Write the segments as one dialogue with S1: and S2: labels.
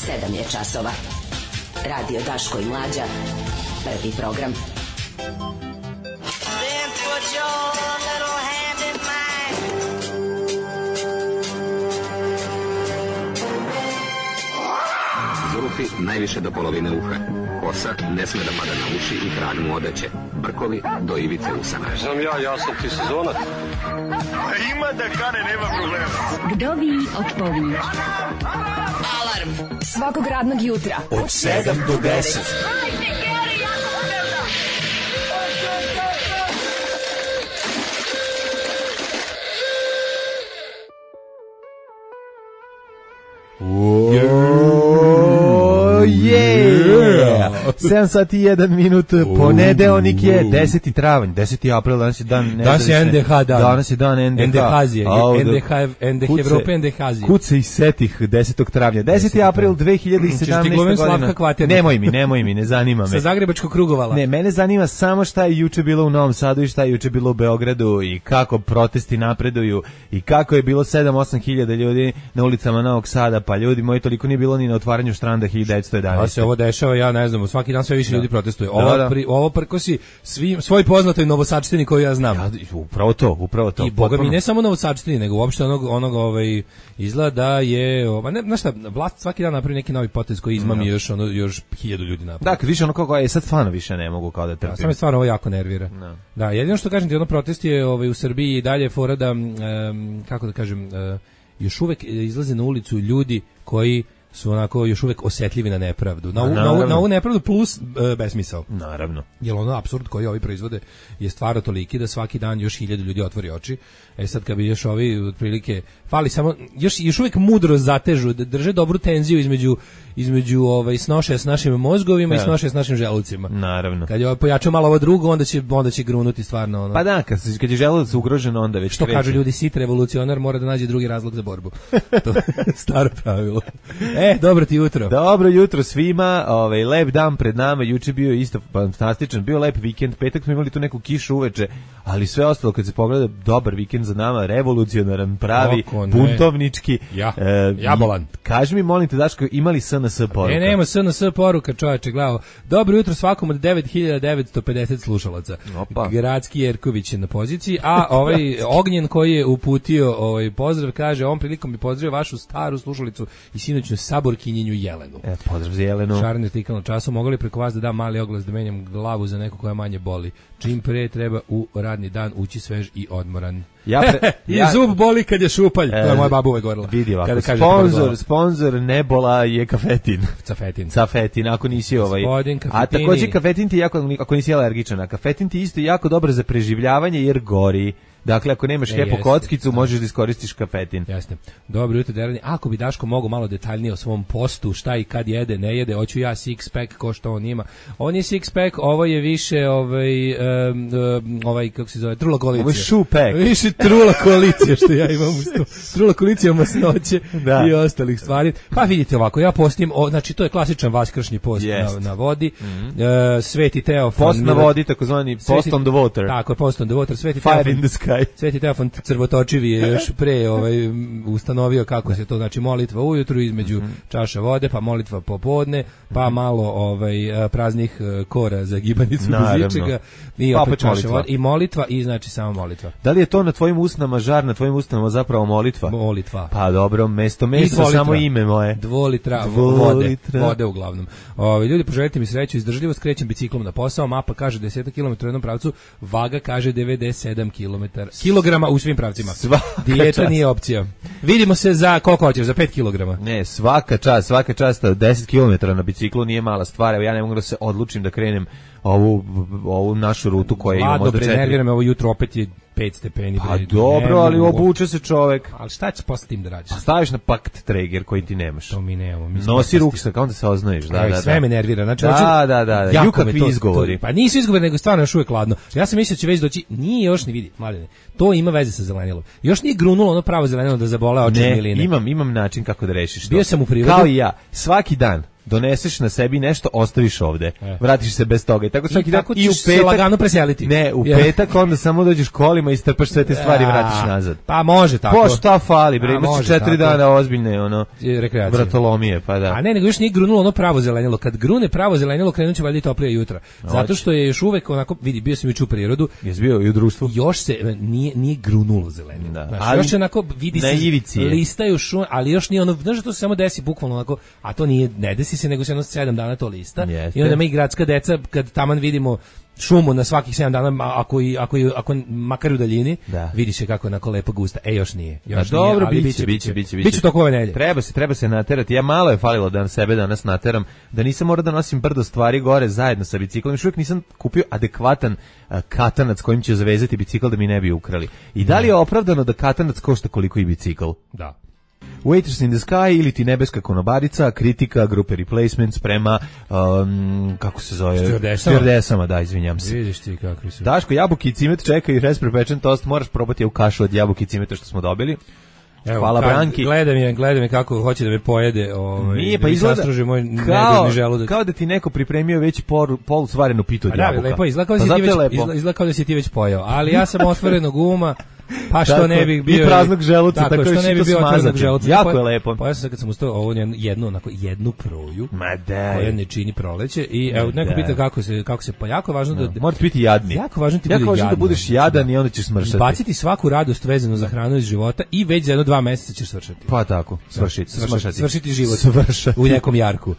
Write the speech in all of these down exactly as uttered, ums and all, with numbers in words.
S1: sedam je časova. Radio Daško i Mlađa. Prvi program.
S2: Zulufi najviše do polovine uha. Kosa ne sme da pada na uši i trag mu odeće. Brkovi do ivice usana.
S3: Znam ja, ja sam ti sezonac.
S4: Ima da kane, nema problema.
S5: Vdovi odpovinj.
S1: Alarm svakog radnog jutra
S6: od sedam do deset. sedam sati i jedan minut, ponedeljnik je deseti travanj, deseti april, danas je dan
S7: danas je N D H dan.
S6: Danas je dan N D H.
S7: N D H-zije, N D H, N D H Evrope, N D H-zije.
S6: Kuce i setih desetog travnja. deseti april dve hiljade sedamnaeste. godine. Nemoj mi, nemoj mi, ne zanima me.
S7: Sa Zagrebačkog krugovala.
S6: Ne, mene zanima samo šta je juče bilo u Novom Sadu i šta je juče bilo u Beogradu i kako protesti napreduju i kako je bilo sedam osam hiljada ljudi na ulicama Novog Sada, pa ljudi moji, toliko nije bilo ni na otvaranju štranda hiljadu devetsto jedanaeste.
S7: A se ovo dešava, ja ne znam, svaki dan sve više da. ljudi protestuje. Ovo, da, da. Pri, ovo prkosi svim, svoj poznatoj Novosadštini koju ja znam.
S6: Ja, upravo to, upravo to.
S7: I boga mi ne samo Novosadštini, nego uopšte onog, onog ovaj, izgleda da je, ova, ne, znaš šta, vlast svaki dan napravi neki novi potez koji izmami no. još, ono, još hiljadu ljudi napravi.
S6: Da, kad više ono kako je, sad stvarno više ne mogu kao da trpim.
S7: Da, samo je stvarno ovo jako nervira. No. Da, jedino što kažem ti, ono protest je ovaj, u Srbiji i dalje fora da, um, kako da kažem, uh, još uvek izlaze na ulicu ljudi koji su onako još uvek osetljivi na nepravdu. Na, na, na, na ovu nepravdu plus e, besmisao.
S6: Naravno.
S7: Jer ono apsurd koji ovi proizvode je stvarno toliki da svaki dan još hiljadu ljudi otvori oči. E sad kad bi još ovi otprilike fali samo još još uvek mudro zatežu, da drže dobru tenziju između između ovaj snoše s našim mozgovima ja. i snoše s našim želucima.
S6: Naravno.
S7: Kad je pojačao malo ovo drugo, onda će onda će grunuti stvarno ono.
S6: Pa da, kad, kad je želudac ugrožen, onda već
S7: što kreće. Kažu ljudi, sit revolucionar mora da nađe drugi razlog za borbu. To je staro pravilo. E, dobro ti jutro.
S6: Dobro jutro svima. Ovaj lep dan pred nama. Juče bio isto fantastičan, bio lep vikend. Petak smo imali tu neku kišu uveče, ali sve ostalo kad se pogleda dobar vikend za nama, revolucionaran, pravi, buntovnički.
S7: Ja. E, Jabolan.
S6: Kaži mi molim te Daško, imali S N S poruka?
S7: Ne, nema S N S poruka, čoveče, gledao. Dobro jutro svakom od devet hiljada devetsto pedeset slušalaca.
S6: Opa.
S7: Gradski Jerković je na poziciji, a ovaj Ognjen koji je uputio ovaj pozdrav kaže, ovom prilikom bi pozdravio vašu staru slušalicu i sinoćnu saborkinjenju Jelenu.
S6: E, pozdrav za Jelenu.
S7: Šarni artikal na času, mogli li preko vas da dam mali oglas da menjam glavu za neko koja manje boli. Čim pre treba u radni dan ući svež i odmoran.
S6: Ja pre,
S7: I
S6: ja,
S7: zub boli kad je šupalj. E, to je moja baba uvek govorila.
S6: Vidi ovako, sponsor, sponsor Nebola je kafetin.
S7: Cafetin.
S6: Cafetin, ako nisi ovaj. A takođe kafetin ti jako, ako nisi alergičan, a kafetin ti isto jako dobar za preživljavanje jer gori. Dakle, ako nemaš hepo kockicu, možeš da iskoristiš kafetin.
S7: Jasno. Dobro jutro, Derani. Ako bi Daško mogao malo detaljnije o svom postu, šta i kad jede, ne jede, hoću ja six pack ko što on ima. On je six pack, ovo je više ovaj um, um, ovaj kako se zove, trula koalicija.
S6: Ovo je shoe pack.
S7: Više trula koalicija što ja imam usto. Trula koalicija masnoće da. I ostalih stvari. Pa vidite ovako, ja postim, o, znači to je klasičan vaskršnji post na, na vodi. Mm-hmm. uh, Sveti Teofan.
S6: Post na vodi, takozvani post on the water.
S7: Tako, post on the water. Sveti
S6: Fire
S7: Teofan.
S6: In the sky.
S7: Sveti Teofan Crvotočivi je još pre ovaj, ustanovio kako se to, znači molitva ujutru između mm-hmm. čaša vode, pa molitva popodne, pa malo ovaj, praznih kora za gibanicu bez ičega i opet čaša molitva. Vode, i molitva i znači samo molitva.
S6: Da li je to na tvojim usnama žar, na tvojim usnama zapravo molitva?
S7: Molitva.
S6: Pa dobro, mesto mesto samo ime moje.
S7: Dvolitra vode, vode uglavnom. Ovi ljudi poželite mi sreću, izdržljivost, krećem biciklom na posao, mapa kaže deset kilometara u jednom pravcu, vaga kaže devedeset sedam kilometara. Kilograma u svim pravcima. Dijeta nije opcija. Vidimo se za koliko hoćeš, za pet kilograma.
S6: Ne, svaka čast, svaka čast, deset kilometara na biciklu nije mala stvar. Evo ja ne mogu da se odlučim da krenem ovu ovu našu rutu koja ima možda četiri.
S7: Nervira me ovo jutro, opet je pet stepeni.
S6: Pa dobro, ali obuče se čovek.
S7: Ali šta će posle tim da radiš?
S6: Pa staviš na pakt trager koji ti nemaš.
S7: To mi nemamo. Mi
S6: nosi ruksak, onda se oznoješ. Da, da, da.
S7: Sve me nervira. Znači,
S6: da, hoću, da, da, da. Ju kakvi to, izgovori.
S7: To, pa nisu izgovori, nego stvarno još uvijek hladno. Ja sam mislio da će već doći, nije još ni vidi, mladine. To ima veze sa zelenilom. Još nije grunulo ono pravo zelenilo da zabole oči miline.
S6: Ne, imam, imam način kako da rešiš to.
S7: Bio sam u prirodu.
S6: Kao i ja, svaki dan doneseš na sebi nešto, ostaviš ovde.
S7: E.
S6: Vratiš se bez toga. I tako svaki
S7: I
S6: dan
S7: tako
S6: i u
S7: ćeš se
S6: petak
S7: lagano preseliti.
S6: Ne, u
S7: Ja.
S6: petak onda samo dođeš kolima i strpaš sve te stvari i vratiš nazad.
S7: Pa može tako.
S6: Po šta fali, bre,
S7: A,
S6: imaš
S7: može
S6: četiri
S7: tako.
S6: dana ozbiljne, ono,
S7: I rekreacije.
S6: vratolomije, pa da.
S7: A ne, nego još nije grunulo ono pravo zelenilo. Kad grune pravo zelenilo, krenut će valjda i toplije jutra. Zato što je još uvek onako, vidi, bio sam juče u prirodu,
S6: Jesi bio i u društvu?
S7: još se e, nije nije grunulo zelenilo.
S6: Da.
S7: Znaš,
S6: Ali
S7: još je onako vidi
S6: na
S7: se
S6: ivici je.
S7: listaju šume, ali još nije ono, znaš da to se samo desi bukvalno onako, a to nije, ne desi se, nego se jedno sedam dana to lista.
S6: Jeste.
S7: I onda mi gradska deca, kad taman vidimo šumu na svakih sedam dana, a ako i ako i ako makar u daljini,
S6: Da.
S7: vidi se kako je onako lepo gusta. E još nije.
S6: A
S7: Još
S6: dobro,
S7: nije, ali
S6: biće, biće, biće, biće.
S7: Biće tokom ove nedelje.
S6: Treba se, treba se naterati. Ja malo je falilo da na sebe danas nateram, da nisam morao da nosim brdo stvari gore zajedno sa biciklom. Još uvijek nisam kupio adekvatan a, katanac kojim će zavezati bicikl da mi ne bi ukrali. I da li je opravdano da katanac košta koliko i bicikl?
S7: Da.
S6: Waiters in the Sky ili ti nebeska konobarica, kritika grupe Replacements prema, um, kako se zove?
S7: Stewardesama.
S6: Stewardesama, da, izvinjam se.
S7: Vidiš ti kakvi su.
S6: Daško, jabuki i cimet čekaju rasprepečen tost, moraš probati u kašu od jabuki i cimeta što smo dobili.
S7: Evo,
S6: Hvala
S7: kad
S6: Branki.
S7: Gledam je, gledam je kako hoće da me pojede, ovaj,
S6: Nije,
S7: da
S6: pa
S7: mi
S6: izgleda
S7: sastruži moj
S6: kao,
S7: negodni želudac.
S6: kao da ti neko pripremio već por, polusvarenu pitu od
S7: A da,
S6: jabuka.
S7: lepo, izgleda kao, da
S6: Pa
S7: si
S6: zato
S7: ti
S6: je
S7: već,
S6: lepo.
S7: izgleda, izgleda kao da si ti već pojao. Ali ja sam otvorenog uma, pa što
S6: Tako,
S7: ne bih bio...
S6: i praznog želuca,
S7: tako,
S6: tako
S7: što
S6: još
S7: ne
S6: i
S7: bi
S6: to
S7: bio otvorenog
S6: smazati.
S7: želuca.
S6: Jako
S7: Pojeo-
S6: je lepo.
S7: Pojao sam sad kad sam ustao ovo jednu, jednu, onako, jednu proju,
S6: Ma da.
S7: koja ne čini proleće. I evo, neko
S6: da.
S7: pita kako se, kako se, pa jako je važno da...
S6: Da. Morate biti jadni.
S7: Jako važno ti
S6: jako
S7: bude
S6: važno da
S7: jadno.
S6: budeš jadan i onda ćeš smršati.
S7: Baciti svaku radost vezanu za hranu iz života i već za jedno dva meseca ćeš svršati.
S6: Pa tako, svršiti,
S7: Svršati,
S6: smršati.
S7: svršiti život.
S6: Svršati.
S7: U nekom jarku.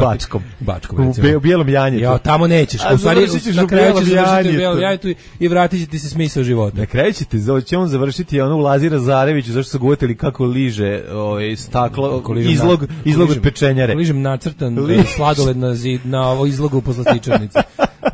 S6: Bačkom.
S7: Bačkom,
S6: U
S7: recimo.
S6: be- u bijelom janjetu.
S7: Ja, tamo nećeš.
S6: A
S7: U stvari,
S6: završit ćeš
S7: na
S6: u
S7: kraju
S6: bijelom
S7: ćeš završiti u
S6: janjetu.
S7: bijelom janjetu i- i vratit će ti se smisao života.
S6: Na kraju ćete, će on završiti ono u Lazira Zareviću, zašto su ga uvetili kako liže ovaj, staklo,
S7: Ako ližem
S6: izlog,
S7: na-
S6: izlog
S7: ako
S6: od pečenjare.
S7: ako ližem nacrtan
S6: Li-
S7: e, sladoled na, zid, na ovo izlogu u poslastičarnici.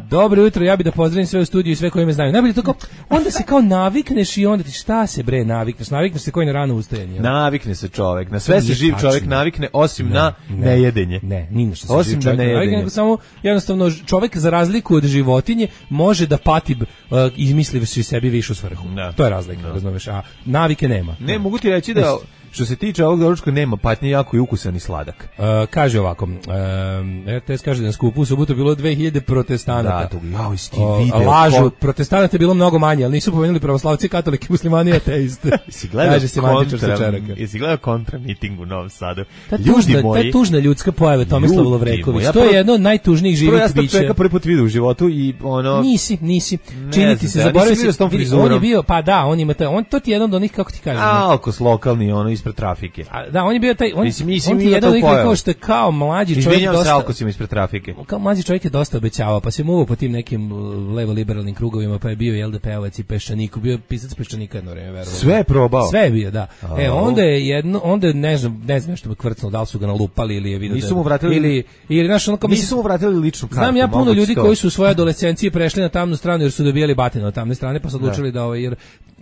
S7: Dobro jutro, ja bih da pozdravim sve u studiju i sve koji me znaju. Najbolje to kao, onda se kao navikneš i onda ti šta se bre navikneš? Navikneš se koji na rano ustajanje.
S6: Navikne se čovek, na sve se
S7: nije
S6: živ
S7: tačno.
S6: čovek navikne, osim
S7: Ne,
S6: na
S7: ne.
S6: nejedenje.
S7: Ne, ni na što se
S6: Osim
S7: živ
S6: da
S7: čovjek
S6: ne
S7: ne navikne,
S6: jedenje.
S7: nego samo jednostavno ž- čovjek za razliku od životinje može da pati uh, izmislivši sebi višu svrhu.
S6: Da.
S7: To je razlika, razumeš, a navike nema.
S6: Ne, mogu ti reći da što se tiče ovog doručka nema patnje, jako i ukusan i sladak.
S7: Uh, kaže ovako, um, R T S kaže da na skupu u subotu bilo dve hiljade protestanata.
S6: Da, to jao, jesi ti
S7: O,
S6: video
S7: lažu,
S6: kon-
S7: protestanata je bilo mnogo manje, ali nisu pomenuli pravoslavci, katolike, muslimani i ateiste.
S6: Jesi gledao
S7: Kaže se Mandičar
S6: kontra,
S7: Sečeraka.
S6: jesi gledao kontra miting u Novom Sadu?
S7: Ta
S6: Ljudi
S7: tužna,
S6: moji,
S7: ta tužna ljudska pojava Tomislav
S6: Ljudi
S7: Lovreković,
S6: moji, ja
S7: to je
S6: prvo-
S7: jedno od najtužnijih
S6: prvo ja
S7: živih
S6: sam tog
S7: bića.
S6: čovjeka prvi put vidio u životu i ono...
S7: Nisi, nisi.
S6: Ne
S7: Čini
S6: znam
S7: ti
S6: se,
S7: se,
S6: ja
S7: zaboravio
S6: nisam vidio
S7: si,
S6: s tom
S7: vidi,
S6: frizurom.
S7: on je bio, pa da, on ima taj, on, to ti je jedan od onih, kako ti kažem,
S6: Alkos lokalni, ono, ispred trafike.
S7: a, da, on je bio taj, on,
S6: Mislim, mislim,
S7: on ti
S6: ima
S7: je jedan
S6: to
S7: od onih
S6: pojava.
S7: kao što je kao mlađi čovjek
S6: Izvinjam se
S7: dosta,
S6: Alkosima ispred trafike.
S7: kao mlađi čovjek je dosta obećavao, pa se muvao po tim nekim uh, levo-liberalnim krugovima, pa je bio i L D P-ovac i Peščaniku, bio je pisac Peščanika jedno vreme, verovatno.
S6: Sve je probao.
S7: Sve je bio, da. E,
S6: Au.
S7: onda je jedno, onda je, ne znam, ne znam nešto mu kvrcnulo, da li su ga nalupali ili je vidio
S6: Nisu
S7: da...
S6: mu vratili-
S7: Ili, ili, znaš, ono kao, mislim,
S6: Nisu mu vratili ličnu kartu.
S7: znam ja puno
S6: moguće
S7: ljudi
S6: to.
S7: koji su u svojoj adolescenciji prešli na tamnu stranu jer su dobijali batine od tamne strane, pa su odlučili da, ovaj, jer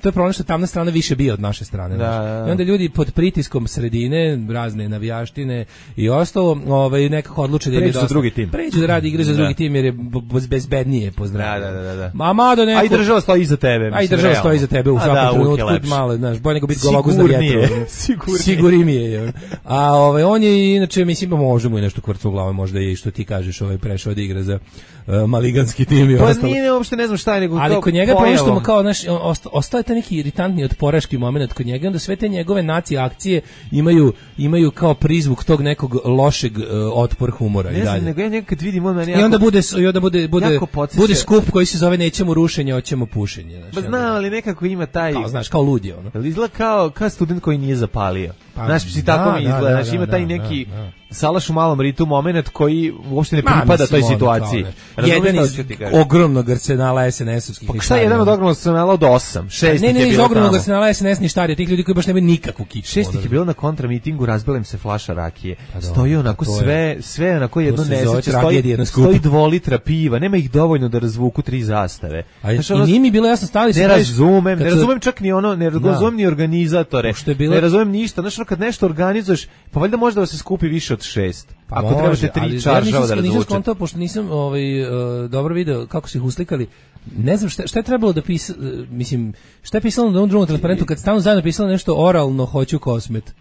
S7: to je problem što tamna strana više bije od naše strane.
S6: Da,
S7: znaš.
S6: da, da.
S7: I onda ljudi pod pritiskom sredine, razne navijaštine i ostalo, ovaj, nekako odluče da im je
S6: Pređu za
S7: dosta.
S6: drugi tim.
S7: Pređu da radi igre za
S6: Da.
S7: drugi tim jer je b- b- bezbednije pozdrav.
S6: Da, da, da, da.
S7: Ma mado neko...
S6: A i država stoji iza tebe.
S7: A i
S6: mislim,
S7: država
S6: realno.
S7: stoji iza tebe u
S6: A
S7: svakom
S6: da, uvijek je
S7: trenutku,
S6: lepše.
S7: malo, znaš, bolje nego biti gologuz na
S6: Sigurnije,
S7: vjetru.
S6: sigurnije.
S7: Sigurnije je. A ovaj, on je, inače, mislim, pa može mu i nešto kvrcu u glavu, možda je i što ti kažeš, ovaj, prešao da igra za uh, maliganski tim i
S6: Pa
S7: ostalo.
S6: nije, ne, uopšte ne znam šta je, nego
S7: Ali
S6: kao
S7: kod njega je problem što mu
S6: pojavom.
S7: kao, znaš, osta- ostao je taj neki iritantni otporaški moment kod njega, onda sve te njegove nacije akcije imaju, imaju kao prizvuk tog nekog lošeg uh, otpor humora
S6: Ne
S7: i
S6: znam,
S7: dalje.
S6: nego ja nekad vidim on meni
S7: I onda
S6: jako-
S7: bude, i onda bude, bude,
S6: jako podsjeća-
S7: bude skup koji se zove nećemo rušenje, hoćemo pušenje. Znaš,
S6: Pa
S7: i onda-
S6: znam, ali nekako ima taj...
S7: kao, znaš, kao lud je ono.
S6: Jel izgleda kao, kao student koji nije zapalio.
S7: Pa,
S6: Znaš, si
S7: da,
S6: tako mi
S7: da,
S6: izgleda.
S7: da,
S6: Znaš, ima
S7: da,
S6: taj
S7: da,
S6: neki
S7: da.
S6: salaš u malom ritu moment koji uopšte ne
S7: Ma,
S6: pripada
S7: mislim,
S6: toj
S7: ono,
S6: situaciji.
S7: kao,
S6: Razumeš
S7: jedan
S6: šta
S7: iz
S6: ću ti kažem?
S7: ogromnog arsenala S N S-ovskih.
S6: Pa šta je jedan od ogromnog arsenala od osam? Šest
S7: Ne,
S6: ih
S7: ne,
S6: je
S7: iz
S6: bilo
S7: ogromnog
S6: tamo.
S7: arsenala S N S ništarija, tih ljudi koji baš nemaju nikakvu kičmu.
S6: Šest ih
S7: ono.
S6: je bilo na kontramitingu, razbila im se flaša rakije.
S7: Pa da,
S6: Stoji onako
S7: to je-
S6: sve, sve onako jedno
S7: se zove
S6: nesreće.
S7: tragedija
S6: Stoji,
S7: na skupu.
S6: stoji dvolitra piva, nema ih dovoljno da razvuku tri zastave.
S7: A
S6: Znaš,
S7: i
S6: ono-
S7: nije mi bilo jasno, stali su...
S6: Ne
S7: kažeš,
S6: razumem,
S7: kad
S6: ne
S7: su-
S6: razumem čak ni ono, ne razumem ni organizatore.
S7: Pošto je bilo-
S6: Ne razumem ništa. Znaš, ono, kad nešto organizuješ, pa valjda može da se skupi više od šest.
S7: Pa
S6: Ako
S7: može,
S6: trebate
S7: ali
S6: tri
S7: ja
S6: čaržava
S7: nisam,
S6: da
S7: nisam
S6: razvuče.
S7: skontao, pošto nisam ovaj, uh, dobro video kako su ih uslikali. Ne znam šta, šta je trebalo da pisa, uh, mislim, šta je pisalo na onom drugom transparentu kad stalno zajedno pisalo nešto oralno hoću kosmet.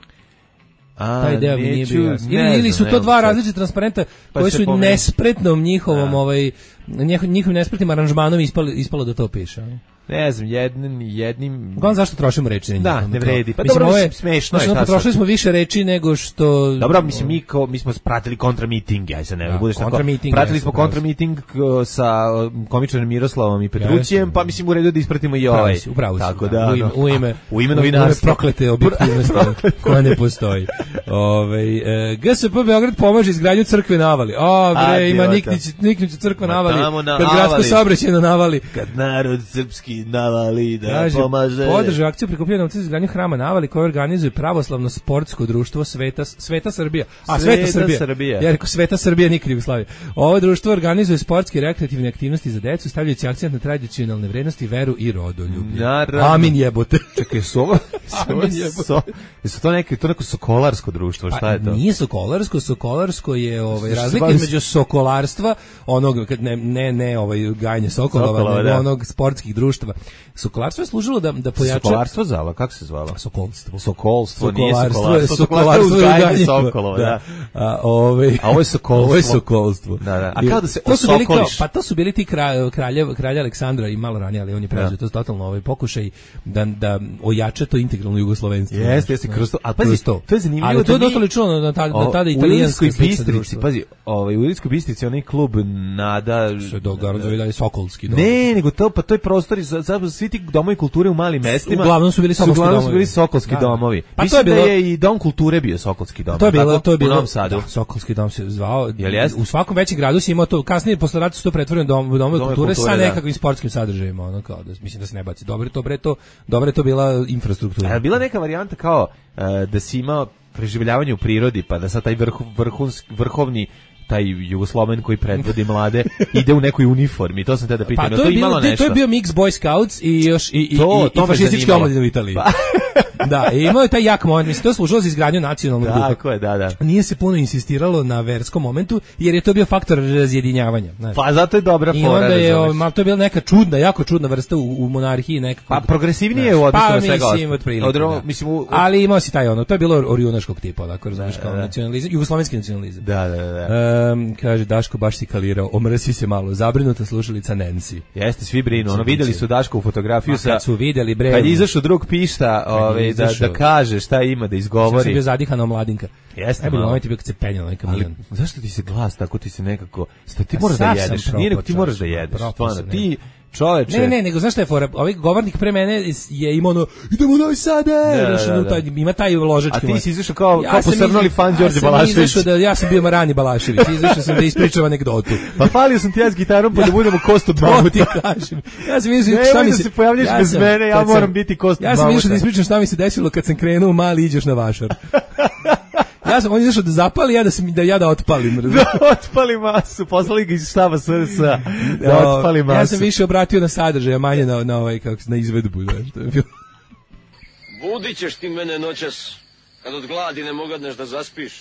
S6: A,
S7: taj deo mi nije
S6: neću,
S7: bio jasno.
S6: ne
S7: Ili, ili su
S6: znam,
S7: to
S6: evo
S7: dva
S6: sad.
S7: različita transparenta
S6: Pa
S7: koji
S6: se
S7: su
S6: pomeni.
S7: nespretnom njihovom,
S6: Da.
S7: ovaj, njih- njihovim nespretnim aranžmanom ispalo, ispalo da to piše. ono.
S6: Ne znam, jednim, jednim...
S7: Uglavnom zašto trošimo reči na njih?
S6: Da,
S7: Ono
S6: ne
S7: kao-
S6: vredi. Pa
S7: mislim,
S6: dobro,
S7: ovo je-
S6: mislim, smešno je,
S7: znači,
S6: šta
S7: potrošili
S6: sad?
S7: smo više reči nego što...
S6: Dobro, mislim, mi, kao, mi smo pratili kontramiting, aj se ne
S7: Da,
S6: budeš tako.
S7: kontramiting,
S6: Pratili
S7: jesu,
S6: smo
S7: pravo si.
S6: kontramiting k- sa uh, komičarem Miroslavom i Petrućijem,
S7: Jesu.
S6: pa mislim u redu da ispratimo i
S7: Upravo
S6: ovaj.
S7: si, upravo si,
S6: Tako
S7: da,
S6: da,
S7: u ime,
S6: no,
S7: u ime,
S6: a, u ime novinarstva.
S7: proklete objektivnosti koja ne postoji. Ove, e, G S P Beograd pomaže izgradnju crkve na Avali. O, bre,
S6: A,
S7: ima
S6: idiota.
S7: Niknić, Niknić crkva
S6: Ma
S7: na Avali,
S6: tamo na
S7: kad gradsko
S6: Avali.
S7: saobraćajno na Avali.
S6: Kad narod srpski navali da
S7: Kaže,
S6: pomaže.
S7: podrže akciju prikupljanja novca za izgradnju hrama na Avali koje organizuje pravoslavno sportsko društvo Sveta, Sveta Srbija. A, Sveta,
S6: Sveta
S7: Srbija.
S6: Srbija.
S7: Ja rekao Sveta Srbija, nikad Jugoslavija. Ovo društvo organizuje sportske i rekreativne aktivnosti za decu, stavljajući akcent na tradicionalne vrednosti, veru i rodoljublje.
S6: Naravno.
S7: Amin jebote.
S6: Čekaj, su ovo?
S7: Amin jebote.
S6: so, su to neko, to neko sokolarsko društvo, šta je to?
S7: Nije sokolarsko, sokolarsko je ovaj
S6: Što se
S7: razlika
S6: bavi-
S7: između sokolarstva, onog kad ne ne ne ovaj gajanje sokolova,
S6: Sokolova,
S7: nego
S6: da.
S7: onog sportskih društava. Sokolarstvo je služilo da da pojača
S6: Sokolarstvo zvala, kako se zvala?
S7: sokolstvo.
S6: Sokolstvo, nije
S7: Sokolarstvo je
S6: sokolarstvo.
S7: sokolarstvo
S6: je
S7: je
S6: uzgajanje
S7: uzgajanje
S6: sokolova, da.
S7: A ovaj
S6: A ovo je sokolstvo.
S7: Ovo je sokolstvo.
S6: Da, da. A
S7: I
S6: kao da se
S7: to su bili kao,
S6: osokoliš.
S7: pa to su bili ti kralj, kraljev, kralj Aleksandra i malo ranije, ali on je preuzeo to totalno ovaj pokušaj da da ojača to integralno jugoslovenstvo.
S6: Jeste, jeste, kroz to. Ali pazi,
S7: Kroz to.
S6: to je zanimljivo
S7: Ali to je
S6: da mi-
S7: dosta lično na, ta, na
S6: O,
S7: tada
S6: u
S7: italijanskoj
S6: Ilirskoj Bistrici, pazi, ovaj, u Ilirskoj Bistrici onaj klub Nada...
S7: se događa zove dalje Sokolski dom.
S6: Ne, nego to, pa to je prostor, za, za, svi ti domovi kulture u malim mestima.
S7: Uglavnom su bili sokolski
S6: uglavnom su
S7: domovi.
S6: bili sokolski
S7: Da, da.
S6: domovi.
S7: Pa to
S6: Mislim
S7: je bilo-
S6: da je i dom kulture bio sokolski dom.
S7: To je bilo,
S6: tako?
S7: to je bilo
S6: U Novom Sadu.
S7: Da, Sokolski dom se zvao.
S6: Jel jest?
S7: U svakom većem gradu si imao to. Kasnije posle rata su to pretvorili u dom, u domove
S6: Domove
S7: kulture,
S6: kulture,
S7: sa
S6: da.
S7: nekakvim sportskim sadržajima, ono kao da mislim da se ne baci. Dobro je to bre to, dobro je to bila infrastruktura.
S6: A je bila neka varijanta kao uh, da si imao preživljavanje u prirodi, pa da sad taj vrh, vrhunski, vrhovni taj Jugosloven koji predvodi mlade ide u nekoj uniformi. To sam te da pitam.
S7: Pa
S6: jel
S7: to je,
S6: imalo
S7: bilo,
S6: nešto?
S7: to je bio mix Boy Scouts i još i, i,
S6: To-
S7: i,
S6: to
S7: i
S6: me
S7: fašistički
S6: zanimalo.
S7: omladine u Italiji. Da, i imao je taj jak moment, mislim, to je služilo za izgradnju nacionalnog duha.
S6: Tako je, da, da.
S7: Nije se puno insistiralo na verskom momentu, jer je to bio faktor razjedinjavanja. Znaš.
S6: Pa zato je dobra
S7: I
S6: fora.
S7: onda je,
S6: razumeš.
S7: o, ma, to je bila neka čudna, jako čudna vrsta u, u monarhiji nekako.
S6: Pa progresivnije je u odnosu
S7: pa,
S6: na svega
S7: mislim,
S6: ostalo.
S7: otprilike,
S6: Od ro-
S7: da.
S6: mislim, u-
S7: Ali imao si taj ono, to je bilo orjunaškog tipa, onako, razumiješ, kao
S6: da.
S7: nacionalizam, jugoslovenski nacionalizam.
S6: Da, da, da.
S7: Um, kaže, Daško baš si kalirao, omrsi se malo, zabrinuta slušalica Nancy.
S6: Jeste, svi brinu. Ono, videli su Daško u fotografiju
S7: Ma,
S6: sa...
S7: kad su vidjeli, bre,
S6: Kad je izašao drug pišta, ovaj, da,
S7: izašao-
S6: da kaže šta ima, da
S7: sam
S6: izgovori.
S7: bio zadihana omladinka.
S6: Jeste
S7: Najbolji
S6: malo.
S7: moment je bio kad se penjala onaj
S6: Ali
S7: kamion.
S6: zašto ti se glas tako, ti se nekako... Sta, ti
S7: Pa
S6: moraš da
S7: sav sam
S6: jedeš.
S7: propao,
S6: Nije nego ti moraš da
S7: čoveče,
S6: jedeš.
S7: propao
S6: Stvarno,
S7: sam,
S6: ti čoveče...
S7: Ne, ne, nego znaš šta je fora? Ovaj govornik pre mene je imao ono, idemo u Novi Sad, e,
S6: Da,
S7: znaš,
S6: da,
S7: ono,
S6: da.
S7: taj, ima taj ložački.
S6: A ti
S7: moment.
S6: si izašao kao,
S7: Ja
S6: kao
S7: sam
S6: posrnuli
S7: iza-
S6: fan
S7: ja
S6: Đorđe
S7: sam
S6: Balašević.
S7: izašao Da, ja sam bio Marani Balašević, izašao sam da ispričam anegdotu.
S6: Pa falio sam ti ja s gitarom pa da budemo kost od
S7: To
S6: mamuta.
S7: ti kažem. Ja sam izašao
S6: Nemoj
S7: šta mi
S6: da
S7: se...
S6: se pojavljaš bez
S7: sam-
S6: mene, ja
S7: kad sam-
S6: moram biti kost od
S7: Ja sam
S6: mamuta.
S7: izašao da ispričam šta mi se desilo kad sam krenuo mali iđeš na vašar. Ja sam, on je izašao da zapali, ja da, sam, da ja da otpalim. razumiješ?
S6: Da otpali masu, poslali ga iz štaba S R S-a. Da otpali masu.
S7: Ja sam više obratio na sadržaj, a manje na, na, ovaj, kako, se- na izvedbu. Znaš, to je bilo.
S3: Budit ćeš ti mene noćas, kad od gladi ne mogadneš da zaspiš.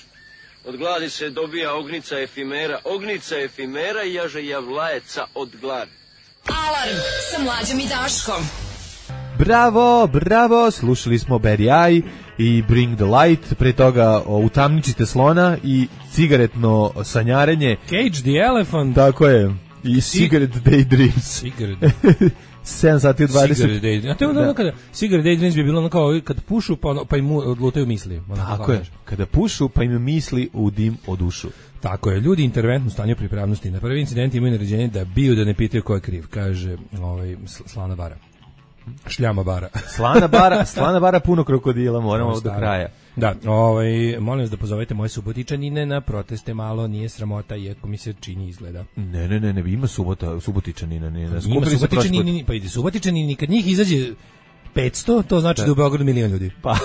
S3: Od gladi se dobija ognica efimera, ognica efimera i jaže javlajeca od gladi.
S1: Alarm sa Mlađom i Daškom.
S6: Bravo, bravo, slušali smo Barry Eye i Bring the Light, pre toga o, Utamničite slona i cigaretno sanjarenje,
S7: Cage the Elephant.
S6: tako je, i Cigarette Daydreams.
S7: Cigarette.
S6: sedam sati u dvadeset.
S7: Cigarette Daydreams. A to je ono
S6: Da.
S7: kada Cigarette Daydreams bi bilo ono kao kad pušu pa, ono- pa im odlutaju misli. Ono
S6: Tako
S7: kao,
S6: je,
S7: znaš.
S6: kada pušu pa im misli u dim o dušu.
S7: Tako je, ljudi interventno stanju pripravnosti. Na prvi incident imaju naređenje da biju da ne pitaju ko je kriv, kaže ovaj, sl- Slana bara. Šljama bara.
S6: Slana bara, slana bara puno krokodila, moramo do
S7: Staro.
S6: kraja.
S7: Da, ovaj, molim vas da pozovete moje subotičanine na proteste malo, nije sramota, iako mi se čini izgleda.
S6: Ne, ne, ne, ne, ima subota, subotičanina, ne, ne,
S7: Ima
S6: skupili se prošli put.
S7: subotičanini, pa ide subotičanini, kad njih izađe petsto, to znači da, da u Beogradu milion ljudi.
S6: Pa,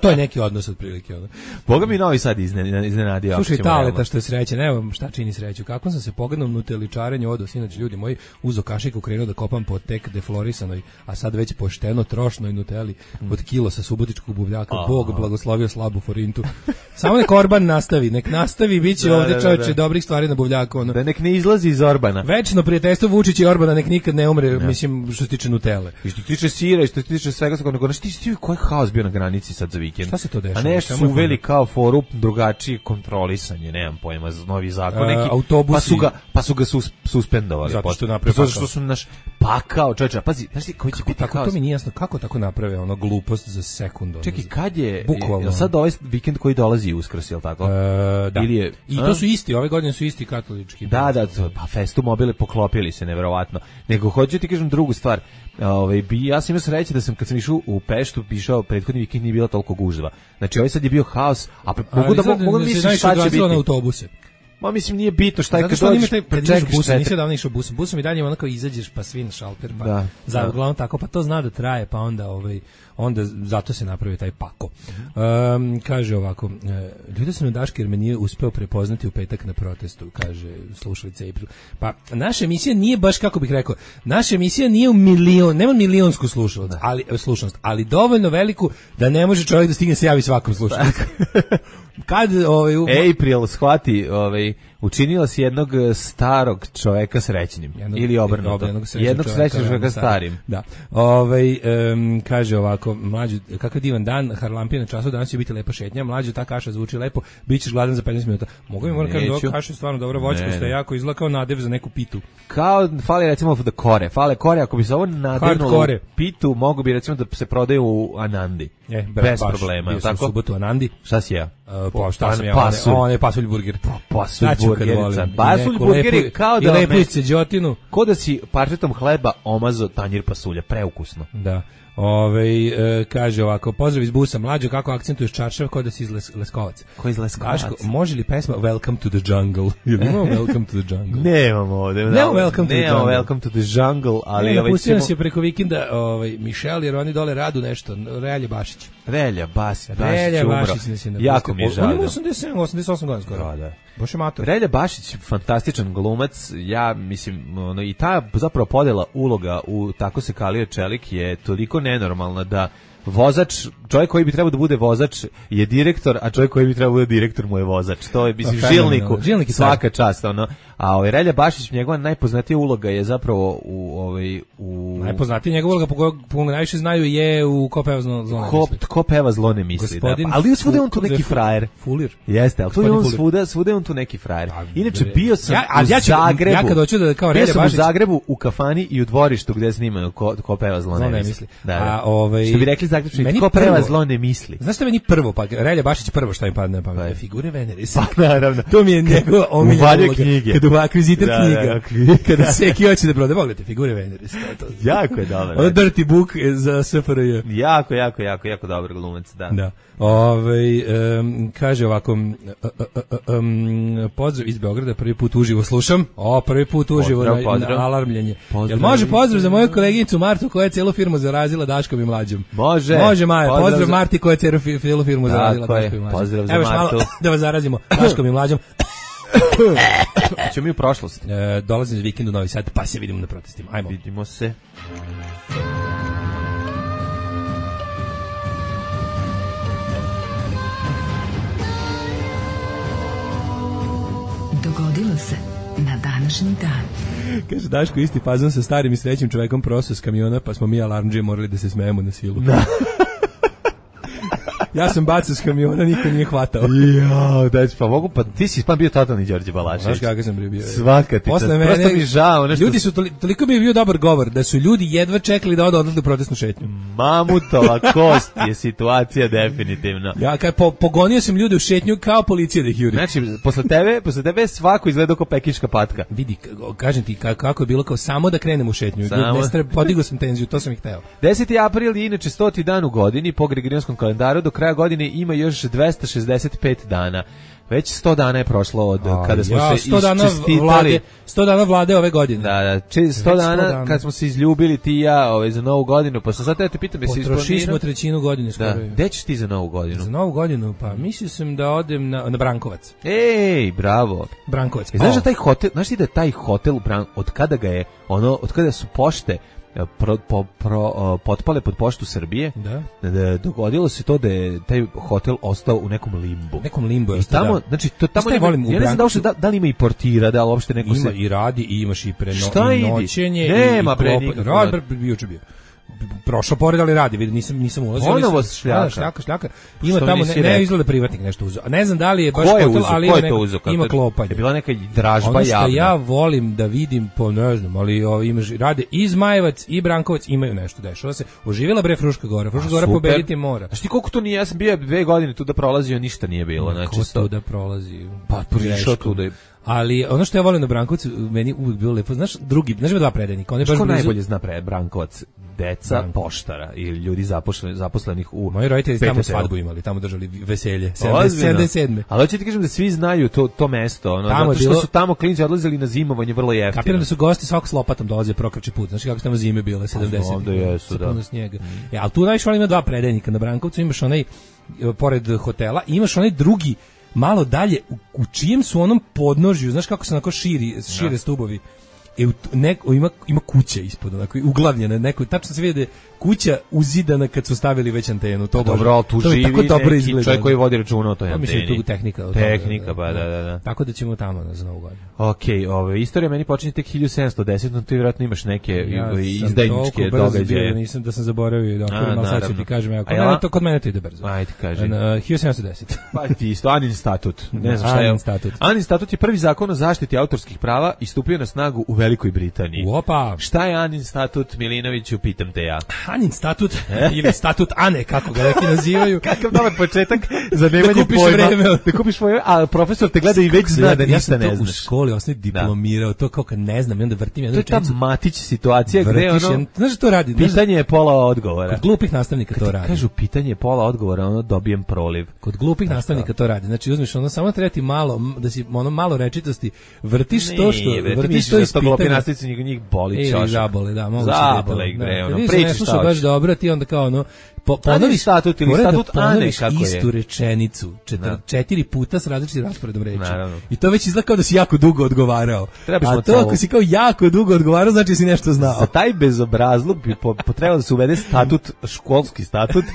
S7: To je neki odnos otprilike. Ono.
S6: Boga mi Novi Sad izne- iznenadio. ako
S7: Slušaj,
S6: ćemo
S7: Taleta
S6: realno.
S7: što je srećan, evo šta čini sreću. Kako sam se pogledom nuteličarenju odo, sinoć ljudi moji, uzo kašiku krenuo da kopam po tek deflorisanoj, a sad već pošteno trošnoj nuteli od kilo sa subotičkog buvljaka. Bog blagoslovio slabu forintu. Samo nek Orban nastavi, nek nastavi, bit će
S6: Da,
S7: ovde
S6: da,
S7: čoveče
S6: da.
S7: dobrih stvari na buvljaku. Ono.
S6: Da nek ne izlazi iz Orbana.
S7: Večno prijateljstvo Vučića i Orbana nek nikad ne umre, mislim, što se tiče nutele.
S6: I što se tiče sira i što se tiče svega, tako nego, znaš, ti si koji haos bio na granici nosi sad za vikend.
S7: Šta se to dešava?
S6: A nešto su uveli kao foru drugačije kontrolisanje, nemam pojma, novi zakon neki.
S7: Autobusi.
S6: Pa su ga, pa su ga sus, suspendovali.
S7: Zato što naprave
S6: Zato što su naš pakao, čovječe, pazi, znaš ti koji će biti
S7: tako,
S6: kao...
S7: to mi nije jasno, kako tako naprave ono glupost za sekundu?
S6: Čekaj, kad je,
S7: bukvalno.
S6: Je sad ovaj vikend koji dolazi Uskrs, je li tako?
S7: E, da.
S6: Ili je,
S7: I to su isti, ove godine su isti katolički.
S6: Da, da, to, pa Festu mobile poklopili se, neverovatno. Nego hoću ti kažem drugu stvar. Ovaj bi ja sam imao sreće da sam kad sam išao u Peštu, išao prethodni vikend nije bilo toliko gužva. Znači ovaj sad je bio haos, a pre, mogu da mogu da mislim šta će biti
S7: na autobuse.
S6: Ma mislim nije bitno šta je kad
S7: dođeš,
S6: prečekaš
S7: bus, nisi davno išao busom. Busom i dalje onako izađeš pa svi na šalter, pa
S6: da,
S7: za
S6: da.
S7: uglavnom tako, pa to zna da traje, pa onda ovaj onda zato se napravi taj pako. Um, kaže ovako, ljudi su na Daške jer me nije uspeo prepoznati u petak na protestu, kaže slušalica April. Pa naša emisija nije baš, kako bih rekao, naša emisija nije u milion, nema milionsku slušalac, ali slušanost, ali dovoljno veliku da ne može čovjek da stigne se javi svakom slušalcu. Kad ovaj u...
S6: April shvati, ovaj učinila si jednog starog čoveka srećnim jednog, ili obrnuto. Jednog srećnog, jednog srećnog čoveka starim.
S7: Da. Ovaj um, kaže ovako, mlađi, kakav divan dan, Harlampija na času, danas će biti lepa šetnja, mlađi, ta kaša zvuči lepo, bićeš gladan za petnaest minuta. Mogu mi moram kažem da ova kaša je stvarno dobra voćka, što je jako izgleda kao nadev za neku pitu.
S6: Kao fali recimo da kore, fale kore, ako bi se ovo nadevnulo pitu, mogu bi recimo da se prodaju u Anandi.
S7: E,
S6: bez baš, problema,
S7: bio
S6: tako?
S7: Sam u subotu Anandi.
S6: Šta si ja?
S7: Uh, pa šta sam ja? Pasulj. On je pasulj burger.
S6: Pa, pasulj burgerica. Pasulj burger je kao da...
S7: I lepice đotinu.
S6: Ko da si parčetom hleba omazo tanjir pasulja, preukusno.
S7: Da. Ove, e, kaže ovako, pozdrav iz busa, mlađo, kako akcentuješ Čaršav, kao da si iz Les, Leskovac.
S6: Ko iz Leskovac?
S7: Daško, može li pesma Welcome to the Jungle? Ili imamo Welcome to the Jungle?
S6: Nemamo ovde.
S7: Nemamo Welcome to the Jungle.
S6: Nemamo Welcome to the Jungle, ali...
S7: Ne, napustio nas je preko vikenda ovaj, Mišel, jer oni dole radu nešto, Relja Bašić.
S6: Relja Bas, Bašić,
S7: Relja Bašić nas je napustio.
S6: Jako mi je žao.
S7: On ima osamdeset sedam, osamdeset osam godina skoro.
S6: Da, da.
S7: Boš je mator.
S6: Relja Bašić, fantastičan glumac, ja mislim, ono, i ta zapravo podela uloga u Tako se kalio čelik je toliko nenormalna da vozač, čovjek koji bi trebao da bude vozač je direktor, a čovjek koji bi trebao da bude direktor mu je vozač. To je, mislim, žilniku,
S7: Žilnik
S6: svaka čast, ono. A ovaj Relja Bašić, njegova najpoznatija uloga je zapravo u ovaj u
S7: najpoznatija njegova uloga po kojoj po najviše znaju je u Ko peva zlo ne misli.
S6: Ko peva zlo ne misli, da. Pa, ali svuda je on tu neki frajer.
S7: Fulir.
S6: Jeste, al tu je on svuda, svuda je on tu neki frajer. Inače bio sam
S7: ja, a
S6: u
S7: ja ću,
S6: Zagrebu.
S7: Ja kad hoću da kao Relja Bašić
S6: u Zagrebu u kafani i u dvorištu gde snimaju Ko, ko peva zlo ne misli. misli. Da, da.
S7: A ovaj
S6: što bi rekli Zagrebčani, Ko peva zlo ne misli.
S7: Znaš šta meni prvo, pa Relja Bašić prvo šta mi padne na pamet, figure Veneris.
S6: Pa naravno.
S7: To mi je njegova omiljena uloga.
S6: Kad
S7: u akvizitor
S6: da,
S7: knjiga.
S6: Da,
S7: kada Seki hoće da proda, pogledajte, figure Veneris.
S6: Jako je dobar.
S7: Ono dirty book za S F R J.
S6: Jako, jako, jako, jako dobar glumac, da.
S7: Da. Ove, um, kaže ovako, um, um, pozdrav iz Beograda, prvi put uživo slušam. O, prvi put uživo pozdrav, na, pozdrav. na alarmljenje. Pozdrav. Jel može pozdrav za moju koleginicu Martu koja je celu firmu zarazila Daškom i Mlađom?
S6: Može.
S7: Može, Maja. Pozdrav, pozdrav
S6: za...
S7: Marti koja je celu, celu firmu
S6: da,
S7: zarazila Daškom i Mlađom.
S6: Pozdrav za
S7: Evo
S6: Martu.
S7: Malo, da vas zarazimo Daškom i Mlađom.
S6: Ćemo mi u prošlost.
S7: E, dolazim za vikend u Novi Sad, pa se vidimo na protestima. Ajmo.
S6: Vidimo se.
S1: Dogodilo se na današnji dan.
S7: Kaže Daško, isti fazon sa starim i srećnim čovekom prosto s kamiona, pa smo mi alarmđije morali da se smejemo na silu.
S6: Da.
S7: Ja sam bacao s kamiona, niko nije hvatao.
S6: Jo, da, pa mogu, pa ti si pa bio totalni Đorđe Balašević.
S7: Znaš kakav sam bio.
S6: Svaka ti,
S7: posle mene,
S6: prosto mi žao. Nešto...
S7: Ljudi su, toliko, toliko mi je bio dobar govor, da su ljudi jedva čekali da odu odlaze u protestnu šetnju.
S6: Mamutova kost je situacija definitivno.
S7: Ja, kaj, po, pogonio sam ljude u šetnju kao policija da ih juri.
S6: Znači, posle tebe, posle tebe svako izgleda kao pekinška patka.
S7: Vidi, kažem ti, kako je bilo kao samo da krenem u šetnju. Ne, podigao sam tenziju, to sam ih hteo.
S6: deseti april je inače stoti dan u godini, po Gregorijanskom kalendaru, do kraja godine ima još dvesta šezdeset pet dana. Već sto dana je prošlo od A, kada smo ja, se iščestitali.
S7: sto dana vlade ove godine.
S6: Da, da, če, sto dana, dana kad smo se izljubili ti i ja ovaj, za novu godinu, pa sam sad te pitam, jesi isplanirao?
S7: Potrošili smo trećinu godine skoro.
S6: Da. Gde ćeš ti za novu godinu?
S7: Za novu godinu, pa mislio sam da odem na, na Brankovac.
S6: Ej, bravo.
S7: Brankovac.
S6: E, znaš da taj hotel, znaš ti da taj hotel, od kada ga je, ono, od kada su pošte Pro, po, pro, potpale pod poštu Srbije,
S7: da.
S6: Da, dogodilo se to da je taj hotel ostao u nekom limbu.
S7: Nekom limbu.
S6: I tamo, da. Znači, to tamo nema, ja ne znam da, uopšte, da, da li ima i portira, da li uopšte neko
S7: ima
S6: se...
S7: i radi i imaš i preno,
S6: šta
S7: i noćenje.
S6: Nema
S7: i,
S6: pre
S7: i
S6: nikako.
S7: Rad, bio će bio. prošao pored, ali radi, vidim, nisam nisam ulazio.
S6: Ponovo
S7: nisam,
S6: šljaka.
S7: Da, šljaka, šljaka. Ima
S6: Što
S7: tamo
S6: nisi
S7: ne, ne
S6: rekao?
S7: izgleda privatnik nešto uzeo. Ne znam da li je baš
S6: Ko je
S7: hotel,
S6: uzeo?
S7: ali
S6: Ko
S7: ima,
S6: je to
S7: neka-
S6: uzeo? Kako
S7: ima
S6: je-
S7: klopanje.
S6: Je bila neka dražba
S7: Ono što
S6: javna.
S7: ja volim da vidim, po ne znam, ali o, ima, ži- rade i Zmajevac i Brankovac imaju nešto, dešava se. Oživjela bre Fruška Gora, Fruška Gora
S6: super.
S7: pobediti mora.
S6: Znaš ti koliko to nije, ja sam bio dve godine tu da prolazio, ništa nije bilo. Znači,
S7: Ko
S6: sto-
S7: to da prolazi?
S6: Pa prišao
S7: Greškom.
S6: tu da je...
S7: Ali ono što ja volim na Brankovcu, meni uvijek bilo lepo, znaš, drugi, znaš ima dva predajnika, on je
S6: Znaš
S7: baš
S6: ko
S7: blizu.
S6: najbolje zna pre Brankovac? Deca
S7: Branko.
S6: poštara ili ljudi zaposleni, zaposlenih u
S7: Moji roditelji tamo
S6: P T T-u.
S7: svadbu imali, tamo držali veselje,
S6: Ozbiljno.
S7: sedamdeset sedme.
S6: Ali hoću ti kažem da svi znaju to, to mesto, ono,
S7: Tamo
S6: zato
S7: je
S6: što
S7: bilo-
S6: su tamo klinci odlazili na zimovanje vrlo jeftino.
S7: Kapiram da su gosti svako s lopatom dolaze prokrči put. Znači kako su tamo zime bile sedamdeset.
S6: znam da jesu, da.
S7: Puno snijega. E, ali tu najviše volim ima dva predajnika na Brankovcu, imaš onaj e, pored hotela, i imaš onaj drugi malo dalje u, u čijem su onom podnožju, znaš kako se onako širi, šire stubovi. E, u t- neko, ima, ima kuća ispod, onako, uglavljena, neko, tačno se vidi da je kuća uzidana kad su stavili već antenu. To
S6: Dobro, ali tu
S7: to mi
S6: živi
S7: tako dobro
S6: neki
S7: izgleda.
S6: čovjek koji vodi računa o toj
S7: Pa mislim
S6: anteni.
S7: tu tehnika. od toga,
S6: Tehnika, pa da, da, da.
S7: Tako da ćemo tamo na za Novu godinu.
S6: Ok, ove, istorija meni počinje tek hiljadu sedamsto desete, no ti vjerojatno imaš neke
S7: Ja
S6: ove,
S7: sam
S6: izdajničke
S7: toliko brzo bio
S6: događaje.
S7: da nisam da sam zaboravio da
S6: A,
S7: okvirim, ali sad ću
S6: naravno.
S7: ti kažem, ja, kod,
S6: A ja-
S7: mene, to, kod mene to ide brzo.
S6: Ajde, kaži.
S7: Na, hiljadu sedamsto deset.
S6: Pa ti isto, Anin statut. Ne znam šta je.
S7: Anin statut.
S6: Anin statut je prvi zakon o zaštiti autorskih prava i stupio na snagu u Velikoj Britaniji.
S7: Opa!
S6: Šta je Anin statut, Milinoviću, pitam te ja.
S7: Anin statut, ili statut Ane, kako ga neki nazivaju.
S6: Kakav dobar početak za nemanje
S7: Da kupiš
S6: pojma.
S7: vreme.
S6: Da kupiš vreme, a profesor te gleda i već zna da
S7: ja
S6: ništa
S7: sam
S6: ne
S7: to u
S6: znaš.
S7: školi osnovni diplomirao, to kao kad ne znam, i onda vrtim jednu
S6: To je ta
S7: rečenicu.
S6: Matić situacija gde
S7: Vrtiš
S6: ono,
S7: jednu- znaš što to radi? Znaš,
S6: pitanje je pola odgovora.
S7: kod glupih nastavnika to
S6: Kad
S7: radi.
S6: kažu pitanje je pola odgovora, ono dobijem proliv.
S7: Kod glupih nastavnika to radi. Znači uzmeš ono samo treba ti malo m, da si ono malo rečitosti, vrtiš to što
S6: Nije, bre, ti
S7: vrtiš
S6: misliš
S7: to
S6: da
S7: iz
S6: sto glupi
S7: pitanja.
S6: nastavnici njih, njih boli
S7: Ili
S6: ćošak.
S7: zabole, da, moguće
S6: Zabole
S7: da je
S6: ih,
S7: to.
S6: bre,
S7: Da,
S6: ono,
S7: kad vidiš da
S6: priča
S7: ne
S6: šta
S7: sluša baš
S6: hoćeš.
S7: dobro, ti onda kao ono, po,
S6: Ani
S7: ponoviš
S6: statut ili
S7: fora da
S6: statut Ane,
S7: ponoviš
S6: kako je.
S7: istu rečenicu četir,
S6: Da.
S7: četiri puta s različitim rasporedom reči.
S6: Naravno.
S7: I to već izgleda kao da si jako dugo odgovarao.
S6: Trebaš
S7: A
S6: mu
S7: to
S6: celu-
S7: ako si kao jako dugo odgovarao, znači da si nešto znao.
S6: Za taj bezobrazluk bi po, potrebalo da se uvede statut, školski statut.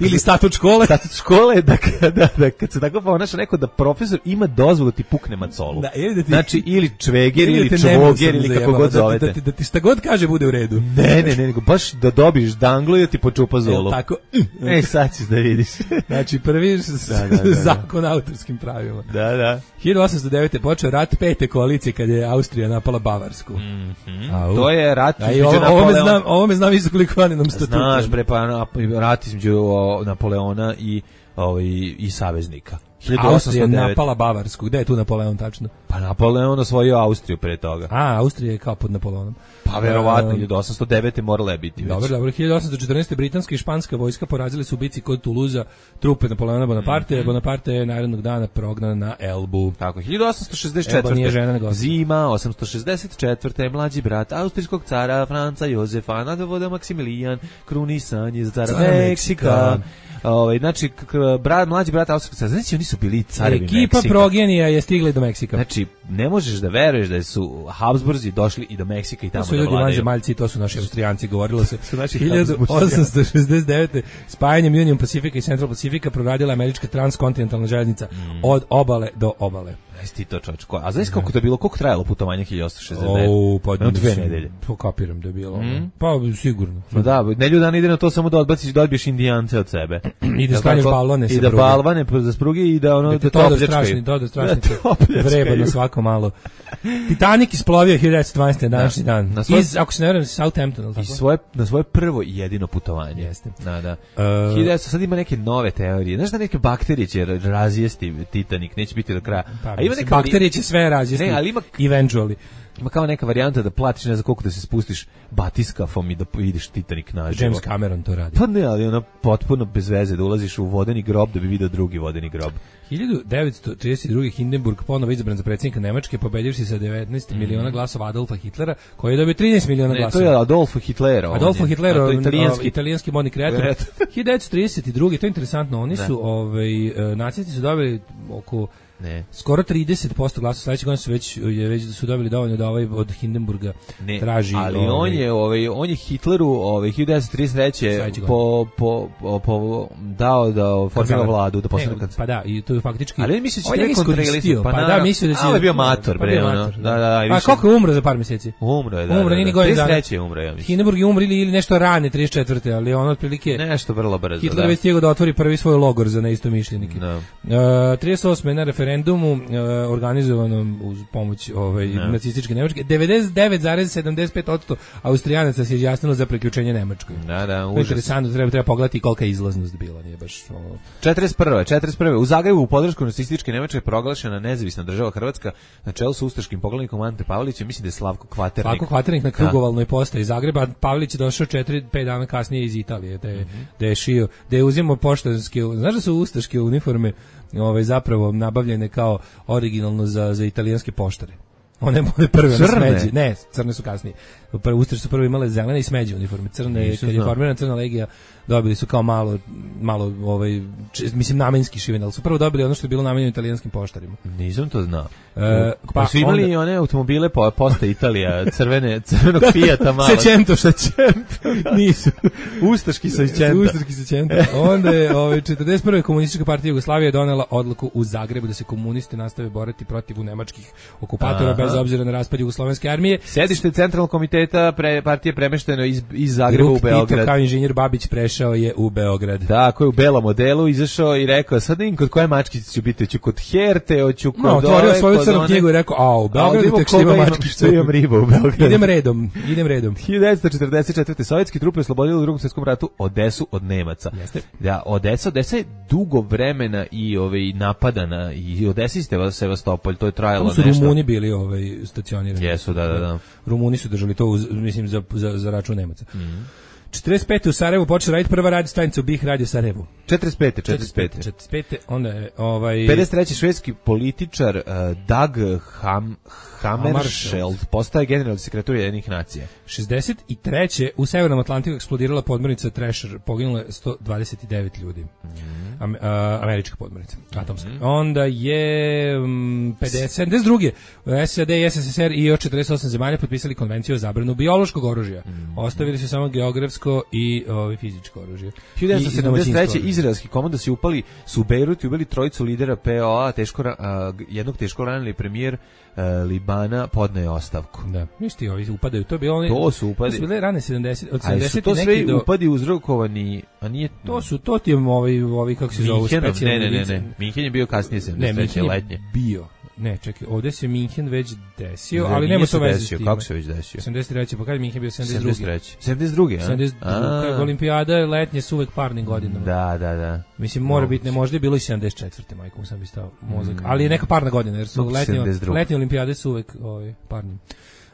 S7: Ili statut škole.
S6: Statut škole, da, da, da, kad se tako ponaša neko da profesor ima dozvolu da ti pukne macolu.
S7: Da, ili da ti-
S6: Znači, ili čveger,
S7: Ili
S6: ili
S7: te
S6: čvoger,
S7: nemoćno
S6: ili kako
S7: zajebava,
S6: god
S7: da,
S6: zovete.
S7: Da, da, da ti šta god kaže bude u redu.
S6: Ne, ne, ne, nego baš da dobiš danglu i da ti počupa
S7: Jel
S6: zulu.
S7: tako?
S6: E, sad ćeš da vidiš.
S7: Znači prvi s-
S6: Da, da, da, da.
S7: zakon o autorskim pravima.
S6: Da, da.
S7: hiljadu osamsto devete počeo rat pete koalicije kad je Austrija napala Bavarsku. Au.
S6: To je rat
S7: A i
S6: između
S7: ovo, ovo me
S6: Napoleona-
S7: znam, ovo me znam isto koliko Aninom statutu.
S6: Znaš, bre, pa na- rat između o, Napoleona i, ovaj, i saveznika. hiljadu osamsto
S7: Austrija
S6: devet.
S7: napala Bavarsku. Gde je tu Napoleon tačno?
S6: Pa Napoleon osvojio Austriju pre toga.
S7: A, Austrija je kao pod Napoleonom.
S6: Pa verovatno,
S7: Um,
S6: hiljadu osamsto devete morala je biti već.
S7: Dobro, dobro. hiljadu osamsto četrnaeste. britanska i španska vojska porazili su u bici kod Tuluza trupe Napoleona Bonaparte.
S6: Mhm.
S7: Bonaparte je narednog dana prognan na Elbu.
S6: Tako, hiljadu osamsto šezdeset
S7: Elba nije
S6: četvrte.
S7: žena, nego osamsto.
S6: Zima, osamsto šezdeset četvrte. Mlađi brat austrijskog cara Franca Jozefa nadvoda Maksimilijan krunisan je za cara
S7: Cara
S6: Meksika.
S7: Meksika.
S6: Ovaj, znači, k- k- brat, mlađi brat austrijskog cara. Znači, oni su bili carevi
S7: Ekipa
S6: Meksika.
S7: progenija je stigla i do Meksika.
S6: Znači, ne možeš da veruješ da su Habsburzi došli i do Meksika i
S7: To
S6: tamo
S7: su
S6: da
S7: ljudi
S6: vladaju.
S7: vanzemaljci, to su naši Austrijanci, govorilo se.
S6: Su naši
S7: hiljadu osamsto šezdeset devete. spajanjem Union Pacifica i Central Pacifica proradila američka transkontinentalna željeznica
S6: Mm.
S7: od obale do obale.
S6: Znaš ti to, čovječ, ko- a znaš kako to je bilo, koliko trajalo putovanje hiljadu osamsto šezdeset devete?
S7: O, pa
S6: Jedno dve
S7: mislim,
S6: nedelje.
S7: To kapiram da je bilo.
S6: Mm.
S7: Pa sigurno.
S6: Ma da, nedelju dana ide na to samo da odbaciš, da odbiješ indijance od sebe.
S7: I da
S6: Jel
S7: sklanjaš
S6: tako?
S7: balvane
S6: I
S7: sa
S6: da
S7: pruge.
S6: balvane za spruge i da ono
S7: Da
S6: da
S7: te
S6: to
S7: to da
S6: opljačkaju.
S7: strašni, to da strašni.
S6: Da te opljačkaju.
S7: Vreba na svako malo. Titanic isplovio hiljadu devetsto dvanaeste. na današnji dan.
S6: Na svoj-
S7: Iz, ako se ne verujem, Southampton, ili
S6: I
S7: tako?
S6: svoje, na svoje prvo i jedino putovanje.
S7: Jeste.
S6: Da, da.
S7: E,
S6: hiljadu devetsto sad ima neke nove teorije. Znaš da neke bakterije će razjesti Titanic, neće biti do kraja.
S7: Pa,
S6: A ima
S7: mislim,
S6: neka
S7: bakterije će sve razjesti.
S6: Ne, ali ima-
S7: Eventually.
S6: Ima kao neka varijanta da platiš ne znam koliko da se spustiš batiskafom i da vidiš Titanic naživo.
S7: James Cameron to radi.
S6: Pa ne, ali ono potpuno bez veze da ulaziš u vodeni grob da bi video drugi vodeni grob.
S7: hiljadu devetsto trideset druge. Hindenburg ponovo izabran za predsjednika Nemačke, pobedivši sa devetnaest miliona glasova Adolfa Hitlera, koji je dobio trinaest miliona
S6: Ne, to
S7: glasova.
S6: je Adolfo Hitlera. on
S7: Adolfo
S6: je.
S7: Hitler,
S6: A to je
S7: italijanski,
S6: italijanski.
S7: italijanski modni kreator.
S6: Kreator.
S7: hiljadu devetsto trideset druge. To je interesantno. Oni su, ovaj, e, nacisti su dobili oko
S6: Ne.
S7: Skoro trideset posto glasova sledeće godine su već je već da su dobili dovoljno da ovaj od Hindenburga
S6: ne,
S7: traži.
S6: Ali
S7: ovaj,
S6: on je ovaj on je Hitleru ovaj hiljadu devetsto trideset treće po, po, po, po dao da formira vladu, da postane kancelar.
S7: Pa da, i to je faktički.
S6: Ali misliš da
S7: je iskoristio, pa, pa da, mislio da će.
S6: Ali bio mator, bre, ono. Da, da, da.
S7: A kako je umro za par meseci?
S6: Umro je, da.
S7: Umro nije godinu dana.
S6: trideset treće umro, ja mislim.
S7: Hindenburg je umro ili nešto rane trideset četvrte, ali on otprilike
S6: nešto vrlo brzo.
S7: Hitler već stigao da otvori prvi svoj logor za neistomišljenike. Uh, trideset osme na referendumu uh, organizovanom uz pomoć ovaj no. nacističke Nemačke, devedeset devet zarez sedamdeset pet posto Austrijanaca se izjasnilo za priključenje Nemačkoj.
S6: Da, da,
S7: užas. Interesantno, treba treba pogledati kolika je izlaznost bila, nije baš ovo.
S6: četrdeset prve četrdeset prve u Zagrebu u podršku nacističke Nemačke proglašena nezavisna država Hrvatska na čelu sa ustaškim poglavnikom Ante Pavelićem, mislim da je Slavko Kvaternik.
S7: Slavko Kvaternik na krugovalnoj postaji Zagreba, Pavelić je došao četiri pet dana kasnije iz Italije, da je, mm-hmm. da je šio, da je uzimao poštanske, znaš da su ustaške uniforme ovaj zapravo nabavljene kao originalno za za italijanske poštare. One bile prve na smeđi. Ne, crne su kasnije. Prvo Ustaše su prvo imale zelene i smeđe uniforme. Crne, kad je formirana Crna legija, dobili su kao malo, malo ovaj, č, mislim namenski šivene, ali su prvo dobili ono što je bilo namenjeno italijanskim poštarima.
S6: Nisam to znao.
S7: E,
S6: pa, pa su imali onda... one automobile po posta Italija, crvene, crvenog Fijata malo.
S7: Sećento, sećento. Nisu.
S6: Ustaški sećento.
S7: Ustaški sećento. Onda je ovaj, četrdeset prve komunistička partija Jugoslavije donela odluku u Zagrebu da se komunisti nastave boriti protiv nemačkih okupatora. Aha. Bez obzira na raspad Jugoslovenske armije.
S6: Sedište centralnog komiteta pre, partije premešteno iz, iz Zagreba
S7: Drug
S6: u Beograd.
S7: Tito kao inženjer Babić prešao je u Beograd.
S6: Da, koji je u belom modelu izašao i rekao, sad vidim kod koje mačkice ću biti, hoću kod Herte, hoću kod
S7: no, ove. Otvorio svoju crnu knjigu i rekao, a u Beogradu tek što ima mačkice.
S6: Što imam riba u Beogradu.
S7: Idem redom, idem redom.
S6: hiljadu devetsto četrdeset četvrte sovjetski trupe oslobodili u Drugom svjetskom ratu Odesu od Nemaca.
S7: Jeste.
S6: Da, Odesa, Odesa je dugo vremena i ovaj napadana i Odesa ste Sevastopolj, to je trajalo nešto.
S7: Tamo su Rumuni bili ovaj stacionirani.
S6: Jesu, da, da, da.
S7: Rumuni su držali to, uz, mislim, za, za, za račun Nemaca. Mm. četrdeset pete u Sarajevu počela raditi prva radio stanica u B I H Radio Sarajevu.
S6: četrdeset pete četrdeset pete
S7: četrdeset pete onda je ovaj
S6: pedeset treće švedski političar uh, Dag Ham, Hammarskjöld postaje generalni sekretar Ujedinjenih nacija.
S7: šezdeset treće u Severnom Atlantiku eksplodirala podmornica Thrasher, poginulo je sto dvadeset devet ljudi. Mm. Am, uh, američka podmornica, atomska. Mm. Onda je um, pedeset, sedamdeset druge S A D i S S S R i još četrdeset osam zemalja potpisali konvenciju o zabranu biološkog oružja. Mm. Ostavili su samo geografsko i ovaj fizičko oružje.
S6: hiljadu devetsto sedamdeset treće izraelski komandosi upali su u Bejrut i ubili trojicu lidera P O A, teško a, jednog teško ranili premijer a, Libana podne ostavku.
S7: Da. Mišti, ovi upadaju, to bi oni.
S6: To su upadi.
S7: To su bile rane sedamdeset od sedamdeset
S6: to
S7: neki do
S6: upadi uzrokovani, a nije
S7: to su to ti ovi ovi kako se zovu specijalni.
S6: Ne, ne, ne, ne. Minhen je bio kasnije sedamdeset treće letnje.
S7: Bio. Ne, čekaj, ovdje se Minhen već desio, ne, ali nema to veze s tim.
S6: Kako se već desio?
S7: sedamdeset treće pa kad je Minhen bio sedamdeset druge
S6: sedamdeset druge
S7: sedamdeset druge Olimpijada je letnje su uvek parnim godinama.
S6: Da, da, da.
S7: Mislim, mora biti, ne možda je bilo i sedamdeset četvrte majkom sam bi stao mozak, mm. ali je neka parna godina, jer su letnje, letnje olimpijade su uvek ovaj, parnim.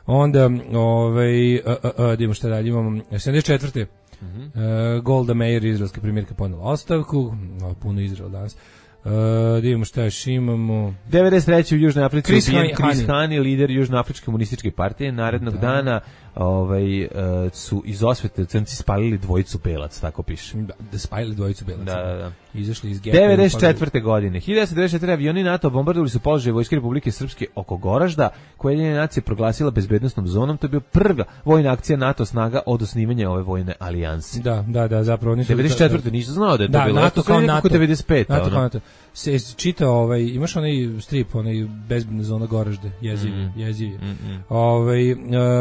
S7: Onda, ovaj, a, a, a, idemo šta dalje, imamo sedamdeset četvrte Mm-hmm. Uh, Golda Meir, izraelska premijerka, ponela ostavku, no, puno Izrael danas. Uh, da vidimo šta još imamo.
S6: devedeset treće u Južnoj Africi Chris, ubijen Chris Hani, lider Južnoafričke komunističke partije. Narednog da. dana ovaj, uh, su iz osvete crnci spalili dvojicu belac, tako piše.
S7: Da, da spalili dvojicu belac.
S6: Da, da, da.
S7: Izašli iz geta.
S6: devedeset četvrte godine. hiljadu devetsto devedeset četvrte avioni NATO bombardovali su položaje Vojske Republike Srpske oko Goražda, koje je nacija proglasila bezbednosnom zonom. To je bio prva vojna akcija NATO snaga od osnivanja ove vojne alijanse.
S7: Da, da, da, zapravo oni su
S6: devedeset četvrte nisam znao da je to
S7: da,
S6: bilo.
S7: NATO kao NATO.
S6: devedeset pete
S7: NATO kao NATO. Se čita ovaj, imaš onaj strip, onaj bezbedna zona Goražde, jeziv, mm. jeziv. Mm -mm. Ovaj uh,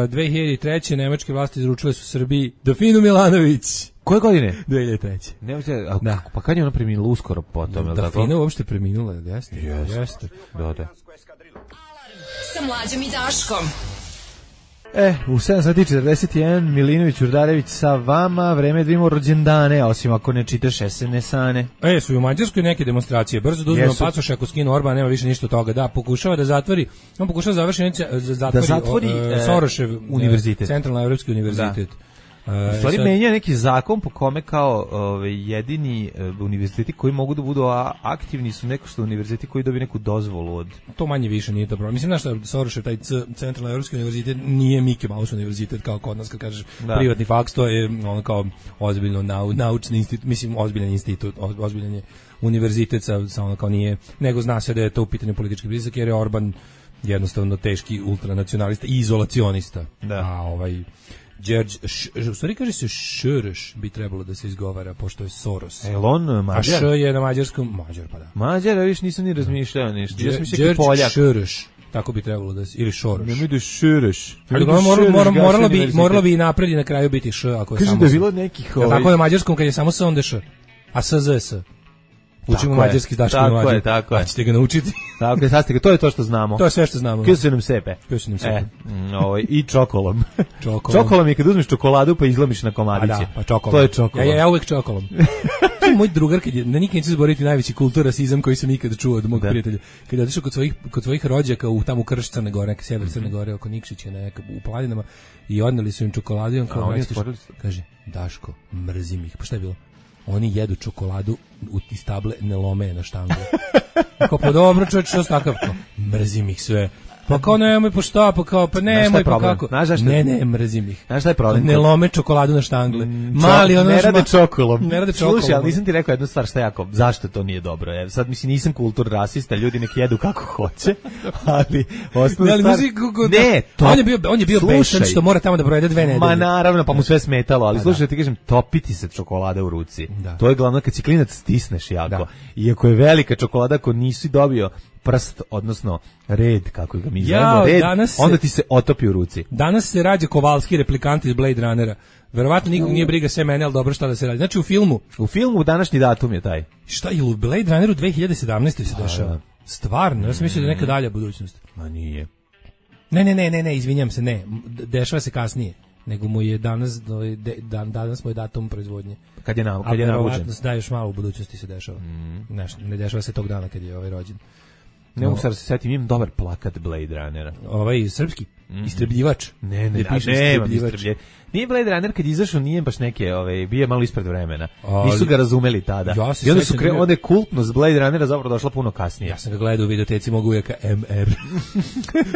S7: dve hiljade treće nemačke vlasti izručile su Srbiji Dofinu Milanović.
S6: Koje godine?
S7: dve hiljade treće
S6: Nemojte, a da. Pa kad je ona preminula uskoro potom, je li tako?
S7: Dofina uopšte preminula, jeste?
S6: Jeste.
S7: Jeste.
S6: Da, da.
S1: Sa Mlađom i Daškom.
S6: E, u sedam sati četrdeset jedan Milinović Urdarević sa vama, vreme da imamo rođendane, osim ako ne čitaš es em es-ane.
S7: E, su u Mađarskoj neke demonstracije, brzo da uzmemo pasoše ako skinu Orban, nema više ništa od toga, da, pokušava da zatvori, on pokušava završiti, zatvori,
S6: da zatvori
S7: uh, Sorošev
S6: univerzitet,
S7: Centralno Evropski univerzitet.
S6: Da. U stvari menja neki zakon po kome kao ove, jedini uh, univerziteti koji mogu da budu a, aktivni su neko što univerziteti koji dobiju neku dozvolu od...
S7: To manje više nije to problem. Mislim, znaš šta, Soroshev, taj C, Centralno Evropski univerzitet nije Mickey Mouse univerzitet kao kod nas kad kažeš da. Privatni faks, to je ono kao ozbiljno nau, naučni institut, mislim ozbiljan institut, ozbiljan je univerzitet sa, sa ono kao nije, nego zna se da je to u pitanju politički blizak jer je Orban jednostavno teški ultranacionalista i izolacionista.
S6: Da.
S7: A ovaj George, u stvari kaže se Šrš bi trebalo da se izgovara, pošto je Soros.
S6: E, on Mađar?
S7: A Š je na mađarskom, Mađar pa da.
S6: Mađar, a viš nisam ni razmišljao ništa. Ja sam mislio
S7: George
S6: Poljak.
S7: Šrš, tako bi trebalo da se, ili Šoroš.
S6: Ne mi da Šrš.
S7: Moralo bi, moralo bi i napred i na kraju biti Š, ako je
S6: Kažem
S7: samo
S6: da je bilo nekih...
S7: Ovaj... Tako je na mađarskom kad je samo S onda Š, a S Z S. Učimo mađarski s Daškom i Mlađom.
S6: Tako je,
S7: a ćete ga naučiti.
S6: Tako je, sad ste ga, to je to što znamo.
S7: To je sve što znamo.
S6: Kje su nam sepe.
S7: Kje su nam sepe.
S6: E, ovaj, i čokolom.
S7: Čokolom.
S6: Čokolom je kad uzmeš čokoladu pa izlomiš na komadiće.
S7: A da, pa čokolom.
S6: To je čokolom.
S7: Ja, ja, ja uvek čokolom. To je moj drugar, kad je, na nikad neće zaboraviti najveći kulturasizam koji sam ikad čuo od mog da. prijatelja. Kad je otišao kod svojih, kod svojih rođaka u tamo u Krš Crne Gore, neke sjever Crne Gore, oko Nikšića, neka, u planinama, i odneli su im čokoladu i on kao, kaže, Daško, mrzim ih. Pa šta je bilo? Oni jedu čokoladu u iz table, ne lome je na štangu. Kao, pa dobro, čovječ, što stakav? Mrzim ih sve. Pa kao nemoj, pa šta, pa kao, pa nemoj, pa kako? Ne, ne, mrzim ih.
S6: Znaš šta je problem?
S7: Ne lome čokoladu na štangle. Mali, ono
S6: ne rade čokolom.
S7: Ne rade čokolom.
S6: Slušaj, ali nisam ti rekao jednu stvar šta jako, zašto to nije dobro. Jer sad, mislim, nisam kultur rasista, ljudi nek jedu kako hoće, ali osnovna stvar... Ne, to...
S7: On je bio, on je bio besan što mora tamo da provede dve nedelje.
S6: Ma naravno, pa mu sve smetalo, ali slušaj, ti kažem, topiti se čokolada u ruci. To je glavno, kad si klinac stisneš jako. Iako je velika čokolada, ako nisi dobio prst, odnosno red, kako ga mi zovemo, red, onda ti se otopi u ruci.
S7: Danas se rađa Kovalski, replikant iz Blade Runnera. Verovatno nikog nije briga sve mene, ali dobro šta da se radi. Znači u filmu...
S6: U filmu današnji datum je taj.
S7: Šta je u Blade Runneru dve hiljade sedamnaeste se dešava? Stvarno, ja sam mislio da je neka dalja budućnost.
S6: Ma nije.
S7: Ne, ne, ne, ne, ne, izvinjam se, ne. Dešava se kasnije. Nego mu je danas, dan, danas mu je datum proizvodnje.
S6: Kad je, na, kad je navučen.
S7: A da, još malo u budućnosti se dešava. Mm. Ne, ne dešava se tog dana kad je ovaj rođen.
S6: Ne mogu sad se setim, imam dobar plakat Blade Runnera.
S7: Ovaj srpski, mm. istrebljivač.
S6: Ne, ne, piše istrebljivač. Nije Blade Runner kad izašao, nije baš neke, ovaj, bio je malo ispred vremena. Ali, nisu ga razumeli tada.
S7: Ja
S6: I onda su kre, onda je kultnost Blade Runnera zapravo došla puno kasnije.
S7: Ja sam ga gledao u videoteci mogu uvijeka M R.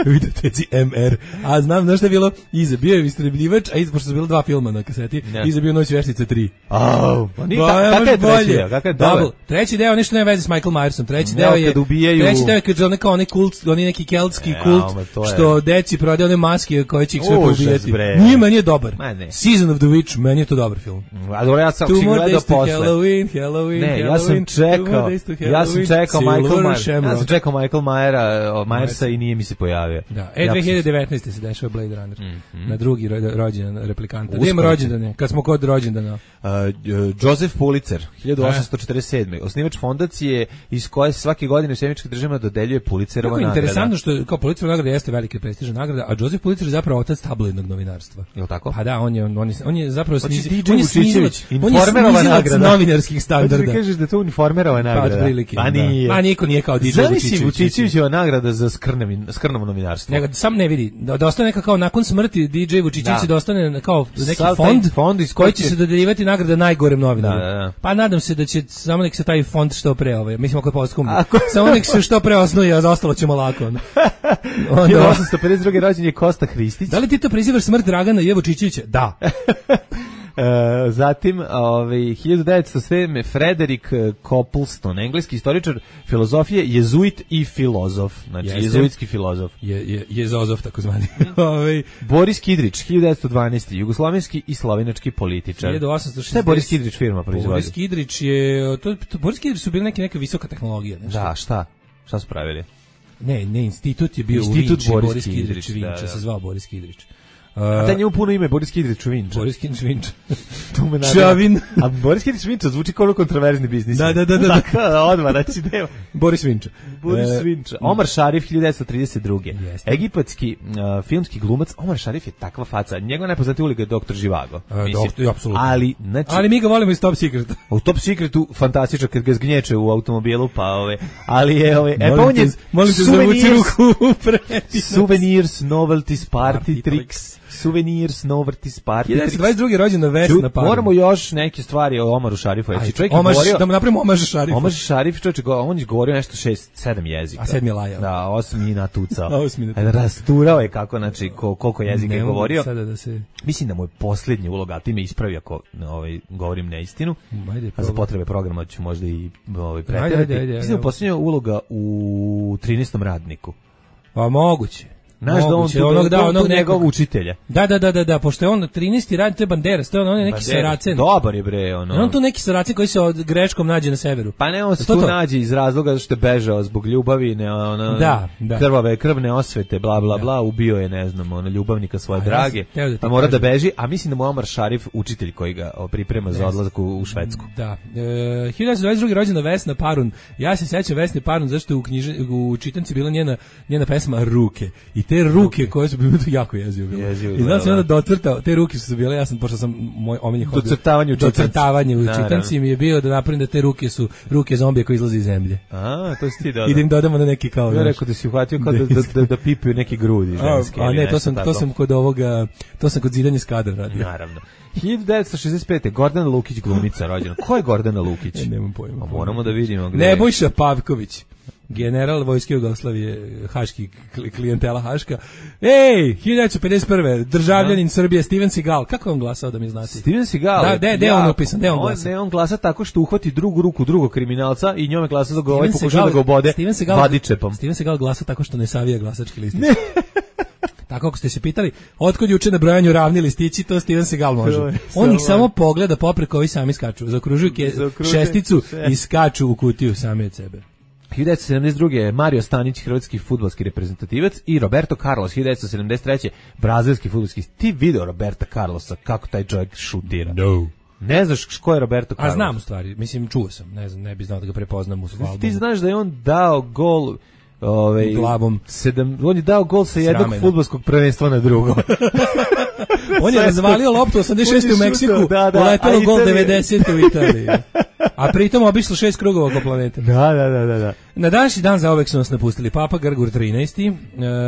S7: U videoteci M R. A znam, znaš šta je bilo? Iza bio je istrebljivač, a iza, pošto su bilo dva filma na kaseti, yeah. Iza bio Noć veštica tri.
S6: Oh, pa nije, kakav je treći deo? Kakav je dobar?
S7: Treći deo, nešto nema veze s Michael Myersom. Treći deo je, treći deo je kad je kao onaj kult, onaj neki keltski kult, što deci prodaje one maske koje će ih sve poubijati. Nije, meni je dobar. Season of the Witch, meni je to dobar film.
S6: A dobro, ja sam ga gledao posle.
S7: Halloween, Halloween,
S6: ne, ja sam čekao, ja sam čekao Michael Myers, ja sam čekao Michael Myera, Myersa i nije mi se pojavio.
S7: Da, e, dve hiljade devetnaeste se dešava Blade Runner, mm-hmm. na drugi rođendan replikanta. Gdje ima rođendane, kad smo kod rođendana?
S6: Uh, Joseph Pulitzer, hiljadu osamsto četrdeset sedme. Osnivač fondacije iz koje se svake godine u Sjemičkih državama dodeljuje Pulitzerova nagrada.
S7: Interesantno što kao Pulitzerova nagrada jeste velika prestižna nagrada, a Joseph Pulitzer je zapravo otac tabloidnog novinarstva.
S6: Je tako?
S7: Pa da, on je on, on, je, on je zapravo
S6: snizi,
S7: on je snizilac, on je snizilac novinarskih standarda.
S6: Ti kažeš da to uniformerova nagrada.
S7: Pa, prilike,
S6: pa nije.
S7: Pa niko nije kao D J Vučićević.
S6: Vučićevićeva nagrada za skrnavi, skrnavo novinarstvo.
S7: Nego sam ne vidi, da, da ostane neka kao nakon smrti D J Vučićević da. da ostane kao neki Sal fond, fond iz koji će se dodeljivati nagrada najgorem novinaru. Da, da, da. Pa nadam se da će samo nek se taj fond što pre, ovaj, mislim ako je poskum. Samo nek se što pre osnuje, a za ostalo ćemo lako.
S6: Onda hiljadu osamsto pedeset druge rođen je Kosta Hristić.
S7: Da li ti to prizivaš smrt Dragana J. Vučićevića? Da.
S6: Uh, zatim ovaj hiljadu devetsto sedme Frederick Copleston, engleski istoričar filozofije, jezuit i filozof, znači Jeste. jezuitski filozof.
S7: Je je jezozov takozvani. Ovaj
S6: Boris Kidrić, hiljadu devetsto dvanaeste jugoslovenski i slovenački političar.
S7: hiljadu osamsto šezdeset.
S6: Šta je Boris Kidrić firma proizvodi?
S7: Boris Kidrić je to, to Boris Kidrić su bili neke neka visoka tehnologija, nešto.
S6: Da, šta? Šta su pravili?
S7: Ne, ne, institut je bio
S6: institut
S7: u Vinči,
S6: Boris,
S7: Boris Kidrić,
S6: Kidrić
S7: Vinča,
S6: da, da.
S7: se zvao Boris Kidrić.
S6: Uh, a da njemu puno ime, Boris Kidrić Vinča.
S7: Boris Kidrić Vinča.
S6: Čavin. A Boris Kidrić Vinča zvuči kao kontroverzni biznis.
S7: Da, da, da. da.
S6: da odmah, znači nema.
S7: Boris Vinča.
S6: Boris e, Vinča. Omar Šarif, hiljadu devetsto trideset druge. Jeste. Egipatski uh, filmski glumac. Omar Šarif je takva faca. Njegova najpoznatija uliga je doktor Živago.
S7: E, doktor, apsolutno.
S6: Ali, znači,
S7: ali mi ga volimo iz Top Secreta.
S6: U Top Secretu fantastično kad ga zgnječe u automobilu, pa ove. Ali je ove. E, pa on je
S7: molim te zavuci ruku u prepi.
S6: Souvenirs, novelties, party, party tricks. Suvenir, Snovrtis, Party.
S7: hiljadu devetsto dvadeset druge rođena Vesna Parun.
S6: Moramo još neke stvari o Omaru Šarifu. Znači, čovjek je
S7: Omaž,
S6: govorio...
S7: da mu napravimo Omaž Šarifu.
S6: Omaž Šarif, čovjek, on je govorio nešto šest, sedam jezika.
S7: A sedmi je lajao.
S6: Da, osmi natucao.
S7: Osmi natucao.
S6: Rasturao je kako, znači, ko, koliko jezika
S7: ne
S6: je govorio.
S7: Sada da se...
S6: Mislim da mu je posljednja uloga, a ti me ispravi ako ovaj, govorim neistinu,
S7: Ajde,
S6: a za potrebe programa ću možda i ovaj,
S7: Ajde,
S6: preterati.
S7: ajde, ajde,
S6: Mislim da je posljednja uloga u trinaestom radniku.
S7: Pa moguće.
S6: Znaš da on tu,
S7: onog, da, onog
S6: nekog učitelja.
S7: Da, da, da, da, da, pošto je on trinaesti radi, to je Banderas, to je on, on je neki Saracen.
S6: Dobar je bre, ono.
S7: Je on tu neki Saracen koji se od greškom nađe na severu.
S6: Pa ne, on se tu to? nađe iz razloga što je bežao zbog ljubavi, ne, ono,
S7: da, da.
S6: krvave, krvne osvete, bla, bla, bla, ubio je, ne znam, ono, ljubavnika svoje a drage, ja da a mora kažem. da beži, a mislim da mu Omar Šarif, učitelj koji ga priprema za odlazak u, u Švedsku.
S7: Da. E, hiljadu devetsto dvadeset druge rođena Vesna Parun. Ja se sećam Vesne Parun zašto je u, knjiže, u čitanci bila njena, njena pesma Ruke. I te ruke koje su bile jako jezivo bilo. I znam se onda docrtao, te ruke su bile, ja sam, pošto sam moj omiljeni hobi.
S6: Docrtavanje u čitanci.
S7: Docrtavanje u čitanci mi je bio da napravim da te ruke su ruke zombije koji izlaze iz zemlje.
S6: A, to si ti dodao.
S7: I da im dodamo na neki kao.
S6: Ja rekao da si uhvatio kao da, da, da, da pipaju neki grudi ženski.
S7: A, a ne, to sam, to sam kod ovoga, to sam kod zidanja skadra radio.
S6: Naravno. hiljadu devetsto šezdeset pete. Gordana Lukić, glumica rođena. Ko je Gordana Lukić?
S7: Ja, nemam pojma.
S6: A moramo da vidimo gde.
S7: Nebojša Pavković. General vojske Jugoslavije, haški klijentela haška. Ej, hiljadu devetsto pedeset prve. Državljanin Srbije Steven Seagal. Kako on glasao da mi znate?
S6: Steven Seagal.
S7: Da, de, de on upisan, de on glasa.
S6: Ne, on glasa tako što uhvati drugu ruku drugog kriminalca i njome glasa da ga ovaj pokuša da ga obode vadičepom.
S7: Steven Seagal glasa tako što ne savija glasački listić. Tako ako ste se pitali, otkud juče na brojanju ravni listići, to Steven Seagal može. On ih samo pogleda popreko, ovi sami skaču. Zaokružuju šesticu i skaču u kutiju sami od sebe.
S6: hiljadu devetsto sedamdeset druge. Mario Stanić, hrvatski fudbalski reprezentativac, i Roberto Carlos, hiljadu devetsto sedamdeset treće. brazilski fudbalski. Ti video Roberta Carlosa, kako taj čovjek šutira?
S7: No.
S6: Ne znaš ko je Roberto Carlos?
S7: A znam u stvari, mislim čuo sam, ne znam, ne bi znao da ga prepoznam u svom albumu.
S6: Ti znaš da je on dao gol ovaj
S7: glavom.
S6: Sedam, on je dao gol sa jednog fudbalskog prvenstva na drugo.
S7: On je razvalio loptu osamdeset šeste u Meksiku, da, da, uletelo gol devedesete u Italiji. A pritom obišlo šest krugova oko planete.
S6: Da, da, da, da.
S7: Na današnji dan zaovek su nas napustili Papa Grgur trinaesti, e,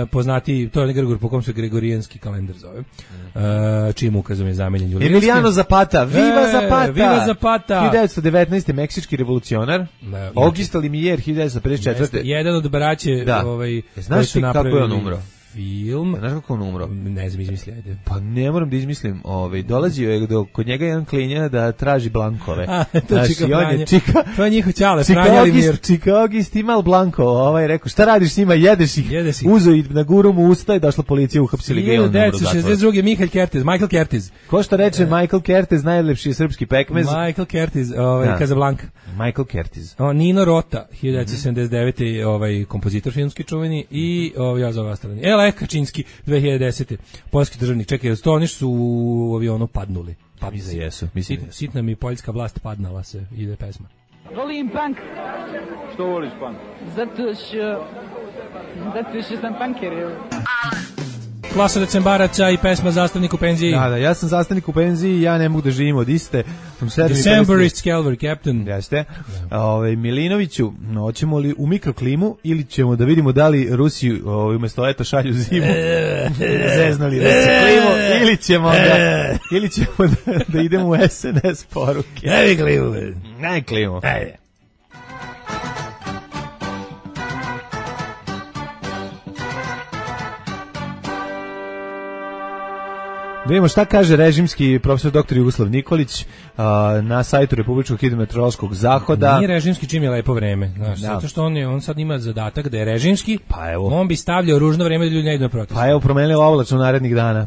S7: poznati, to je Grgur po kom se gregorijanski kalendar zove, e, čijim ukazom je zamenjen Julijanski.
S6: Emiliano Zapata, viva
S7: e,
S6: Zapata!
S7: Viva Zapata!
S6: hiljadu devetsto devetnaeste. meksički revolucionar,
S7: da,
S6: Augusto Limier, hiljadu devetsto pedeset četvrte.
S7: Jedan od braće,
S6: da.
S7: ovaj,
S6: znaš ti kako je on umro?
S7: Film.
S6: Znaš kako on umro?
S7: Ne znam, izmisli, ajde.
S6: Pa ne moram da izmislim. Ovaj, dolazio je do, kod njega jedan klinja da traži blankove.
S7: A, to
S6: znaš,
S7: čika
S6: Franje. Čika,
S7: to je njihov ćale, Franja Limir.
S6: Čika August imal blanko. Ovaj, rekao, šta radiš s njima, jedeš ih.
S7: Jedeš ih.
S6: Uzo i na guru mu usta i došla policija, uhapsili ga i on umro.
S7: hiljadu devetsto šezdeset druge. Michael Kertez, Michael Kertez.
S6: Ko što reče, Michael Kertez, najlepši srpski pekmez.
S7: Michael Kertez, ovaj, da. Casablanca.
S6: Michael Kertez.
S7: O, Nino Rota, hiljadu devetsto sedamdeset devete. ovaj, kompozitor filmski čuveni, i ovaj, ja za ova strana. Ele Kačinski, dve hiljade desete. Poljski državnik, čekaj, sto oni su u avionu padnuli.
S6: Pa mi za jesu. Mislim.
S7: Sit, sitna mi poljska vlast padnala se, ide pesma.
S8: Volim punk.
S4: Što voliš punk?
S8: Zato što... Zato što sam punker.
S7: Klasa decembaraca i pesma Zastavnik u penziji.
S6: Da, da, ja sam zastavnik u penziji, ja ne mogu da živim od iste.
S7: Decemberist Calvary Captain.
S6: Jeste. Ovaj Milinoviću, hoćemo li u mikroklimu ili ćemo da vidimo da li Rusi ovaj umesto leta šalju zimu? Zeznali Rusi klimu ili ćemo da ili ćemo da, da idemo u es en es poruke.
S7: Ajde klimu.
S6: Ajde klimu.
S7: Ajde.
S6: Da vidimo šta kaže režimski profesor doktor Jugoslav Nikolić uh, na sajtu Republičkog hidrometeorološkog zahoda.
S7: Nije režimski čim je lepo vreme, znaš, da. Zato što on, je, on sad ima zadatak da je režimski, pa evo. On bi stavljao ružno vreme da ljudi ne idu na protest.
S6: Pa evo, promenilo oblačno narednih dana.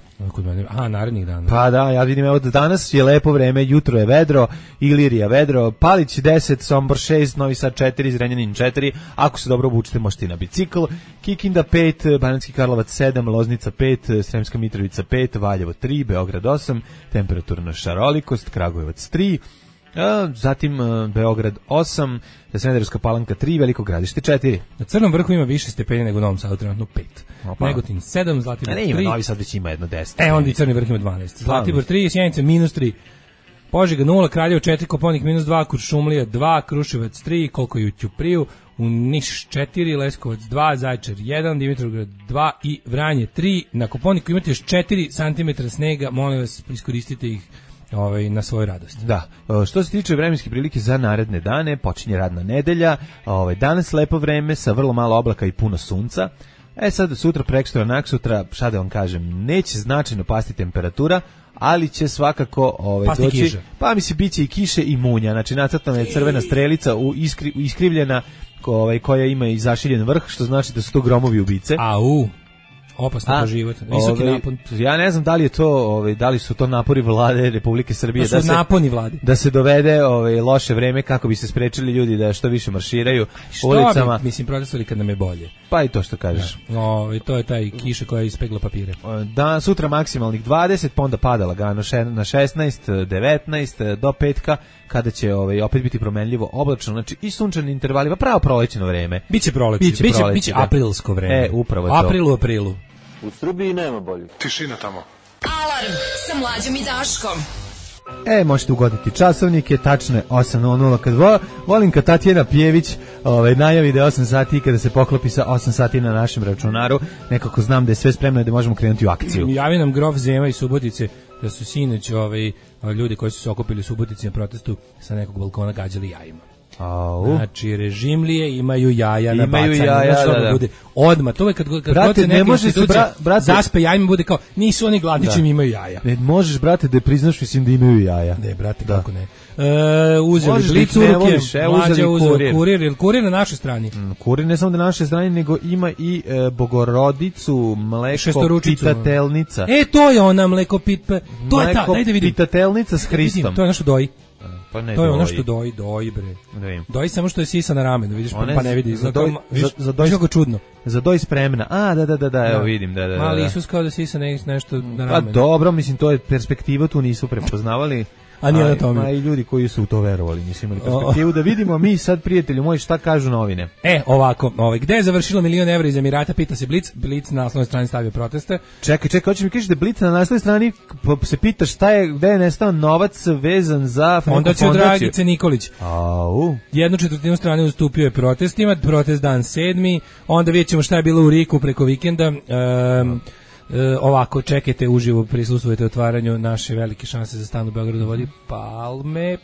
S7: Aha, narednih dana.
S6: Pa da, ja vidim, evo danas je lepo vreme, jutro je vedro, Ilirija vedro, Palić deset, Sombor šest, Novi Sad četiri, Zrenjanin četiri, ako se dobro obučite možete i na bicikl, Kikinda pet, Banatski Karlovac sedam, Loznica pet, Sremska Mitrovica pet, Valjevo tri, Beograd osam, temperaturna šarolikost, Kragujevac tri, a, zatim a, Beograd osam, Smederevska Palanka tri, Veliko Gradište četiri.
S7: Na Crnom vrhu ima više stepenja nego u Novom Sadu, trenutno pet. Opa. Negotin sedam, Zlatibor tri.
S6: Ne, ima, Novi Sad već ima jedno deset.
S7: E, onda i Crni vrh ima dvanaest. Zlatibor tri, Sjenica minus tri. Požega nula, Kraljevo četiri, Koponik minus dva, Kuršumlija dva, Kruševac tri, koliko je u Ćupriju, u Niš četiri, Leskovac dva, Zaječar jedan, Dimitrovgrad dva i Vranje tri. Na Kopaoniku imate još četiri santimetra snega, molim vas, iskoristite ih ovaj, na svoju radost.
S6: Da, što se tiče vremenske prilike za naredne dane, počinje radna nedelja, ovaj, danas lepo vreme sa vrlo malo oblaka i puno sunca. E sad, sutra, prekstra, naksutra, šta da vam kažem, neće značajno pasti temperatura, ali će svakako ovaj,
S7: pasti
S6: doći,
S7: kiša.
S6: Pa mi se biće i kiše i munja, znači nacrtana je crvena strelica u iskri, iskrivljena ovaj, koja ima i zašiljen vrh, što znači da su to gromovi ubice.
S7: Au, opasno po život, visoki
S6: ovaj,
S7: napon.
S6: Ja ne znam da li je to, ovaj, da li su to napori vlade Republike Srbije,
S7: to su
S6: da se,
S7: naponi vlade.
S6: Da se dovede ovaj, loše vreme kako bi se sprečili ljudi da što više marširaju
S7: što
S6: ulicama.
S7: Bi, mislim, protestovali kad nam je bolje.
S6: Pa i to što kažeš.
S7: Da. O, to je taj kiša koja je ispegla papire.
S6: Da, sutra maksimalnih dvadeset, pa onda pada lagano na šesnaest, devetnaest, do petka, kada će ovaj, opet biti promenljivo oblačno, znači i sunčani intervali, pa pravo prolećno vreme.
S7: Biće proleće, biće, biće, proleće, biće aprilsko vreme.
S6: E, upravo to.
S7: April u aprilu.
S4: U Srbiji nema bolje.
S9: Tišina tamo.
S1: Alarm sa Mlađom i Daškom.
S6: E, možete ugoditi časovnike, tačno je osam nula nula, kad vo, volim kad Tatjana Pjević ovaj, najavi da je osam sati i kada se poklopi sa osam sati na našem računaru, nekako znam da je sve spremno i da možemo krenuti u akciju.
S7: Javi nam grof Zema i Subotice da su sinoć ovaj, ljudi koji su se okupili u Subotici na protestu sa nekog balkona gađali jajima.
S6: Au.
S7: Znači, režimlije imaju jaja na
S6: imaju
S7: bacanje.
S6: Jaja,
S7: znači,
S6: da, da.
S7: Bude odmah. To je kad, kad
S6: brate, ne može se, bra, brate,
S7: zaspe jajima, bude kao, nisu oni gladni čim imaju jaja.
S6: Ne možeš, brate, da priznaš, mislim da imaju jaja.
S7: Ne, brate,
S6: da.
S7: Kako ne. E, uzeli
S6: možeš
S7: Blic u ruke, Mlađa uzeli kurir. Kurir, ili kurir na našoj strani?
S6: Mm, kurir ne samo na našoj strani, nego ima i e, Bogorodicu, mleko pitatelnica.
S7: E, to je ona mleko pit, to je ta, daj da vidim.
S6: Pitatelnica s Hristom.
S7: Vidim, to je ono što doji.
S6: Pa ne
S7: to je
S6: doji.
S7: ono što doji, doji bre.
S6: Ne
S7: doji samo što je sisa na ramenu, vidiš,
S6: one,
S7: pa ne vidi.
S6: Za doj,
S7: viš,
S6: za, za doj,
S7: kako čudno.
S6: Za doj spremna. A, da, da, da, da, evo vidim, da, da.
S7: Mali
S6: da.
S7: Isus kao da sisa ne, nešto na
S6: Pa
S7: ramenu.
S6: dobro, mislim, to je perspektiva, tu nisu prepoznavali.
S7: A nije na tome.
S6: A i ljudi koji su u to verovali, nisu imali perspektivu. Da vidimo mi sad, prijatelju moji, šta kažu novine.
S7: E, ovako, ovaj, gde je završilo milion evra iz Emirata, pita se Blic. Blic na naslovnoj strani stavio proteste.
S6: Čekaj, čekaj, hoćeš mi kažeš da Blic na naslovnoj strani se pita šta je, gde je nestao novac vezan za
S7: fondaciju Dragice Nikolić.
S6: Au.
S7: Jednu četvrtinu strane ustupio je protestima, protest dan sedmi, onda vidjet ćemo šta je bilo u Riku preko vikenda. Um, E, ovako, čekajte uživo, prisustvujete otvaranju naše velike šanse za stan u Beogradu vodi palme,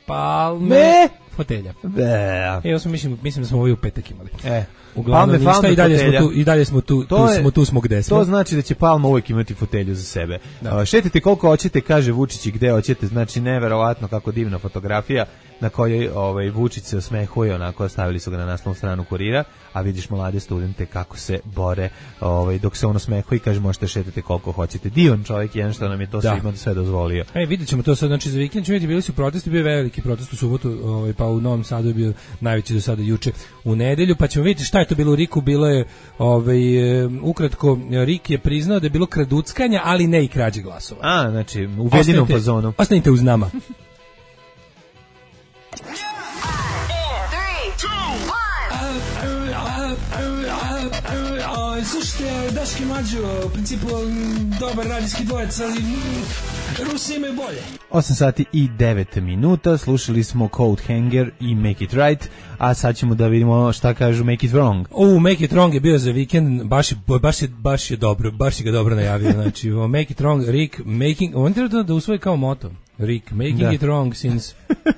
S7: palme,
S6: Me?
S7: fotelja.
S6: Be.
S7: Evo smo, mislim, mislim da smo ovaj u petak imali.
S6: E.
S7: Uglavnom ništa, palme, i dalje fotelja. smo tu, i dalje smo tu,
S6: to
S7: tu
S6: je,
S7: smo tu smo gde smo.
S6: To znači da će Palma uvijek imati fotelju za sebe. Da. Šetite koliko hoćete, kaže Vučić, i gde hoćete, znači neverovatno kako divna fotografija na kojoj ovaj Vučić se osmehuje, onako stavili su ga na naslovnu stranu Kurira, a vidiš mlade studente kako se bore, ovaj dok se on osmehuje i kaže možete šetati koliko hoćete. Divan čovjek, jedan što nam je to svima sve dozvolio.
S7: E, videćemo to sad, znači za vikend ćemo vidjeti, bili su protesti, bio veliki protest u subotu, ovaj pa u Novom Sadu je bio najveći do sada juče u nedelju, pa ćemo vidjeti šta je to bilo u Riku, bilo je ovaj ukratko Rik je priznao da je bilo kraduckanja, ali ne i krađe glasova.
S6: A, znači u vedinom fazonu.
S7: Ostanite uz nama.
S10: Slušajte, Daški Mađo, u principu dobar radijski dvojec, ali Rusi imaju bolje.
S6: osam sati i devet minuta, slušali smo Coat Hanger i Make It Right, a sad ćemo da vidimo šta kažu Make It Wrong.
S7: O, Make It Wrong je bio za vikend, baš je, baš je, baš je dobro, baš je ga dobro najavio, znači Make It Wrong, Rick, making, on treba da usvoji kao moto. Rick, making da. It wrong since,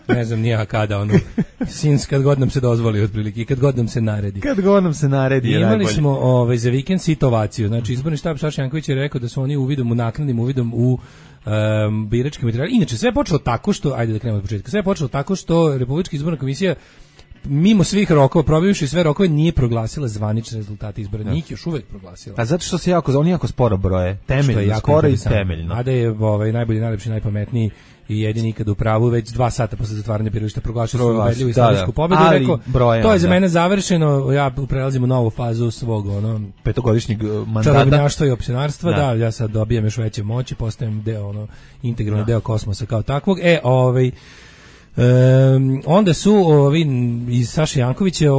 S7: ne znam nija kada, ono, since kad god nam se dozvoli otprilike i kad god nam se naredi.
S6: Kad god nam se naredi je
S7: imali
S6: najbolje.
S7: smo ovaj, za vikend sitovaciju, znači izborni štab Saša Janković je rekao da su oni uvidom, u naknadnim uvidom u um, birački materijal. Inače, sve je počelo tako što, ajde da krenemo od početka, sve je počelo tako što Republička izborna komisija mimo svih rokova, probivši sve rokove, nije proglasila zvanične rezultate izbora. Ja. Njih još uvek proglasila.
S6: A zato što se jako, oni jako sporo broje. Temeljno, skoro i temeljno.
S7: A da je ovaj, najbolji, najlepši, najpametniji i jedini ikad u pravu, već dva sata posle zatvaranja birališta proglašio su ubedljivu istorijsku pobedu i rekao, brojem, to je za mene završeno, ja prelazim u novu fazu svog ono,
S6: petogodišnjeg mandata.
S7: Čarobnjaštva i opcionarstva, da. da, ja sad dobijam još veće moći, postajem deo, ono, integralni deo kosmosa kao takvog. E, ovaj, Um, onda su ovi iz Saše Jankovića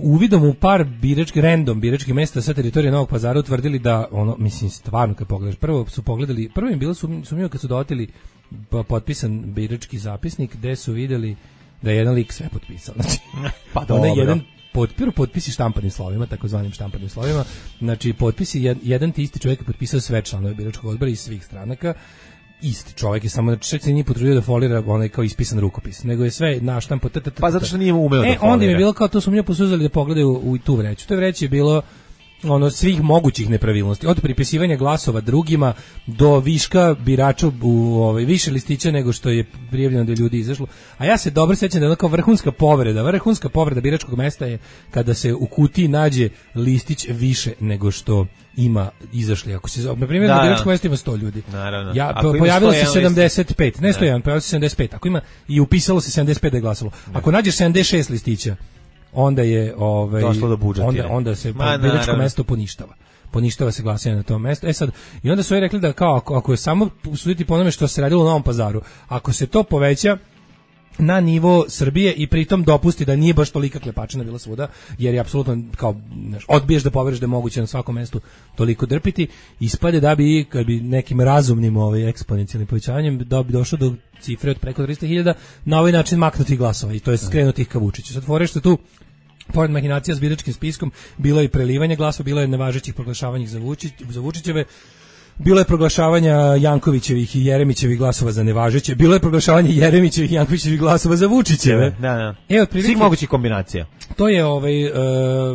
S7: uvidom u par birački random biračkih mesta sa teritorije Novog Pazara utvrdili da ono, mislim, stvarno kad pogledaš, prvo su pogledali, prvo im bilo sumnjivo kad su doteli potpisan birački zapisnik gde su videli da je jedan lik sve potpisao, znači
S6: pa dobro.
S7: jedan potpiru potpisi štampanim slovima, takozvanim štampanim slovima. Znači potpisi jed, jedan ti isti čovjek je potpisao sve članove biračkog odbora iz svih stranaka. Isti čovjek je samo znači čak se nije potrudio da folira onaj kao ispisan rukopis, nego je sve naštampo.
S6: Pa zato što nije umeo da folira.
S7: E onda im je bilo kao to su mi posuzeli da pogledaju u, u tu vreću. To vreće je bilo ono svih mogućih nepravilnosti, od pripisivanja glasova drugima do viška birača u ovaj više listića nego što je prijavljeno da je ljudi izašlo. A ja se dobro sećam da je ono kao vrhunska povreda, vrhunska povreda biračkog mesta je kada se u kutiji nađe listić više nego što ima izašli. Ako se na primjer na biračkom mestu ima sto ljudi.
S6: Naravno.
S7: Ja po, pojavilo se sedamdeset pet, ne sto jedan, pojavilo se sedamdeset pet. Ako ima i upisalo se sedamdeset pet da je glasalo. Ako nađeš sedamdeset šest listića, onda je ovaj onda onda se biračko mesto poništava. Poništava se glasanje na tom mestu. E sad i onda su joj rekli da kao ako, ako je samo suditi po onome što se radilo u Novom Pazaru, ako se to poveća na nivo Srbije i pritom dopusti da nije baš tolika klepačina bila svuda, jer je apsolutno kao znaš, odbiješ da poveruješ da je moguće na svakom mestu toliko drpiti, ispade da bi kad bi nekim razumnim ovaj eksponencijalnim povećanjem da bi došlo do cifre od preko trista hiljada na ovaj način maknuti glasova i to je skrenuti ih ka Vučiću. Sad fore što tu pored mahinacija s biračkim spiskom bilo je i prelivanje glasova, bilo je nevažećih proglašavanja za Vučić, za Vučićeve, bilo je proglašavanja Jankovićevih i Jeremićevih glasova za nevažeće, bilo je proglašavanje Jeremićevih i Jankovićevih glasova za Vučićeve.
S6: Da, da.
S7: E, otprilike
S6: svih mogućih kombinacija.
S7: To je ovaj e,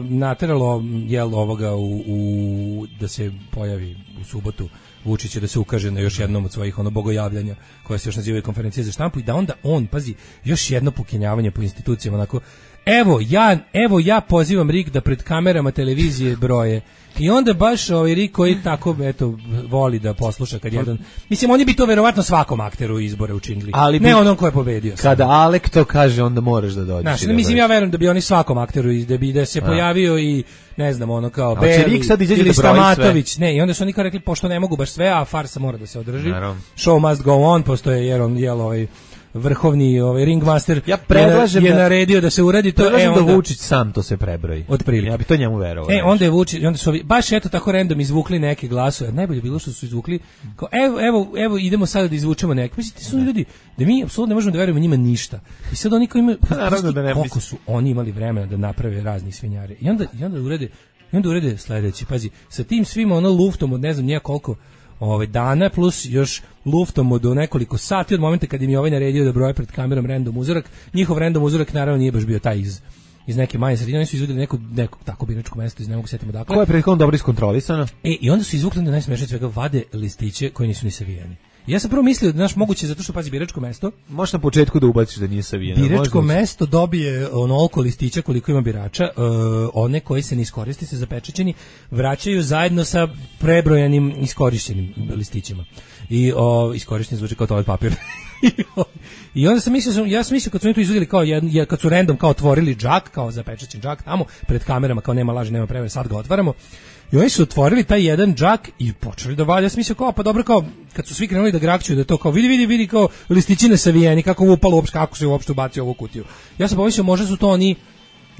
S7: nateralo jel ovoga u, u da se pojavi u subotu Vučić da se ukaže na još jednom od svojih ono bogojavljanja koje se još nazivaju konferencije za štampu i da onda on pazi još jedno pokenjavanje po institucijama onako evo ja evo ja pozivam R I K da pred kamerama televizije broje i onda baš ovaj R I K koji tako eto voli da posluša kad jedan mislim oni bi to verovatno svakom akteru izbore učinili ali ne onom ko je pobedio
S6: kada sam. Alek to kaže onda moraš da dođeš.
S7: Znači, mislim ja verujem da bi oni svakom akteru da bi da se A. pojavio i ne znam ono kao Beli ili Stamatović ne i onda su oni kao rekli pošto ne mogu baš sve a farsa mora da se održi. Naravno. Show must go on postoje jer on jel ovaj vrhovni ovaj ringmaster
S6: ja predlažem
S7: je, je naredio da se uradi to
S6: e onda da Vučić sam to se prebroji.
S7: Otprilike.
S6: Ja bih to njemu verovao.
S7: E onda je Vučić onda su ovi, baš eto tako random izvukli neke glasove. Najbolje bilo što su izvukli kao evo evo evo idemo sada da izvučemo neke. Mislite su ljudi da mi apsolutno ne možemo da verujemo njima ništa. I sad oni koji imaju naravno da ne koliko su oni imali vremena da naprave razni svinjare. I onda i onda urede i onda urede sledeći. Pazi, sa tim svim ono luftom od ne znam nije koliko ovaj dana plus još luftom od nekoliko sati od momenta kad im je ovaj naredio da broje pred kamerom random uzorak. Njihov random uzorak naravno nije baš bio taj iz iz neke manje sredine, oni su izvodili neko neko tako biračko mesto iz ne mogu setimo dakle.
S6: Koje je prethodno dobro iskontrolisano.
S7: E i onda su izvukli da najsmešnije svega vade listiće koji nisu ni savijeni. Ja sam prvo mislio da naš moguće zato što pazi biračko mesto.
S6: Možeš na početku da ubaciš da nije savijeno.
S7: Biračko mesto dobije onoliko listića koliko ima birača, uh, one koji se ne iskoristi se zapečaćeni vraćaju zajedno sa prebrojanim iskorišćenim listićima. I o, iskorišćeni zvuči kao toalet papir. I onda sam mislio, ja sam mislio kad su oni to izvodili kao jedan, kad su random kao otvorili džak, kao zapečaćen džak tamo pred kamerama, kao nema laži, nema prevare, sad ga otvaramo. I oni su otvorili taj jedan džak i počeli da valja. Ja sam mislio kao, pa dobro kao, kad su svi krenuli da grakćuju da to kao, vidi, vidi, vidi kao listićine savijeni, kako ovo upalo uopšte, kako se uopšte ubacio ovu kutiju. Ja sam pomislio, možda su to oni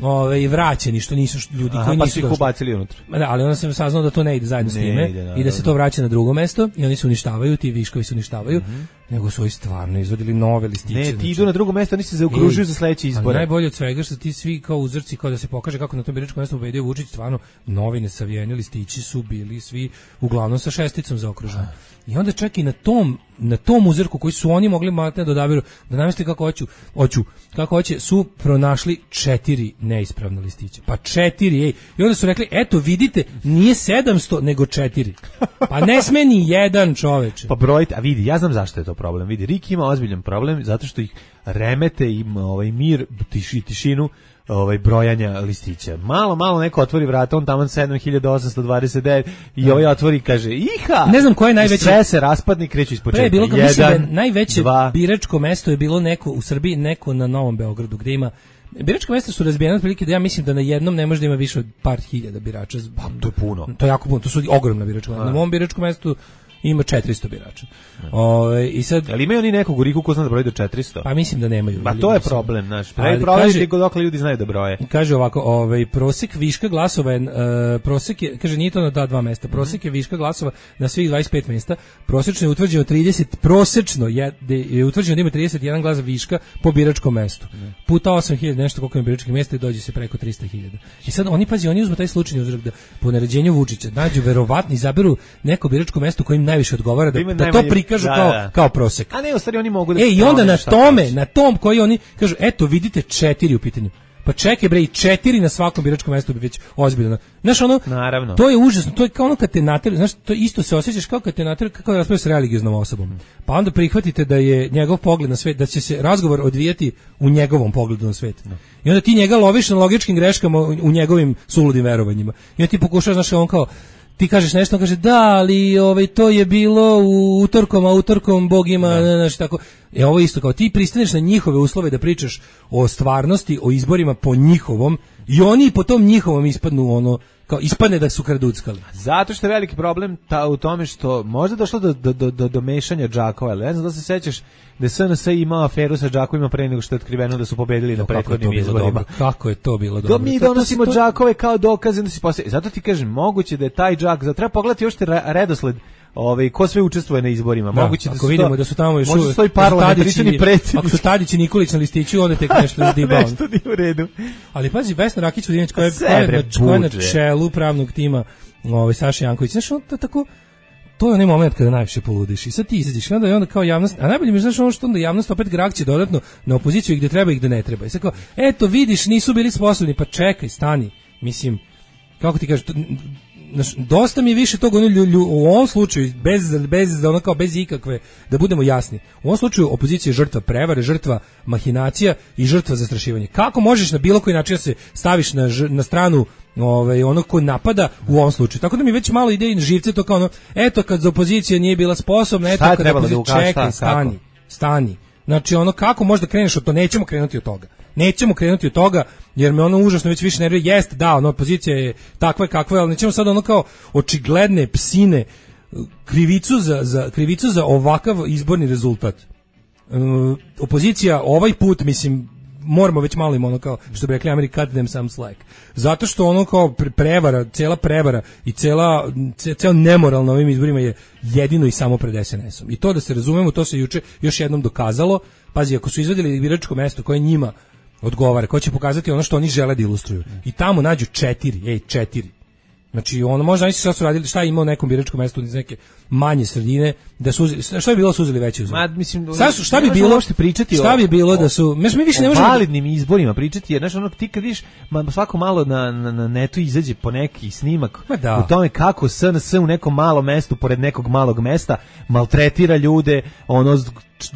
S7: ovaj vraćeni što nisu ljudi
S6: Aha,
S7: koji
S6: pa
S7: nisu
S6: ih ubacili unutra.
S7: Da, ali onda sam saznao da to ne ide zajedno ne s time ide, i da se to vraća na drugo mesto i oni se uništavaju, ti viškovi se uništavaju, mm-hmm. nego su oni stvarno izvodili nove listiće.
S6: Ne, ti znači, idu na drugo mesto, oni se zaokružuju za sledeće izbore.
S7: Najbolje od svega što ti svi kao uzorci, kao da se pokaže kako na tom biračkom mestu pobedio Vučić, stvarno novine savijeni listići su bili svi uglavnom sa šesticom zaokruženi. I onda čak i na tom na tom uzorku koji su oni mogli matne da odaberu da nameste kako hoću, hoću kako hoće su pronašli četiri neispravna listića. Pa četiri, ej. I onda su rekli, eto vidite, nije sedamsto nego četiri. Pa ne sme ni jedan čoveče.
S6: Pa brojite, a vidi, ja znam zašto je to problem. Vidi, R I K ima ozbiljan problem zato što ih remete im ovaj mir, tiši, tišinu ovaj brojanja listića. Malo, malo neko otvori vrata, on tamo sedam hiljada osamsto dvadeset devet i ovaj otvori i kaže iha.
S7: Ne znam ko je najveći.
S6: Sve se raspadni, kreću ispočetka.
S7: Pre bilo kao mislim da je najveće dva. Biračko mesto je bilo neko u Srbiji, neko na Novom Beogradu gde ima biračka mesta su razbijena otprilike da ja mislim da na jednom ne može da ima više od par hiljada birača.
S6: Pa to je puno.
S7: To je jako puno, to su ogromna biračka mesta. Na mom biračkom mestu ima četiristo birača. Ove, i sad,
S6: ali imaju oni nekog u Riku ko zna da broji do četiristo?
S7: Pa mislim da nemaju.
S6: Pa to je problem, znaš. Pravi problem je dok ljudi znaju da broje.
S7: Kaže ovako, ovaj prosek viška glasova je uh, prosek je, kaže nije to na ta dva mesta. Prosek je viška glasova na svih dvadeset pet mesta. Prosečno je utvrđeno trideset, prosečno je, je utvrđeno da ima trideset jedan glas viška po biračkom mestu. Puta osam hiljada nešto koliko ima biračkih mesta i dođe se preko trista hiljada. I sad oni pazi, oni uzmu taj slučajni uzork da po naređenju Vučića nađu verovatno izaberu neko biračko mesto kojim najviše odgovara da, da, da to prikažu da, kao da. kao prosek.
S6: A ne, u stvari oni mogu da.
S7: E i onda na tome, kaži. na tom koji oni kažu, eto vidite četiri u pitanju. Pa čekaj bre, i četiri na svakom biračkom mestu bi već ozbiljno. Znaš ono,
S6: naravno.
S7: To je užasno, to je kao ono kad te nateraju, znaš, to isto se osjećaš kao kad te nateraju, kako da raspravljaš s religioznom osobom. Pa onda prihvatite da je njegov pogled na svet, da će se razgovor odvijati u njegovom pogledu na svet. No. I onda ti njega loviš na logičkim greškama u njegovim suludim verovanjima. I onda ti pokušaš, znaš, on kao, ti kažeš nešto, on kaže da, ali ovaj, to je bilo u utorkom, a utorkom Bog ima, no. znaš, tako. E ovo isto, kao ti pristaneš na njihove uslove da pričaš o stvarnosti, o izborima po njihovom i oni po tom njihovom ispadnu ono, kao ispadne da su kraduckali.
S6: Zato što je veliki problem ta, u tome što možda došlo do, do, do, do, do mešanja džakova, ali ne znam da se sećaš da je S N S imao aferu sa džakovima pre nego što je otkriveno da su pobedili no, na prethodnim izborima.
S7: Kako je to bilo dobro?
S6: Da mi donosimo to, to, džakove kao dokaze da se poslije. Zato ti kažem, moguće da je taj džak, zato treba pogledati još te redosled. Ovaj ko sve učestvuje na izborima, da, moguće da
S7: ako vidimo to, da su tamo još
S6: možda stoji parlamentarni predsjednik.
S7: Ako su Tadić i Nikolić na listiću, onda tek nešto izdiba.
S6: Nešto nije u redu.
S7: Ali pazi, Vesna Rakić-Vodineć koja je, koja je, koja je na čelu pravnog tima, ovaj Saša Janković, znaš, on to tako, to je onaj moment kada najviše poludiš i sad ti izađeš i onda, i onda kao javnost, a najbolje mi znaš ono što onda javnost opet grakće dodatno na opoziciju i gde treba i gde ne treba. I sad kao, eto vidiš, nisu bili sposobni, pa čekaj, stani, mislim, kako ti kažeš, to, Znaš, dosta mi je više tog ono, lju, lju, u ovom slučaju bez bez ono kao bez ikakve, da budemo jasni, u ovom slučaju opozicija je žrtva prevare, žrtva mahinacija i žrtva zastrašivanja. Kako možeš na bilo koji način da se staviš na, na stranu ovaj onog ko napada u ovom slučaju? Tako da mi već malo ide i živce to kao ono, eto kad za opozicija nije bila sposobna, eto kad opozicija da čeka, stani, kako? stani. Znači ono kako možda kreneš od to, nećemo krenuti od toga. Nećemo krenuti od toga, jer me ono užasno već više nervira. Jeste, da, ono, opozicija je takva kakva je, ali nećemo sad ono kao očigledne psine krivicu za, za, krivicu za ovakav izborni rezultat. Uh, opozicija ovaj put, mislim, moramo već malo im ono kao, što bi rekli Amerika, cut them some slack. Zato što ono kao prevara, cela prevara i cela, ceo nemoral na ovim izborima je jedino i samo pred S N S-om. I to da se razumemo, to se juče još jednom dokazalo. Pazi, ako su izvadili biračko mesto koje njima odgovara, ko će pokazati ono što oni žele da ilustruju. I tamo nađu četiri, ej, četiri. Znači, ono možda nisu šta su radili, šta je imao nekom biračkom mestu iz neke manje sredine, da su šta bi bilo su uzeli veći uzor. Ma mislim, šta, su, šta bi bilo pričati šta o, bi bilo o, da su, mi više ne možemo
S6: validnim izborima pričati, jer znači ono ti kad vidiš ma, svako malo na, na, na netu izađe po neki snimak
S7: da.
S6: u tome kako S N S u nekom malom mestu pored nekog malog mesta maltretira ljude, ono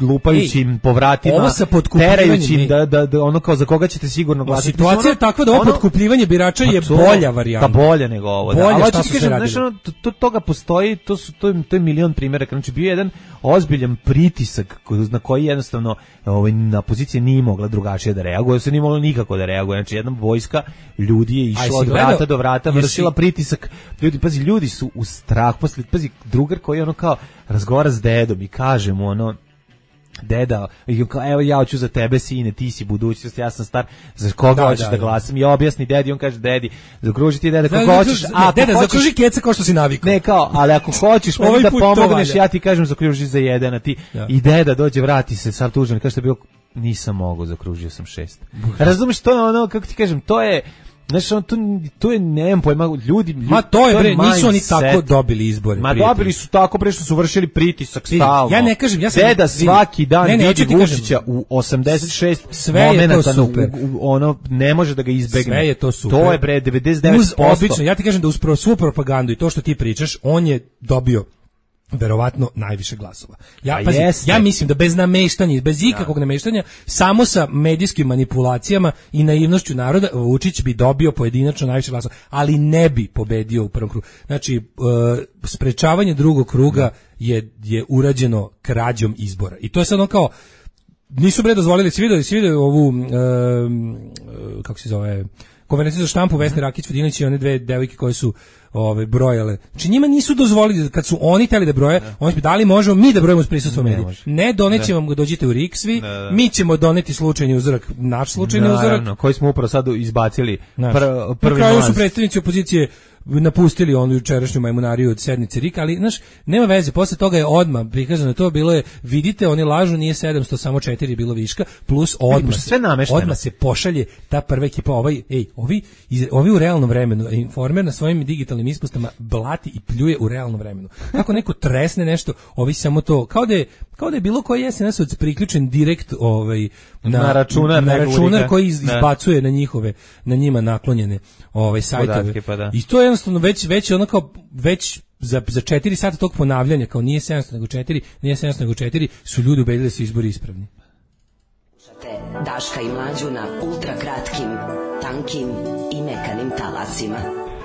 S6: lupajući im po vratima, terajući im da, da, da ono kao za koga ćete sigurno glasati.
S7: Situacija je takva da ovo ono, potkupljivanje birača je bolja varijanta.
S6: Pa bolja nego ovo.
S7: Bolja,
S6: da.
S7: Šta su se radili?
S6: Znači, to, to, toga postoji, to, su, to, je, to je milion primjera. Znači, bio jedan ozbiljan pritisak na koji jednostavno ovaj, na pozicije nije mogla drugačije da reaguje, se nije mogla nikako da reaguje. Znači, jedna vojska ljudi je išla od vrata gledao? do vrata, vršila pritisak. Ljudi, pazi, ljudi su u strah. Posle, pazi, drugar koji ono kao razgovara s dedom i kaže mu ono, deda, evo ja hoću za tebe sine, ti si budućnost, ja sam star, za koga da, hoćeš da, da glasam? I objasni dedi, on kaže dedi, zakruži ti deda koga hoćeš,
S7: a deda zakruži keca kao što si navikao.
S6: Ne kao, ali ako hoćeš meni da pomogneš, ja ti kažem zakruži za jedan, a ti ja. I deda dođe, vrati se, sav tužan, kaže što je bilo, nisam mogao, zakružio sam šest. Razumeš, to je ono, kako ti kažem, to je Znaš, on, to, to je, nemam pojma, ljudi...
S7: Ma to je, bre, nisu oni tako dobili izbore.
S6: Ma dobili su tako, bre, što su vršili pritisak stalno.
S7: Ja ne kažem, ja sam...
S6: Deda svaki dan ne, ne, vidi Vučića u osamdeset šest
S7: sve je to super.
S6: U, u, ono, ne može da ga izbegne.
S7: Sve je to super.
S6: To je, bre, devedeset devet posto.
S7: Uz obično, ja ti kažem da uz svu propagandu i to što ti pričaš, on je dobio verovatno najviše glasova. Ja, pazi, ja mislim da bez nameštanja, bez ikakvog ja. nameštanja, samo sa medijskim manipulacijama i naivnošću naroda, Vučić bi dobio pojedinačno najviše glasova, ali ne bi pobedio u prvom krugu. Znači, uh, sprečavanje drugog kruga je, je urađeno krađom izbora. I to je sad ono kao, nisu bre dozvolili, si vidio, si vidio ovu, uh, kako se zove, konferenciju za štampu Vesne Rakić Vodinić i one dve devojke koje su ove brojale. Znači njima nisu dozvolili, kad su oni hteli da broje, ne. Oni su da li možemo mi da brojimo s prisustvom medija. Ne, doneće vam, dođite u Riksvi, mi ćemo doneti slučajni uzorak, naš slučajni
S6: da,
S7: uzorak,
S6: naravno, koji smo upravo sad izbacili.
S7: Naš.
S6: Pr, prvi
S7: na kraju
S6: mlaz.
S7: Su predstavnici opozicije napustili onu jučerašnju majmunariju od sednice R I K, ali znaš, nema veze, posle toga je odmah prikazano to, bilo je, vidite, oni lažu, nije sedamsto, samo četiri je bilo viška, plus odmah,
S6: sve namešteno.
S7: Odmah se pošalje ta prva ekipa, ovaj, ej, ovi, iz, ovi u realnom vremenu, Informer na svojim digitalnim ispostama blati i pljuje u realnom vremenu. Kako neko tresne nešto, ovi samo to, kao da je, kao da je bilo koji es en es priključen direkt ovaj, na,
S6: na računar,
S7: na računar koji iz, izbacuje na njihove, na njima naklonjene ovaj, sajtove.
S6: Podatke, pa da.
S7: I to je jednostavno već, već ono kao, već za, za četiri sata tog ponavljanja, kao nije sedamsto nego četiri, nije sedamsto nego četiri, su ljudi ubedili da su izbori ispravni.
S1: Daška i Mlađu na ultra kratkim, tankim i mekanim talasima.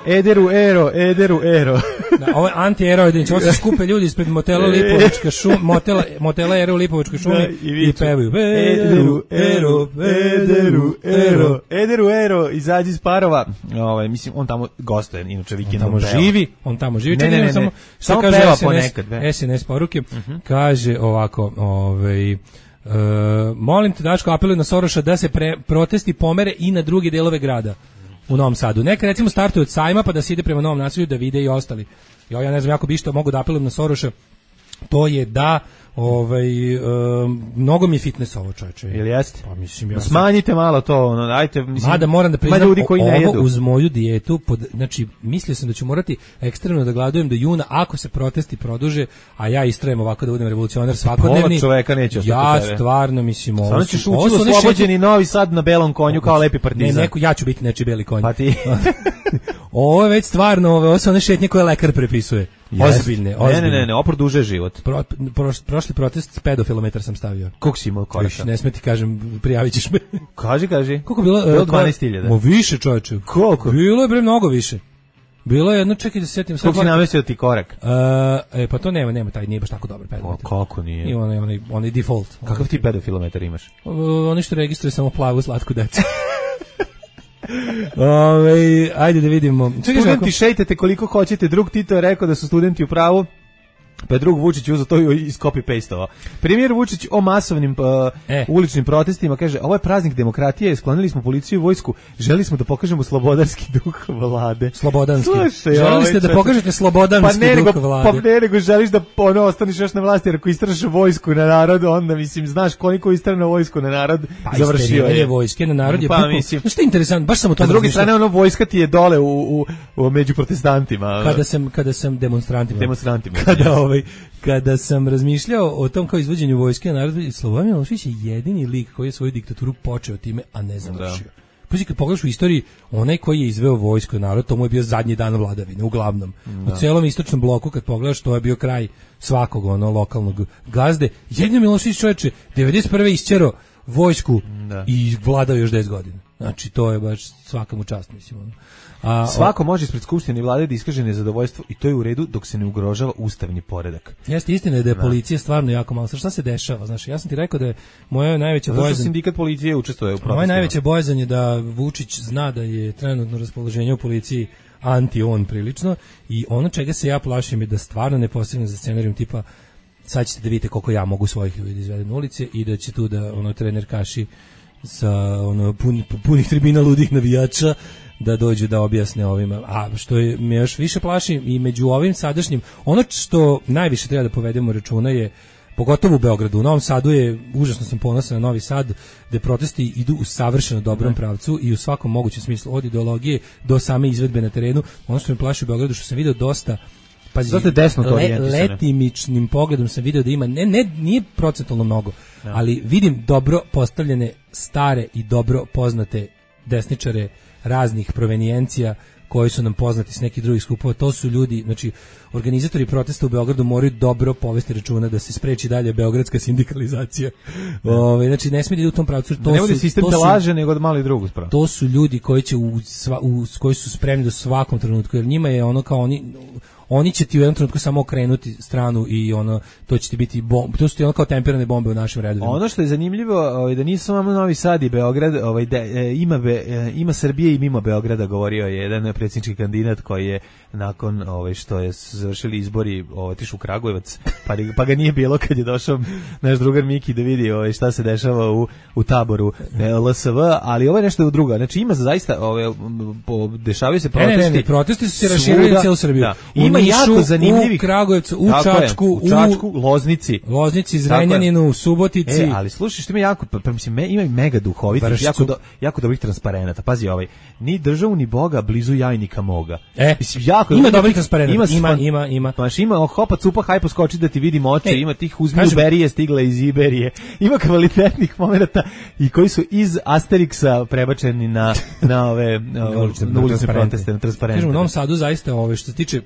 S6: Ederu ero, ederu ero.
S7: Da, ovo je anti-ero, ovo se skupe ljudi ispred motela Lipovačka šuma, motela, motela Ero u Lipovačkoj šumi da, i, i pevaju Ederu ero, ederu ero,
S6: ederu ero, izađi iz parova. Ovaj, mislim, on tamo gostuje, inače vikendom
S7: on tamo peva. živi, on tamo živi.
S6: Ne, ne, ne, ne,
S7: samo,
S6: samo
S7: kaže
S6: peva
S7: es en es,
S6: ponekad. Be.
S7: es en es poruke, uh-huh. Kaže ovako, ovaj... Uh, molim te, Daško, apelujem na Soroša da se pre, protesti pomere i na druge delove grada u Novom Sadu. Neka recimo startuje od sajma pa da se ide prema Novom naselju da vide i ostali. Jo, ja ne znam, jako bi što mogu da apelujem na Soroša, to je da ovaj um, mnogo mi je fitness ovo, čoveče.
S6: Jel jeste?
S7: Pa mislim ja.
S6: Smanjite sam... malo to, ono, ajte, mislim.
S7: Mada moram da priznam,
S6: ljudi koji ne jedu.
S7: Uz moju dijetu, pod, znači mislio sam da ću morati ekstremno da gladujem do juna ako se protesti produže, a ja istrajem ovako da budem revolucionar svakodnevni.
S6: Pola čoveka neće ostati
S7: ja
S6: tebe.
S7: Stvarno mislim ovo.
S6: Samo ćeš ući u oslobođeni Novi Sad na belom konju kao lepi partizan.
S7: Ne, neko, ja ću biti nečiji beli konj.
S6: Pa ti.
S7: Ovo je već stvarno, ove, ovo su one šetnje koje lekar prepisuje.
S6: Yes.
S7: Ozbiljne, ozbiljne.
S6: Ne, ne, ne, ne, oproduže život.
S7: Pro, pro, prošli protest pedofilometar sam stavio.
S6: Koliko si imao koraka?
S7: Ne sme ti kažem, prijavit ćeš me.
S6: Kaži, kaži.
S7: Koliko bilo?
S6: Bilo dvanaest hiljada.
S7: Mo više, čovječe.
S6: Koliko?
S7: Bilo je bre mnogo više. Bilo je jedno, čekaj da se sjetim.
S6: Koliko si namestio ti korak?
S7: Uh, e, pa to nema, nema, taj nije baš tako dobar pedometar.
S6: O, kako nije?
S7: I onaj, onaj, onaj default.
S6: Kakav ti pedofilometar imaš?
S7: Uh, oni što registruje samo plavu slatku decu. Ove, ajde da vidimo.
S6: Studenti šejtete koliko hoćete, drug Tito je rekao da su studenti u pravu, pa je drug Vučić uzeo to i iz copy-pastovao. Premijer Vučić o masovnim uh, e. uličnim protestima kaže, ovo je praznik demokratije, sklonili smo policiju i vojsku, želi smo da pokažemo slobodarski duh vlade.
S7: Slobodanski.
S6: Slušaj,
S7: želi ste da pokažete slobodanski
S6: pa ne,
S7: duh
S6: nego,
S7: vlade.
S6: Pa ne, nego želiš da ono, ostaneš još na vlasti, jer ako istraš vojsku na narod, onda, mislim, znaš koliko istrano vojsku na narod,
S7: pa
S6: završio je.
S7: Vojske na narod je
S6: pa,
S7: bukom.
S6: Mislim,
S7: što je interesantno, baš sam o tom
S6: s druge strane, ono, vojska ti je dole u, u, u među protestantima.
S7: Kada sam, kada sam demonstrantima.
S6: Demonstrantima.
S7: Kada, ovaj, kada sam razmišljao o tom kao izvođenju vojske na narod, Slobodan Milošević je jedini lik koji je svoju diktaturu počeo time, a ne završio. Pa kad pogledaš u istoriji, onaj koji je izveo vojsko na narod, to mu je bio zadnji dan vladavine, uglavnom. Da. U celom istočnom bloku, kad pogledaš, to je bio kraj svakog ono lokalnog gazde. Jedino Milošević, čoveče, devedeset prve isćero vojsku da. I vladao još deset godina. Znači, to je baš svaka mu čast, mislim. Ono. A,
S6: Svako može ispred skupštine i vlade da iskaže nezadovoljstvo i to je u redu dok se ne ugrožava ustavni poredak.
S7: Jeste, istina je da je policija stvarno jako malo. Šta se dešava? Znaš, ja sam ti rekao da je moja najveća bojazan...
S6: Zašto sindikat policije učestvuje u protestima?
S7: Moja najveća bojazan je da Vučić zna da je trenutno raspoloženje u policiji anti-on prilično i ono čega se ja plašim je da stvarno ne postigne za scenarijum tipa sad ćete da vidite koliko ja mogu svojih ljudi izvedem na ulice i da će tu da ono trener kaši sa ono pun, punih tribina ludih navijača da dođu da objasne ovima. A što je me još više plaši i među ovim sadašnjim, ono što najviše treba da povedemo računa je, pogotovo u Beogradu, u Novom Sadu je, užasno sam ponosan na Novi Sad, gde protesti idu u savršeno dobrom ne. pravcu i u svakom mogućem smislu, od ideologije do same izvedbe na terenu. Ono što me plaši u Beogradu, što sam video dosta pazi, le, letimičnim pogledom sam video da ima, ne, ne, nije procentualno mnogo, ne. ali vidim dobro postavljene stare i dobro poznate desničare raznih provenijencija koji su nam poznati s nekih drugih skupova. To su ljudi, znači organizatori protesta u Beogradu moraju dobro povesti računa da se spreči dalje beogradska sindikalizacija. Ove, znači ne smije da ide u tom pravcu. To
S6: ne
S7: su,
S6: bude sistem
S7: to
S6: da
S7: su,
S6: laže nego da mali drugu spravu.
S7: To su ljudi koji će u, sva, u koji su spremni do svakom trenutku, jer njima je ono kao oni oni će ti u jednom trenutku samo okrenuti stranu i ono, to će ti biti bomb, to su ti ono kao temperane bombe u našim redovima.
S6: Ono što je zanimljivo, ovaj, da nisu samo Novi Sad i Beograd, ovaj, da, e, ima, be, e, ima Srbije i mimo Beograda, govorio je jedan predsjednički kandidat koji je nakon ovaj, što je završili izbori otišao u Kragujevac, pa, pa ga nije bilo kad je došao naš drugar Miki da vidi ovaj, šta se dešava u, u taboru L S V, ali ovo je nešto drugo. Znači ima zaista, ovaj, dešavaju se protesti.
S7: Ne, ne, ne, protesti su se raširili na cijelu Srbiju.
S6: Da. Ima
S7: Nišu,
S6: jako zanimljivih.
S7: U Kragujevcu, u Čačku,
S6: u Čačku, Loznici.
S7: Loznici, Zrenjaninu, Subotici.
S6: E, ali slušaj, što ima jako, pa mislim, me, ima i mega duhovitih, jako, do, jako dobrih transparenata. Pazi ovaj, ni državu, ni Boga, blizu jajnika moga.
S7: E,
S6: mislim, jako,
S7: ima dobrih transparenata. Ima, ima,
S6: fan,
S7: ima, ima.
S6: Paš, ima hopa, cupa, hajpo, skoči da ti vidi moče,
S7: e,
S6: ima tih uzmiju berije stigle iz Iberije, ima kvalitetnih momenata i koji su iz Asterixa prebačeni na, na ove na ulične proteste, na transparente.
S7: Kažem, u Novom Sadu zaista ove, što se tiče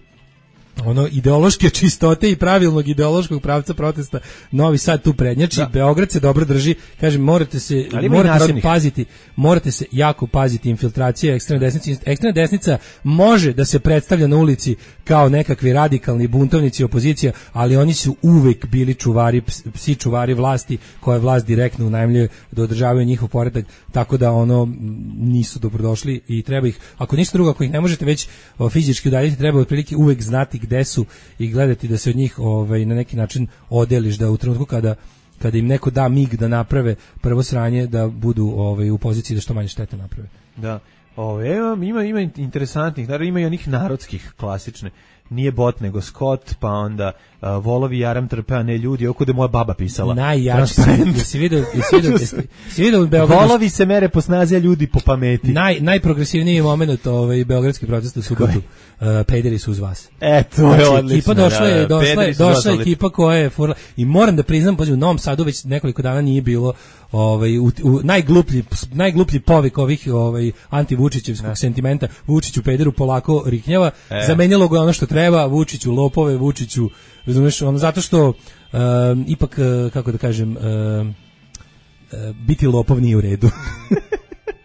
S7: ono ideološke čistote i pravilnog ideološkog pravca protesta, Novi Sad tu prednjači, da. Beograd se dobro drži, kažem, morate se morate se paziti, morate se jako paziti infiltracije ekstremne desnice. Ekstremna desnica može da se predstavlja na ulici kao nekakvi radikalni buntovnici opozicija, ali oni su uvek bili čuvari, psi čuvari vlasti, koje vlast direktno unajmljuje da održavaju njihov poredak, tako da ono nisu dobrodošli i treba ih, ako ništa drugo, ako ih ne možete već fizički udaljiti, treba otprilike uvek znati gde su i gledati da se od njih ovaj, na neki način odeliš, da u trenutku kada, kada im neko da mig da naprave prvo sranje, da budu ovaj, u poziciji da što manje štete naprave.
S6: Da, ove, ima, ima interesantnih, naravno ima i onih narodskih klasične, nije bot nego Scott, pa onda uh, volovi jaram trpe, a ne ljudi, oko da moja baba pisala.
S7: Najjači si, jesi vidio, jesi vidio, jesi vidio u Beogradu.
S6: Volovi se mere po snazi, a ljudi po pameti.
S7: Naj, najprogresivniji moment ovaj, beogradski protest u subotu. Uh, pederi su uz vas.
S6: E, to je
S7: znači,
S6: odlično.
S7: Ekipa došla je,
S6: da,
S7: došla, je, došla je ekipa koja je furla. I moram da priznam, u Novom Sadu već nekoliko dana nije bilo ovaj, u, u najgluplji, najgluplji povik ovih ovaj, anti-Vučićevskog sentimenta. Vučiću pederu polako riknjava. E. Zamenjalo ga ono što treba, Vučiću lopove, Vučiću, razumiješ, ono, zato što um, ipak, kako da kažem, um, biti lopov nije u redu.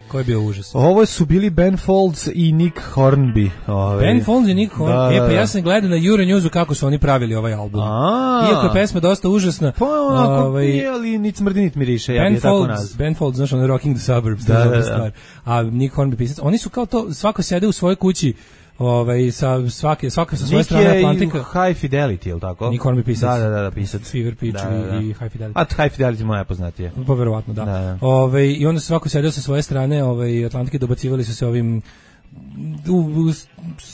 S7: Koji je bio užas?
S6: Ovo su bili Ben Folds i Nick Hornby. Ove.
S7: Ben Folds i Nick Hornby.
S6: Da,
S7: e pa
S6: da.
S7: ja sam gledao na Euronewsu kako su oni pravili ovaj album.
S6: A.
S7: Iako je pesma dosta užasna.
S6: Pa onako,
S7: ovaj,
S6: nije, ali nic smrdi, nit miriše, ja bi je tako nazvao.
S7: Ben Folds, znaš, ono Rocking the Suburbs,
S6: da, da, da.
S7: stvar. A Nick Hornby pisac. Oni su kao to, svako sede u svojoj kući, ovaj sa svake svaka sa svoje
S6: Nick
S7: strane Atlantika.
S6: High Fidelity, je l' tako?
S7: Nick Hornby pisac.
S6: Da, da, da, pisac.
S7: Fever Pitch
S6: da, da, da.
S7: i High Fidelity.
S6: A High Fidelity moja poznatije.
S7: Pa verovatno, da.
S6: da, da.
S7: Ovaj i onda svako sedeo sa svoje strane, ovaj Atlantike, dobacivali su se ovim u, u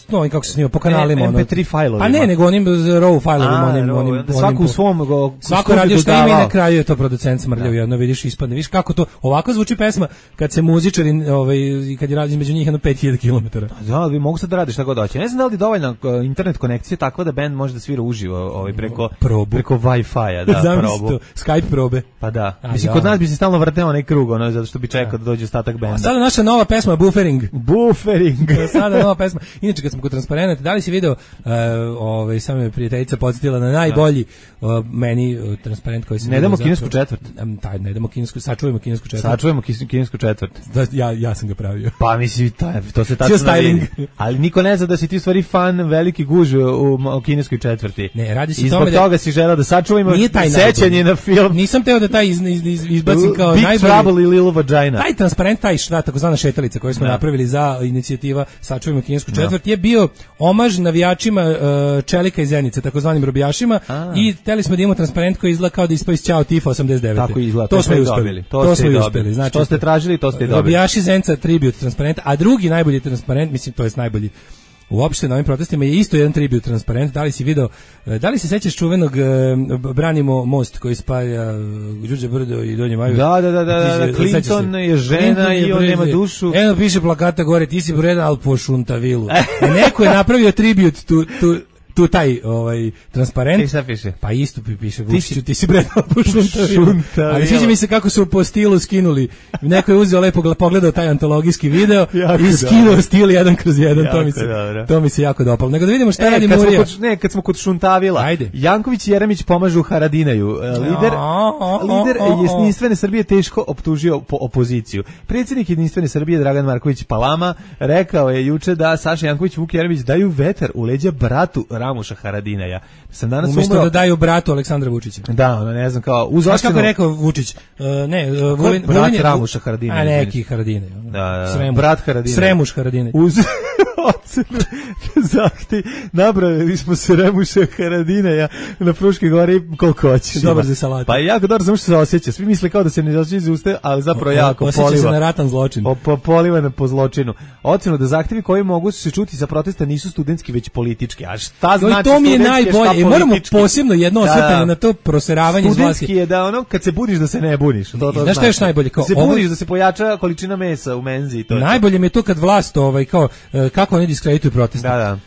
S7: no, kako se snima po kanalima,
S6: M P tri fajlovima.
S7: Pa ne, nego onim raw fajlovima, onim,
S6: raw,
S7: onim,
S6: svako u svom go,
S7: svako radio što ima i na kraju je to producent smrljao, jedno vidiš ispadne. Vidiš kako to ovako zvuči pesma kad se muzičari, ovaj, kad je radi između njih jedno pet hiljada kilometara.
S6: Da, vi mogu sad da radiš šta god hoće. Ne znam da li je dovoljna internet konekcija tako da bend može da svira uživo, ovaj preko
S7: probu.
S6: preko Wi-Fi-a, da, probu.
S7: To, Skype probe.
S6: Pa da.
S7: A,
S6: mislim,
S7: ja.
S6: kod nas bi se stalno vrteo onaj krug, ono, zato što bi čekao da dođe ostatak benda.
S7: A sada naša nova pesma Buffering.
S6: Buffering.
S7: Sada nova pesma. Inače, kad smo kod transparenata, da li si video, uh, ovaj, samo me prijateljica podsjetila na najbolji uh, meni uh, transparent koji se...
S6: Ne damo kinesku četvrt.
S7: Um, taj, ne damo kinesku, sačuvajmo kinesku četvrt.
S6: Sačuvajmo kinesku četvrt.
S7: Da, ja, ja sam ga pravio.
S6: Pa misli, to, to se tačno vidi. Ali niko ne zna da si ti stvari fan veliki guž u, u kineskoj četvrti.
S7: Ne, radi se
S6: i
S7: tome
S6: zbog toga si želeo da sačuvajmo sećanje na film.
S7: Nisam teo da taj iz, iz, iz, izbacim kao
S6: Big
S7: najbolji...
S6: Trouble i Little Vagina.
S7: Taj transparent, taj šta, takozvana šetalica koju smo
S6: da.
S7: napravili za inicijativa Sačuvajmo kinesku četvrt, je bio omaž navijačima uh, Čelika i Zenice, takozvanim robijašima, a. I hteli smo da imamo transparent koji izgleda kao da ispa iz Ćao Tifa osamdeset devete.
S6: Tako izgleda,
S7: to,
S6: to
S7: smo i uspeli.
S6: Dobili. To,
S7: to smo i
S6: dobili.
S7: uspeli. Znači,
S6: što ste tražili, to ste dobili.
S7: Robijaši Zenca tribute transparent, a drugi najbolji transparent, mislim, to je najbolji uopšte na ovim protestima je isto jedan tribut transparent. Da li si video, da li se sećaš čuvenog uh, Branimo most koji spaja uh, Đurđe Brdo i Donje Maju?
S6: Da, da, da, da, da. Clinton je žena Clinton je i on nema dušu.
S7: Eno piše plakata gore, ti si Breda, ali po šuntavilu. A neko je napravio tribut tu, tu, tu taj ovaj transparent.
S6: Šta piše?
S7: Pa isto piše Vučiću, ti si Breda, po šuntavilu. Ali sviđa mi se kako su po stilu skinuli. Neko je uzeo lepo pogledao taj antologijski video jako i skinuo dobro. Stil jedan kroz jedan. Jako to mi se dobro. To mi se jako dopalo. Nego da vidimo šta e, radi Murija.
S6: Kod, ne, kad smo kod šuntavila. Ajde. Janković i Jeremić pomažu Haradinaju. Lider, lider Jedinstvene Srbije teško optužio po opoziciju. Predsjednik Jedinstvene Srbije Dragan Marković Palama rekao je juče da Saša Janković i Vuk Jeremić daju vetar u leđa bratu Ramuša Haradinaja. Sam danas
S7: Umesto
S6: umro...
S7: da daju bratu Aleksandra Vučića.
S6: Da, ono, ne znam, kao... Uz
S7: Znaš
S6: ocenu...
S7: kako je rekao Vučić? Uh, ne, uh, Vulin,
S6: brat
S7: Vulin je...
S6: Ramuša Haradinaja.
S7: A neki Haradinaj.
S6: Da, da,
S7: Sremuš.
S6: brat Haradinaj.
S7: Sremuš Haradinaj.
S6: Uz ocenu zahti napravili smo Sremuša Haradinaja na Fruškoj gori koliko hoćeš.
S7: Dobar za salatu.
S6: Pa je jako dobro, samo što se osjeća. Svi misle kao da se ne osjeća iz usta, ali zapravo jako
S7: Osjeća
S6: poliva.
S7: se na ratan zločin.
S6: O, po, poliva na po zločinu. Ocenu da zahtevi koji mogu se čuti sa protesta nisu studentski, već politički. A šta
S7: No,
S6: znači
S7: to mi je
S6: studentski, a šta
S7: najbolje. I moramo
S6: politički?
S7: posebno jedno
S6: Da,
S7: osvrtanje
S6: da.
S7: na to proseravanje iz vlasti.
S6: Studentski je da ono, kad se budiš da se ne buniš. To, to
S7: Znaš šta je još
S6: znači.
S7: najbolje? Kao
S6: Da se
S7: ovo-
S6: budiš da se pojača količina mesa u menzi. I to je to.
S7: Najbolje mi je to kad vlast, ovaj, kao, e, kako oni diskredituju proteste.
S6: Da, da.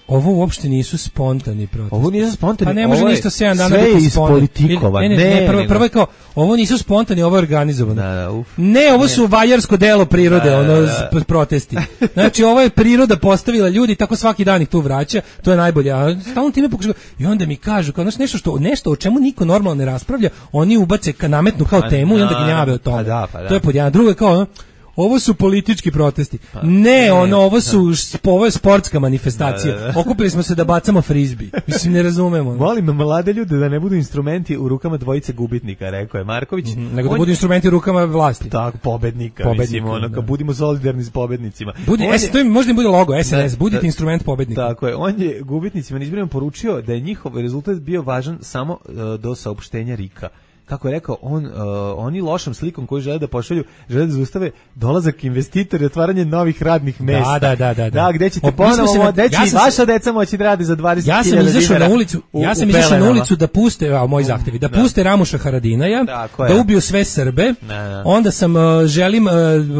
S7: Ovo uopšte nisu spontani protesti.
S6: Ovo nisu spontani.
S7: Pa ne može
S6: ovo je-
S7: ništa sedam dana
S6: sve je
S7: biti spontan.
S6: ispolitikovan.
S7: Ne, ne, ne,
S6: Ne,
S7: prvo,
S6: nego-
S7: prvo je kao, ovo nisu spontani, ovo je organizovano.
S6: Da, da, uf.
S7: Ne, ovo su vajarsko delo prirode,
S6: Da, da,
S7: ono,
S6: da.
S7: s- protesti. Znači, ovo je priroda postavila ljudi, tako svaki dan ih tu vraća, to je najbolje. A stalno time pokušaju, i onda mi kažu, kao, znaš, nešto, što, nešto o čemu niko normalno ne raspravlja, oni ubace, ka, nametnu kao
S6: Pa,
S7: temu i onda
S6: da,
S7: gnjave o tome.
S6: pa da, pa da.
S7: To je pod jedan. Drugo je kao, ono, ovo su politički protesti. ne, ono, ovo su sp- ovo je sportska manifestacija.
S6: Da, da, da.
S7: Okupili smo se da bacamo frizbi. Mislim, ne razumemo. ono.
S6: Molim mlade ljude da ne budu instrumenti u rukama dvojice gubitnika, rekao je Marković.
S7: Nego da
S6: On-
S7: budu instrumenti u rukama vlasti.
S6: tako pobednika,
S7: Pobednika,
S6: mislim, ono,
S7: da.
S6: kao budimo solidarni s pobednicima.
S7: Budi,
S6: On
S7: es,
S6: je-
S7: to im možda im bude logo, S N S,
S6: Da,
S7: budite
S6: da.
S7: instrument pobednika.
S6: Tako je, on je gubitnicima na izborima poručio da je njihov rezultat bio važan samo uh, do saopštenja Rika. Kako je rekao, on, uh, oni lošom slikom koju žele da pošalju, žele da zaustave dolazak investitora i otvaranje novih radnih mesta.
S7: da, da, da, da.
S6: gde ćete
S7: O, mi smo se
S6: ponovo,
S7: na-
S6: deći,
S7: ja sam se-
S6: vaša deca moći da radi za dvadeset
S7: Ja sam
S6: hiljada
S7: izašao
S6: dinara
S7: na ulicu,
S6: u-
S7: ja sam
S6: u
S7: izašao na
S6: pelenama.
S7: ulicu da puste, a moji zahtevi, da,
S6: Da.
S7: puste Ramuša Haradinaja,
S6: Tako je.
S7: da ubiju sve Srbe.
S6: Da, da.
S7: Onda sam uh, želim uh,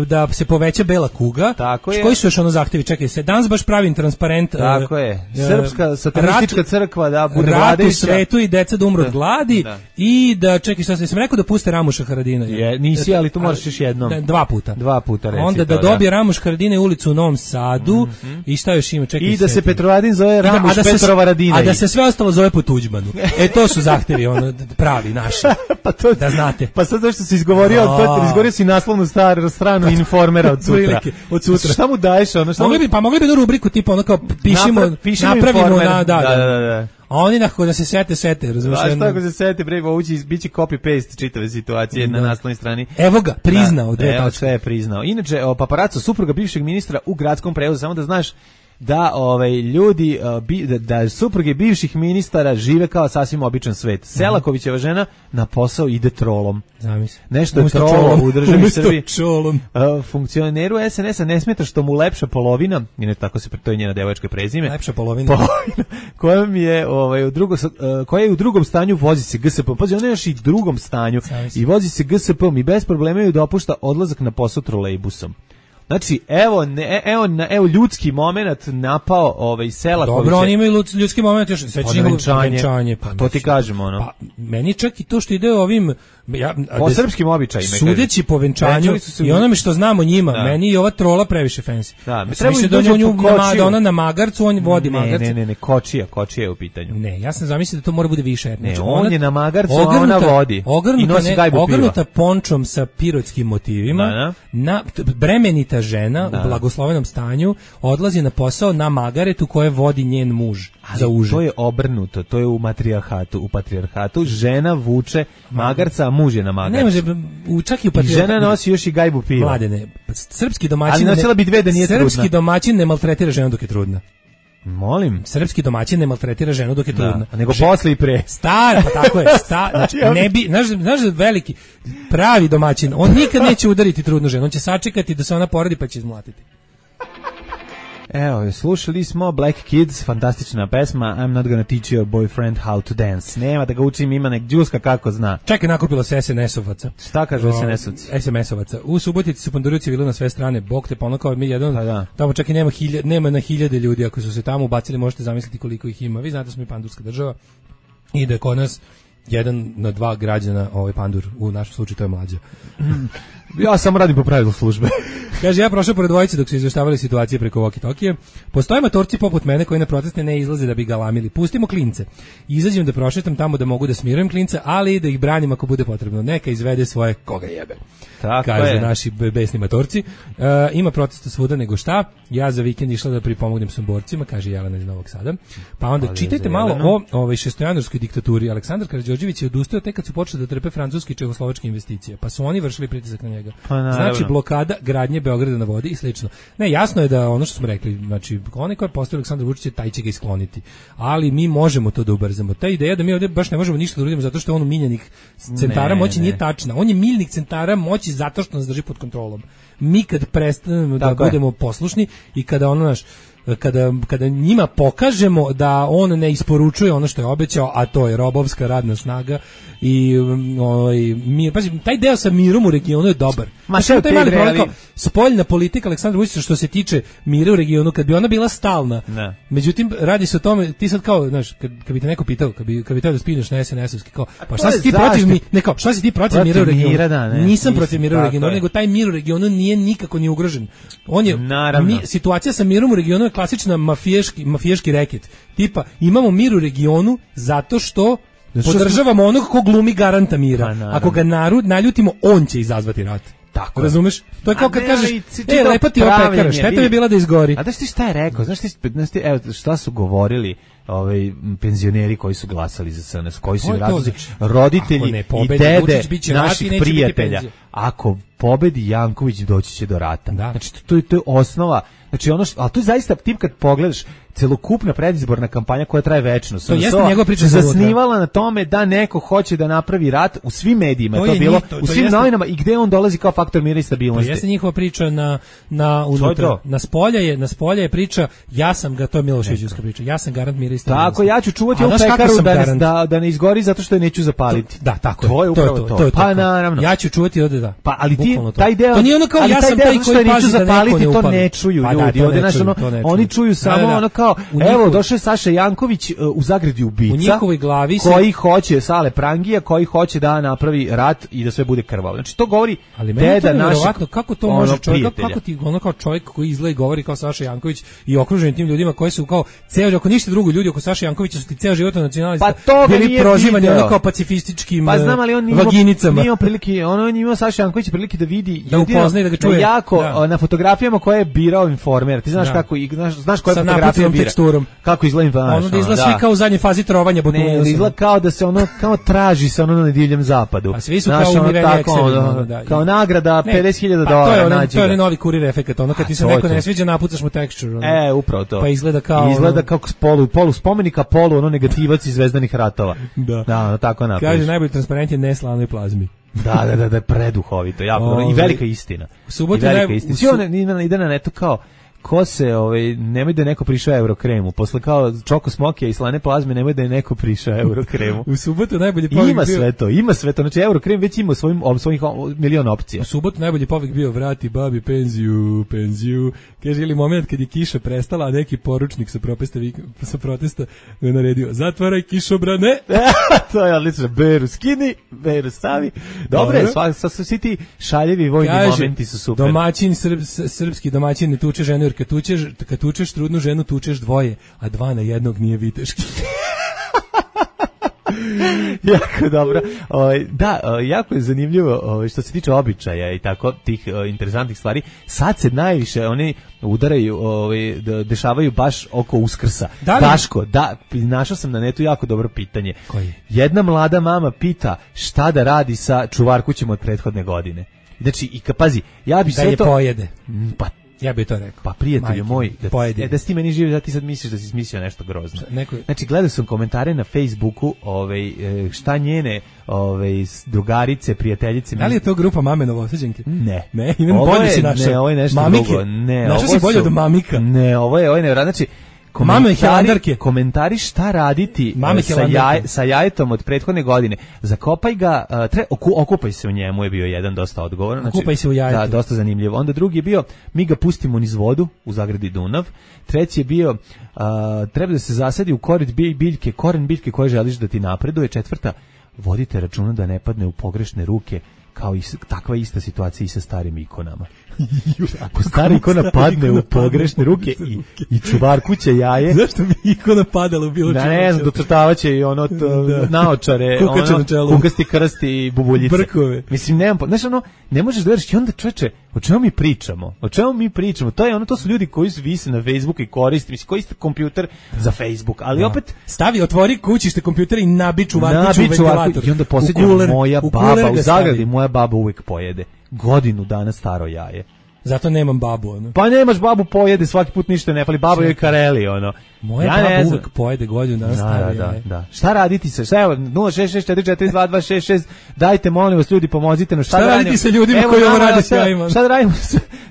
S7: da se poveća bela kuga.
S6: Tako je.
S7: Koji su još ono zahtevi? Čekaj, se danas baš pravim transparent. uh,
S6: Tako je.
S7: uh,
S6: Srpska satanistička
S7: rat-
S6: crkva da bude
S7: rat u
S6: vladajuća.
S7: svetu i deca da umru od gladi
S6: Da.
S7: i da, čekaj, šta sam, sam rekao da puste Ramuša Haradinaja.
S6: Je, nisi, ali to moraš još jednom.
S7: Da, dva puta.
S6: Dva puta reci
S7: Onda da
S6: to, da.
S7: dobije Ramuš Haradinaj ulicu u Novom Sadu i šta još ima, čekaj.
S6: I da se
S7: setim.
S6: Petrovaradin zove
S7: I da-
S6: Ramuš
S7: a da se-
S6: Petrova Radinaj.
S7: A da se sve ostalo zove po Tuđmanu. E, to su zahtevi, ono, pravi, naši.
S6: pa to,
S7: Da znate.
S6: Pa sad zašto si izgovorio,
S7: A.
S6: to, izgovorio si naslovnu staru stranu Informera od sutra.
S7: Prilike, od sutra.
S6: Šta mu daješ, ono, šta
S7: Mogli
S6: mu...
S7: bi, pa mogli bi jednu rubriku tipa ono kao pišimo,
S6: Napra- pišimo
S7: napravimo
S6: Informer.
S7: na, da,
S6: Da, da, da, da.
S7: A oni nakon da se sete, sete, razumiješ?
S6: A šta ako se sete, bre, ovo će biće copy-paste čitave situacije na
S7: Da.
S6: naslovnoj strani.
S7: Evo ga, priznao,
S6: Da,
S7: dve
S6: evo,
S7: tačke.
S6: sve je priznao. Inače, o, paparaco, supruga bivšeg ministra u gradskom prevozu, samo da znaš da ovaj ljudi uh, bi, da, da supruge bivših ministara žive kao sasvim običan svet. Selakovićeva žena na posao ide trolom.
S7: Zamisli.
S6: Nešto je
S7: Umesto
S6: trolo
S7: čolom.
S6: u državi
S7: Umesto
S6: Srbiji.
S7: čolom.
S6: Uh, funkcioneru S N S-a ne smeta što mu lepša polovina, i ne tako se, to je njena devojačka prezime,
S7: Lepša polovina.
S6: polovina kojom je, ovaj, u drugo, uh, koja je u drugom stanju, vozi se G S P. Pazi, ona je još i u drugom stanju
S7: Zamisli.
S6: i vozi se G S P-om i bez problema ju dopušta odlazak na posao trolejbusom. Znači, evo, ne, evo, na, evo ljudski moment napao ovaj Selakovića.
S7: Dobro, oni imaju ljud- ljudski moment još sve
S6: Pa
S7: njihovo
S6: venčanje.
S7: venčanje,
S6: Pa to ti kažemo, ono.
S7: Pa meni čak i to što ide ovim ja, a
S6: Po
S7: da-
S6: srpskim običajima,
S7: sudeći
S6: kažem.
S7: po venčanju
S6: Venčali su se u-
S7: i onome što znamo njima,
S6: Da.
S7: meni je ova trola previše fancy.
S6: Da,
S7: Ja sam
S6: treba
S7: mislio
S6: im
S7: da,
S6: dođe
S7: on nju,
S6: po
S7: na,
S6: kočiju.
S7: da ona na magarcu, on vodi
S6: Ne,
S7: magarcu.
S6: ne, ne, ne, kočija, kočija je u pitanju.
S7: Ne, ja sam zamislio da to mora bude više.
S6: Ne,
S7: Znači,
S6: on
S7: ona-
S6: je na magarcu, a ona
S7: ogrnuta-
S6: vodi. I
S7: Ogrnuta,
S6: nosi
S7: ne,
S6: gajbu piva.
S7: ogrnuta pončom sa pirotskim motivima,
S6: Da, da.
S7: na t- bremenita žena
S6: Da.
S7: u blagoslovenom stanju odlazi na posao na magaretu koje vodi njen muž za uže.
S6: To je obrnuto, to je u matrijarhatu, u patrijarhatu žena vuče magarca, a muž je na magarcu.
S7: Ne može, u, čak i u
S6: I žena nosi još i gajbu piva.
S7: Mladene, srpski domaćin
S6: Ali nosila bi dve da nije
S7: srpski
S6: trudna.
S7: domaćin ne maltretira ženu dok je trudna.
S6: Molim.
S7: Srpski domaćin ne maltretira ženu dok je trudna.
S6: Da, nego
S7: Že-
S6: posle i pre.
S7: Star, pa tako je, sta, znači, ne bi, znaš, znaš da veliki, pravi domaćin, on nikad neće udariti trudnu ženu, on će sačekati da se ona porodi pa će izmlatiti.
S6: Evo, slušali smo Black Kids, fantastična pesma, I'm not gonna teach your boyfriend how to dance. Nema da ga učim, ima nek džuska kako zna.
S7: Čekaj, nakupilo se S N S-ovaca.
S6: Šta kažu S N S-ovci?
S7: S M S-ovaca. U Subotici su panduri civili na sve strane, bog te ponakao, mi jedan,
S6: Pa da.
S7: tamo čak i nema, hilja, nema na hiljade ljudi, ako su se tamo ubacili, možete zamisliti koliko ih ima. Vi znate da smo mi pandurska država i da je kod nas jedan na dva građana ovaj pandur, u našem slučaju to je mlađa.
S6: Ja samo radim po pravilu službe.
S7: Kaže, ja prošao pored dvojice dok su izveštavali situacije preko walkie-talkije. Postoje matorci poput mene koji na proteste ne izlaze da bi galamili. Pustimo klince. Izađem da prošetam tamo da mogu da smirujem klince, ali i da ih branim ako bude potrebno. Neka izvede svoje koga jebe.
S6: Tako
S7: Kažu
S6: je.
S7: naši besni matorci. Uh, ima protesta svuda nego šta. Ja za vikend išla da pripomognem Somborcima, kaže Jelena iz Novog Sada. Pa onda čitajte malo o ovoj šestojanuarskoj diktaturi. Aleksandar Karađorđević je odustao tek kad su počeli da trpe francuski i čehoslovačke investicije. Pa su oni vršili pritisak na njega.
S6: Pa,
S7: znači blokada gradnje Beograda na vodi i slično. Ne, jasno je da ono što smo rekli, znači onaj ko je postavio Aleksandar Vučić, taj će ga iskloniti. Ali mi možemo to da ubrzamo. Ta ideja da mi ovdje baš ne možemo ništa da uradimo zato što je on miljenik centara ne, moći ne. nije tačna. On je miljenik centara moći zato što nas drži pod kontrolom. Mi kad prestanemo da budemo je. poslušni i kada ono naš kada, kada njima pokažemo da on ne isporučuje ono što je obećao, a to je robovska radna snaga i ovaj mir, pazi, taj deo sa mirom u regionu je dobar. Ma sve taj mali problem, spoljna politika Aleksandra Vučića što se tiče mira u regionu, kad bi ona bila stalna. Ne. Međutim radi se o tome, ti sad kao, znaš, kad, kad bi te neko pitao, kad bi kad bi te da spineš na es en es-ovski kao, pa šta si ti protiv mi, ne kao, šta si ti protiv, protiv mira u regionu? Mira, da, ne, nisam protiv mira u regionu, nego taj mir u regionu nije nikako ni ugrožen. On je mi, situacija sa mirom u regionu je klasična mafijaški mafijaški reket. Tipa imamo mir u regionu zato što podržavamo onog ko glumi garanta mira. Ako ga narod naljutimo, on će izazvati rat. Tako. Razumeš? To je kao kad kažeš, e, lepa ti ova pekara, šteta bi bila da izgori.
S6: A da ti šta je rekao? Znaš ti, znaš ti, evo, šta su govorili ovaj penzioneri koji su glasali za S N S, koji su različiti roditelji i dede naših prijatelja. Ako pobedi Janković, doći će do rata. Da. Znači, to, to, to je osnova. Znači, ono što, ali to je zaista tip kad pogledaš celokupna predizborna kampanja koja traje večno.
S7: To jeste njegova priča
S6: zasnivala na tome da neko hoće da napravi rat u svim medijima, to, to je bilo njih, to, u svim jeste, novinama i gde on dolazi kao faktor mira i stabilnosti.
S7: To jeste njihova priča na na unutra. Na spolja je, na spolja je priča, ja sam ga, to je Miloševićevska priča. Ja sam garant mira i stabilnosti.
S6: Tako, ja ću čuvati ovu pekaru da, da da ne izgori zato što je neću zapaliti.
S7: To, da, tako
S6: to je upravo to. to, to, to
S7: pa naravno. Ja ću čuvati ovde da.
S6: Pa ali ti taj deo,
S7: to nije ono kao ja sam taj koji
S6: neću zapaliti, to ne čuju ljudi. Ovde naš ono, oni čuju samo ono kao evo došao je Saša Janković u zagradi ubica.
S7: U njihovoj glavi se
S6: koji hoće Sale Prangija, koji hoće da napravi rat i da sve bude krvavo. Znači to govori
S7: ali deda našeg, kako to može čovjek, kako ti ono kao čovjek koji izgleda i govori kao Saša Janković i okružen tim ljudima koji su kao ceo, ako ništa drugo ljudi oko Saše Jankovića su ti ceo život nacionalista.
S6: Pa
S7: bili prozivani ono kao pacifističkim
S6: pa znam, ali on nije
S7: vaginicama.
S6: Nije prilike, ono nije imao Saša Janković prilike da vidi
S7: da upozna i da ga čuje.
S6: Jako da. Na fotografijama koje je birao Informer. Ti znaš da. kako i znaš, znaš koja fotografija bira.
S7: Teksturom.
S6: Kako izgleda
S7: ono da izgleda svi kao u zadnjoj fazi trovanja
S6: ne, izgleda kao da se ono kao traži se ono na divljem zapadu.
S7: A svi su znaš, kao umireni eksevi.
S6: Da, kao nagrada pedeset hiljada dolara nađe.
S7: To je novi kurir efekat. Ono kad ti se neko ne sviđa, napucaš mu texture. Ono.
S6: E, upravo to.
S7: Pa izgleda kao
S6: izgleda kao polu polu spomenika, polu ono negativac iz Zvezdanih ratova.
S7: Da,
S6: da no, tako napraviš.
S7: Kaže najbolji transparent je neslavnoj plazmi.
S6: Da, da, da, da, preduhovito, jako i velika istina.
S7: U subotu
S6: velika istina. Svi on ide na netu kao ko se, ovaj, nemoj da je neko prišao Eurokremu. Posle kao Čoko Smokija i slane plazme, nemoj da je neko prišao Eurokremu.
S7: U subotu najbolji povik
S6: ima
S7: bio...
S6: sve to, ima sve to. Znači Eurokrem već ima svojim, svojih milion opcija.
S7: U subotu najbolji povik bio vrati babi penziju, penziju. Kaže, ili moment kad je kiša prestala, a neki poručnik sa protesta, sa protesta naredio, zatvaraj kišobrane.
S6: To je odlično. Beru skini, beru stavi. Dobre, sva, sva, svi ti šaljevi vojni kaže, momenti su super.
S7: Domaćin, srb, srpski domaćin ne tuče ženu, jer kad tučeš, kad tučeš trudnu ženu, tučeš dvoje, a dva na jednog nije viteški.
S6: Jako dobro. O, da, o, jako je zanimljivo o, što se tiče običaja i tako tih o, interesantnih stvari. Sad se najviše oni udaraju, o, dešavaju baš oko Uskrsa. Da li... Daško, da, našao sam na netu jako dobro pitanje.
S7: Koji?
S6: Jedna mlada mama pita šta da radi sa čuvarkućem od prethodne godine. Znači, i ka, pazi, ja bi
S7: da
S6: sve
S7: je
S6: to...
S7: pojede.
S6: Pa,
S7: ja bih to rekao.
S6: Pa prijatelju moj, da,
S7: e,
S6: da si ti meni živi, da ti sad misliš da si smislio nešto grozno.
S7: Neko...
S6: Znači, gledao sam komentare na Facebooku, ovaj, šta njene ovaj, drugarice, prijateljice...
S7: Da li je to grupa Mame Novosađenke?
S6: Ne.
S7: Ne, imam bolje si našao.
S6: Ne, ovo je nešto
S7: Mamike.
S6: drugo. Ne,
S7: našao si bolje od Mamika.
S6: Ne, ovo je, ovo je ne, znači...
S7: Mame Helandarke.
S6: Komentari šta raditi
S7: Mame
S6: sa, jaj, sa jajetom od prethodne godine. Zakopaj ga, uh, tre, oku, okupaj se u njemu je bio jedan dosta odgovoran. Znači,
S7: okupaj se u jajetu.
S6: Da, dosta zanimljivo. Onda drugi je bio, mi ga pustimo niz vodu u zagradi Dunav. Treći je bio, uh, treba da se zasadi u koren biljke, koren biljke koje želiš da ti napreduje. Četvrta, vodite računa da ne padne u pogrešne ruke, kao i takva ista situacija i sa starim ikonama. Ako stara ikona padne u pogrešne ruke i, i čuvar kuće jaje.
S7: Zašto bi ikona padala u bilo čemu?
S6: Da, ne znam, docrtavaće i ono da. naočare, ono, kukasti krsti i bubuljice.
S7: Brkove.
S6: Mislim, nemam, znaš, ono, ne možeš da veriš i onda čoveče, o čemu mi pričamo? O čemu mi pričamo? To je ono, to su ljudi koji su vise na Facebooku i koriste, mislim, koriste kompjuter za Facebook, ali
S7: da.
S6: opet
S7: stavi, otvori kućište kompjuter i nabi čuvarkuću u ventilator.
S6: I onda posljednja moja u baba, u zagradi moja baba uvijek pojede godinu dana staro jaje.
S7: Zato nemam babu, ono.
S6: Pa nemaš babu, pojede svaki put ništa ne fali, baba joj kareli, ono.
S7: Moja ja baba uvijek pojede godinu dana staro
S6: da,
S7: jaje.
S6: Da, da. Šta raditi se? Šta evo, nula šest šest četiri četiri dva dva šest šest, dajte, molim vas, ljudi, pomozite nam.
S7: Šta, šta raditi sa ljudima evo, koji ovo rade s jajima?
S6: Šta da radimo?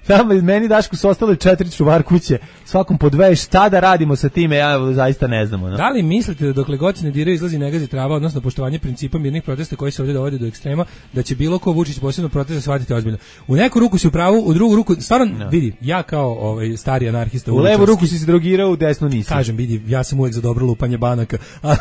S6: Tamo meni Dašku su ostale četiri čuvar kuće, svakom po dve, šta da radimo sa time, ja zaista ne znam. Ono.
S7: Da li mislite da dokle god se ne diraju izlazi ne gazi trava, odnosno poštovanje principa mirnih protesta koji se ovdje dovode do ekstrema, da će bilo ko Vučić posebno protesta shvatiti ozbiljno? U neku ruku si u pravu, u drugu ruku, stvarno, no. vidi, ja kao ovaj, stari anarhista...
S6: U levu ruku si se drogirao, u desnu nisi.
S7: Kažem, vidi, ja sam uvijek za dobro lupanje banaka, ali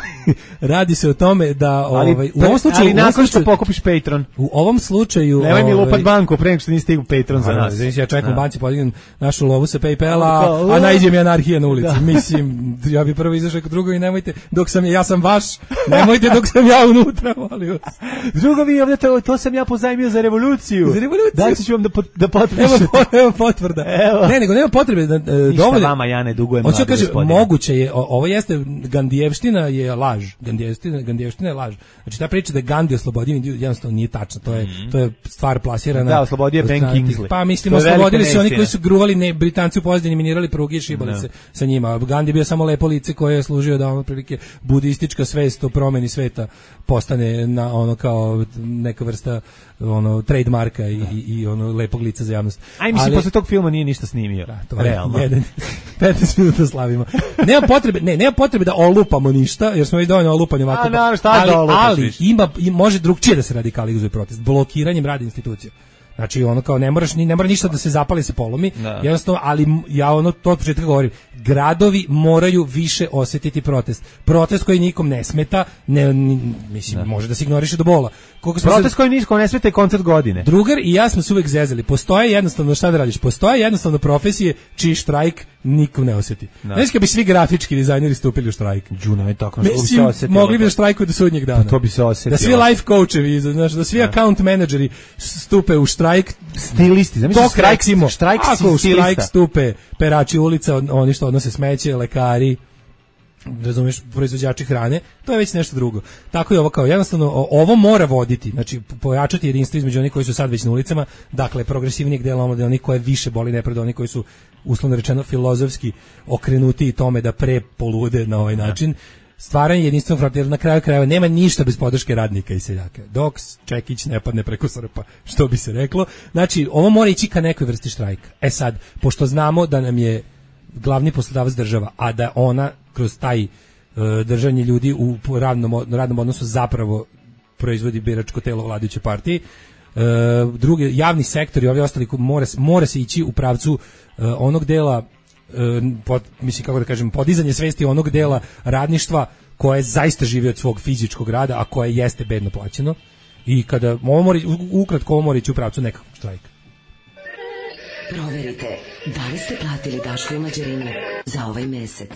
S7: radi se o tome da...
S6: Ali,
S7: ovaj, u ovom slučaju...
S6: Ali nakon što pokupiš Patreon.
S7: U ovom slučaju...
S6: Nemoj mi
S7: ovaj,
S6: lupat banku pre nego što nisi stigao Patreon za nas.
S7: Znači, ja čekam u banci, podignem našu lovu sa PayPala, a najđe mi anarhija na ulici. Da. Mislim, ja bi prvo izašao kod drugo i nemojte, dok sam ja sam vaš, nemojte dok sam ja unutra, molim vas.
S6: Drugovi, ovdje to, to sam ja pozajmio za revoluciju.
S7: Za revoluciju.
S6: Daći ću vam da, da potpišete.
S7: Evo, evo potvrda. Evo. Ne, nego nema potrebe. Da, e,
S6: Ništa dovolje, vama ja ne dugujem.
S7: Hoću kaže, moguće je, o, ovo jeste, Gandijevština je laž. Gandijevština, Gandijevština je laž. Znači, ta priča da Gandhi oslobodio Indiju jednostavno nije tačna. To je, mm. to je stvar plasirana.
S6: Da, oslobodio Ben Kingsley.
S7: Pa mislim, oslobodili su oni koji su gruvali ne, Britanci u pozadini, minirali pruge i šibali no. se sa njima. Gandhi bio samo lepo lice koje je služio da ono prilike budistička svest o promeni sveta postane na ono kao neka vrsta ono trademarka i, i, i ono lepog lica za javnost.
S6: Aj mislim, posle tog filma nije ništa snimio.
S7: Da, to realno. Jedan, petnaest minuta slavimo. Nema potrebe, ne, nema potrebe da olupamo ništa, jer smo već dovoljno olupani ovako.
S6: A, naravno, šta
S7: ali,
S6: da olupaš,
S7: ali ima, može drugčije da se radikalizuje protest. Blokiranjem rada institucija. Znači ono kao ne moraš ni ne mora ništa da se zapali se polomi, da. Jednostavno, ali ja ono to od početka govorim, gradovi moraju više osjetiti protest. Protest koji nikom ne smeta, ne, ne mislim da. Može da se ignoriše do bola.
S6: Koliko protest se, koji nikom ne smeta je koncert godine.
S7: Drugar i ja smo se uvek zezali. Postoje jednostavno šta da radiš? Postoje jednostavno profesije čiji štrajk nikom ne osjeti. Znači kad bi svi grafički dizajneri stupili u štrajk.
S6: Đuna je tako
S7: što bi se osetilo. Mogli bi da štrajkuju do sudnjeg dana.
S6: Pa to bi se osetilo.
S7: Da svi life coachevi, znači da svi da. account menadžeri stupe u štrajk.
S6: Stilisti, zamisli štrajk, štrajk,
S7: ako štrajk stupe perači ulica, oni što odnose smeće, lekari, razumiješ, proizvođači hrane, to je već nešto drugo. Tako je ovo kao, jednostavno, ovo mora voditi, znači pojačati jedinstvo između onih koji su sad već na ulicama, dakle, progresivnijeg dela omladine, onih koje više boli nepred, onih koji su, uslovno rečeno, filozofski okrenuti i tome da pre polude na ovaj način. Stvaranje jedinstvenog fronta, jer na kraju krajeva nema ništa bez podrške radnika i seljaka. Dok Čekić ne padne preko srpa, što bi se reklo. Znači, ovo mora ići ka nekoj vrsti štrajka. E sad, pošto znamo da nam je glavni poslodavac država, a da ona kroz taj uh, držanje ljudi u radnom, radnom odnosu zapravo proizvodi biračko telo vladajuće partije, uh, drugi javni sektor i ovi ostali mora, mora se ići u pravcu uh, onog dela Pod, mislim kako da kažem, podizanje svesti onog dela radništva koje zaista živi od svog fizičkog rada, a koje jeste bedno plaćeno. I kada ovo mora, ukratko ovo mora ići u pravcu nekakvog štrajka.
S1: Proverite da li ste platili Daško i Mlađarinu za ovaj mesec.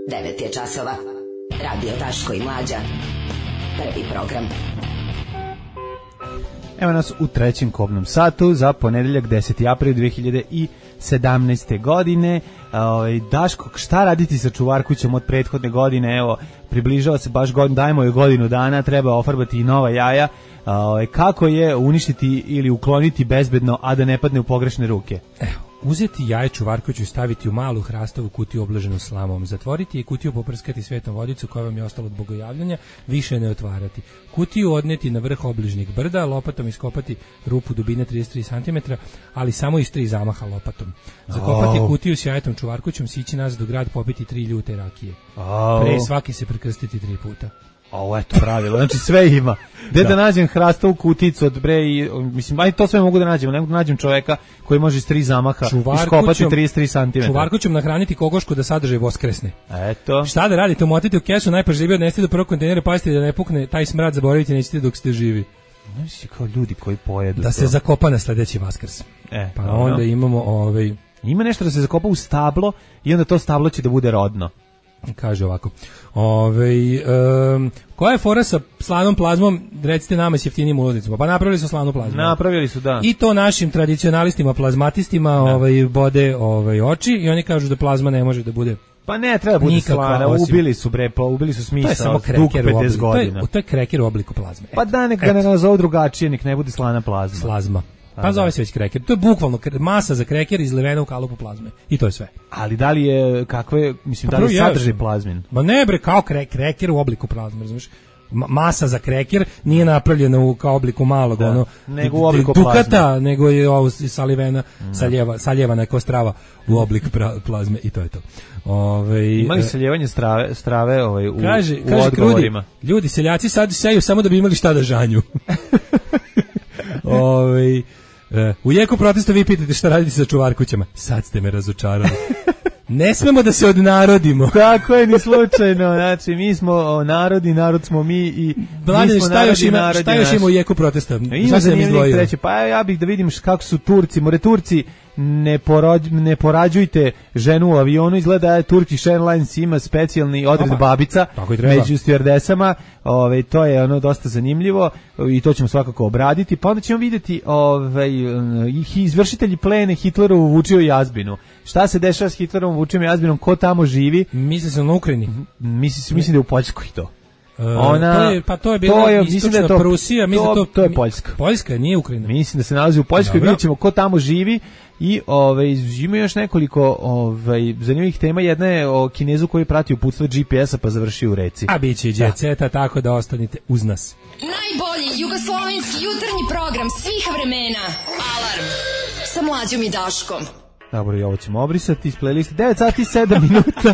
S1: devet je časova. Radio Daško i Mlađa. Prvi program.
S6: Evo nas u trećem kobnom satu za ponedeljak deseti april dve hiljade sedamnaeste. godine. Ovaj Daško, šta raditi sa čuvarkućom od prethodne godine? Evo, približava se baš godinu, dajmo joj godinu dana, treba ofarbati i nova jaja. Ovaj kako je uništiti ili ukloniti bezbedno, a da ne padne u pogrešne ruke?
S7: Evo, uzeti jaje čuvarkuću i staviti u malu hrastovu kutiju obloženu slamom, zatvoriti i kutiju poprskati svetom vodicu koja vam je ostala od bogojavljanja, više ne otvarati. Kutiju odneti na vrh obližnjeg brda, lopatom iskopati rupu dubine trideset tri centimetra, ali samo iz tri zamaha lopatom. Zakopati oh. kutiju s jajetom čuvarkućom, sići nazad u grad, popiti tri ljute rakije.
S6: Oh.
S7: Pre svaki se prekrstiti tri puta.
S6: Ovo je to pravilo, znači sve ima. Gde da. da nađem hrastovu kuticu od bre i, mislim, aj to sve mogu da nađem, ne mogu da nađem čoveka koji može iz tri zamaha iskopati trideset tri centimetra.
S7: Čuvarkućom nahraniti kokošku da sadržaj voskresne.
S6: Eto.
S7: Šta da radite, umotite u kesu, najpažljivije odnesite do prvog kontejnera, pazite da ne pukne taj smrad, zaboravite, nećete dok ste živi.
S6: Znači, kao ljudi koji pojedu
S7: da
S6: to.
S7: se zakopa na sledeći Vaskrs.
S6: E,
S7: pa
S6: dobro.
S7: onda imamo ovaj
S6: ima nešto da se zakopa u stablo i onda to stablo će da bude rodno.
S7: Kaže ovako. Ovaj um, koja je fora sa slanom plazmom? Recite nama s jeftinim ulaznicama. Pa napravili su slanu plazmu.
S6: Napravili su, da.
S7: I to našim tradicionalistima, plazmatistima,
S6: da.
S7: ovaj bode ovaj oči i oni kažu da plazma ne može da bude.
S6: Pa ne, treba bude slana, osim... ubili su bre, pa ubili su smisao.
S7: To je samo kreker u obliku, to je, to je kreker u obliku plazme.
S6: Pa da, nek ga ne nazovu drugačije, nek ne bude slana plazma.
S7: Slazma. Pa, pa zove se već kreker. To je bukvalno masa za kreker izlivena u kalupu plazme. I to je sve.
S6: Ali da li je, kakve, mislim, pa da li sadrži plazmin?
S7: Ma ne bre, kao kre, kreker u obliku plazme, razumiješ? Masa za kreker nije napravljena u kao obliku malog, da, ono,
S6: nego u obliku
S7: dukata,
S6: plazme.
S7: nego je ovo salivena, mm. saljeva, saljevana kao strava u oblik pra, plazme i to je to. Ove,
S6: imali saljevanje strave, strave ovaj, u,
S7: kaže,
S6: u
S7: kaže
S6: odgovorima.
S7: Ljudi, ljudi, seljaci sad seju samo da bi imali šta da žanju. Ove, u jeku protesta vi pitate šta radite sa čuvarkućama. Sad ste me razočarali. Ne smemo da se odnarodimo.
S6: Tako je, ni slučajno. Znači, mi smo narodi, narod smo mi i
S7: Blade,
S6: mi smo
S7: šta još ima,
S6: narodi,
S7: šta još ima u jeku protesta?
S6: Ima zanimljivih treće. Pa ja bih da vidim kako su Turci, more Turci, ne, porođ, ne porađujte ženu u avionu, izgleda da Turkish Airlines ima specijalni odred Opa, babica među stewardesama, ove, to je ono dosta zanimljivo i to ćemo svakako obraditi, pa onda ćemo vidjeti ove, izvršitelji plene Hitlerovu Vučiju Jazbinu. Šta se dešava s Hitlerovom Vučijom Jazbinom, ko tamo živi?
S7: Misli se na Ukrajini.
S6: Misli, mislim da je u Poljskoj to.
S7: Ona, to je, pa to je bila to je, istočna da to, Prusija, mislim
S6: to,
S7: to,
S6: to je Poljska.
S7: Poljska, nije Ukrajina.
S6: Mislim da se nalazi u Poljskoj, vidjet ćemo ko tamo živi i ovaj, ima još nekoliko ovaj, zanimljivih tema. Jedna je o Kinezu koji prati uputstva G P S-a pa završi u reci.
S7: A bit će jet seta, tako da ostanite uz nas.
S9: Najbolji jugoslovenski jutarnji program svih vremena. Alarm sa Mlađom i Daškom.
S6: Dobro, i ovo ćemo obrisati iz playliste. devet sati i sedam minuta.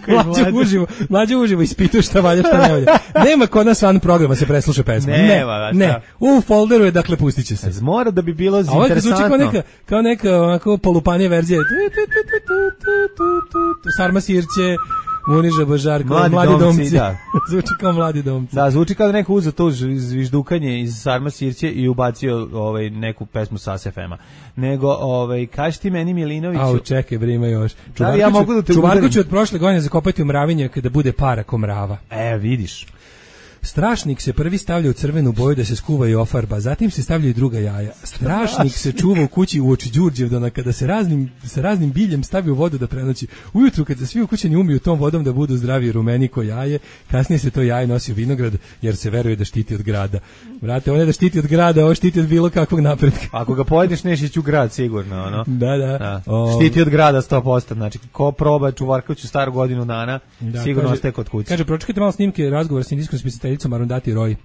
S7: Mlađe uživo, mlađe uživo ispituje šta valja, šta ne valja. Nema kod nas van programa se presluša pesma.
S6: Nema,
S7: ne, ne. U folderu je, dakle, pustit će se.
S6: Mora da bi bilo interesantno.
S7: A ovo zvuči kao neka, kao neka onako polupanija verzija. Sarma Sirće, Muniža Božarko, Mladi, mladi domci. domci. Da. Zvuči kao Mladi domci.
S6: Da, zvuči kao da neko uzeo to zviždukanje iz Sarma Sirće i ubacio ovaj, neku pesmu sa S F M-a. Nego, ovaj, kaži ti meni Milinoviću...
S7: Au, čekaj, bre, ima još.
S6: Da, ja mogu da te
S7: Čuvarku ću od prošle godine zakopati u mravinje kada bude para ko mrava.
S6: E, vidiš.
S7: Strašnik se prvi stavlja u crvenu boju da se skuva i ofarba, zatim se stavljaju druga jaja. Strašnik se čuva u kući uoči Đurđevdana kada se raznim, sa raznim biljem stavi u vodu da prenoći. Ujutru kad se svi ukućeni umiju tom vodom da budu zdravi i rumeni ko jaje, kasnije se to jaje nosi u vinograd jer se veruje da štiti od grada. Vrate, on je da štiti od grada, ovo štiti od bilo kakvog napretka.
S6: Ako ga pojedeš nešić u grad sigurno, ono.
S7: Da, da.
S6: da. O... Štiti od grada sto posto, znači ko proba Čuvarkoviću staru godinu dana, da, sigurno kaže, ostaje kod kuće.
S7: Kaže, pročekajte malo snimke razgovora s indijskom spisateljicom Arundhati Roy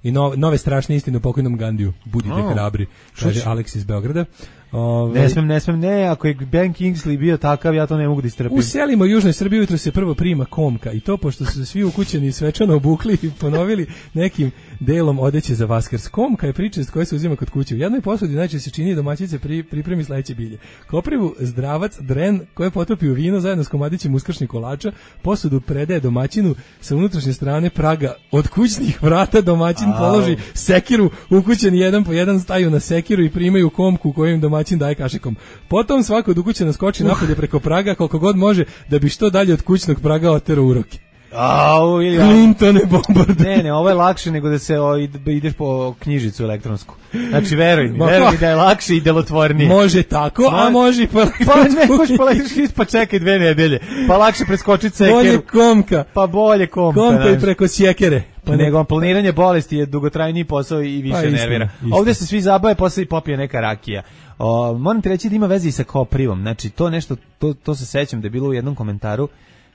S7: i no, nove strašne istine o pokojnom Gandiju. Budite oh, hrabri, kaže Aleks iz Beograda. Ove,
S6: ne smem, ne smem, ne, ako je Ben Kingsley bio takav, ja to ne mogu da istrpim.
S7: U selima u Južnoj Srbiji jutro se prvo prima komka i to pošto su svi ukućeni svečano obukli i ponovili nekim delom odeće za Vaskrs. Komka je pričest koja se uzima kod kuće. U jednoj posudi najčešće se čini domaćice pri, pripremi sledeće bilje. Koprivu zdravac, dren koje potopi u vino zajedno s komadićem uskršnjih kolača, posudu predaje domaćinu sa unutrašnje strane praga. Od kućnih vrata domaćin Au. položi sekiru, ukućeni jedan po jedan staju na sekiru i primaju komku koju im domaćin daje kašikom. Potom svako od ukućena skoči uh. napolje preko praga koliko god može da bi što dalje od kućnog praga oterao uroke.
S6: Au, ili
S7: Clintone bombarde.
S6: Ne, ne, ovo je lakše nego da se o, ideš po knjižicu elektronsku. Znači, veruj mi, veruj mi da je lakše i delotvornije.
S7: Može tako, Ma, a može i po elektronsku.
S6: Pa ne, možeš po elektronsku, pa čekaj dve nedelje. Pa lakše preskočiti sekeru.
S7: Bolje komka.
S6: Pa bolje komka.
S7: Komka i preko sjekere.
S6: Pa nego planiranje bolesti je dugotrajniji posao i više pa, istina, nervira. Istina. Ovdje se svi zabave, posle i popije neka rakija. O, moram ti reći da ima veze i sa koprivom. Znači, to nešto, to, to se sećam da je bilo u jednom komentaru,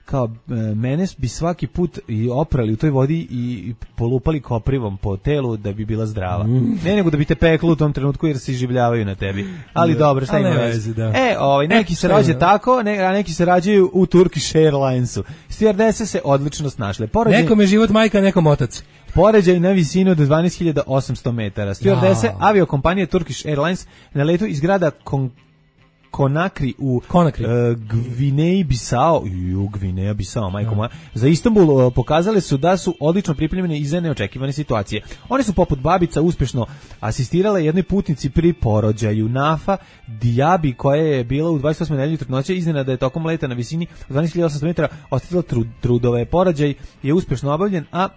S6: kao e, mene bi svaki put i oprali u toj vodi i, i polupali koprivom po telu da bi bila zdrava. Mm. Ne nego da bi te peklo u tom trenutku jer se iživljavaju na tebi. Ali da. Dobro, šta ima veze? Da. E, ovaj, neki e, se rođe tako, ne, a neki se rađaju u Turkish Airlinesu. Stewardese se odlično snašle. Poređenje...
S7: Nekom je život majka, nekom otac.
S6: Poređaj na visinu od dvanaest hiljada osamsto metara. Stewardese ja. aviokompanije Turkish Airlines na letu iz grada Kon Konakri u
S7: Konakri.
S6: Uh, Gvineji Bisao, ju Gvineja Bisao, majko moja, za Istanbul uh, pokazali su da su odlično pripremljene i za neočekivane situacije. One su poput babica uspešno asistirale jednoj putnici pri porođaju. Nafa Diaby, koja je bila u dvadeset osmoj nedelji trudnoće, iznenada je tokom leta na visini dvanaest hiljada osamsto metara ostavila trud, trudove. Porođaj je uspešno obavljen, a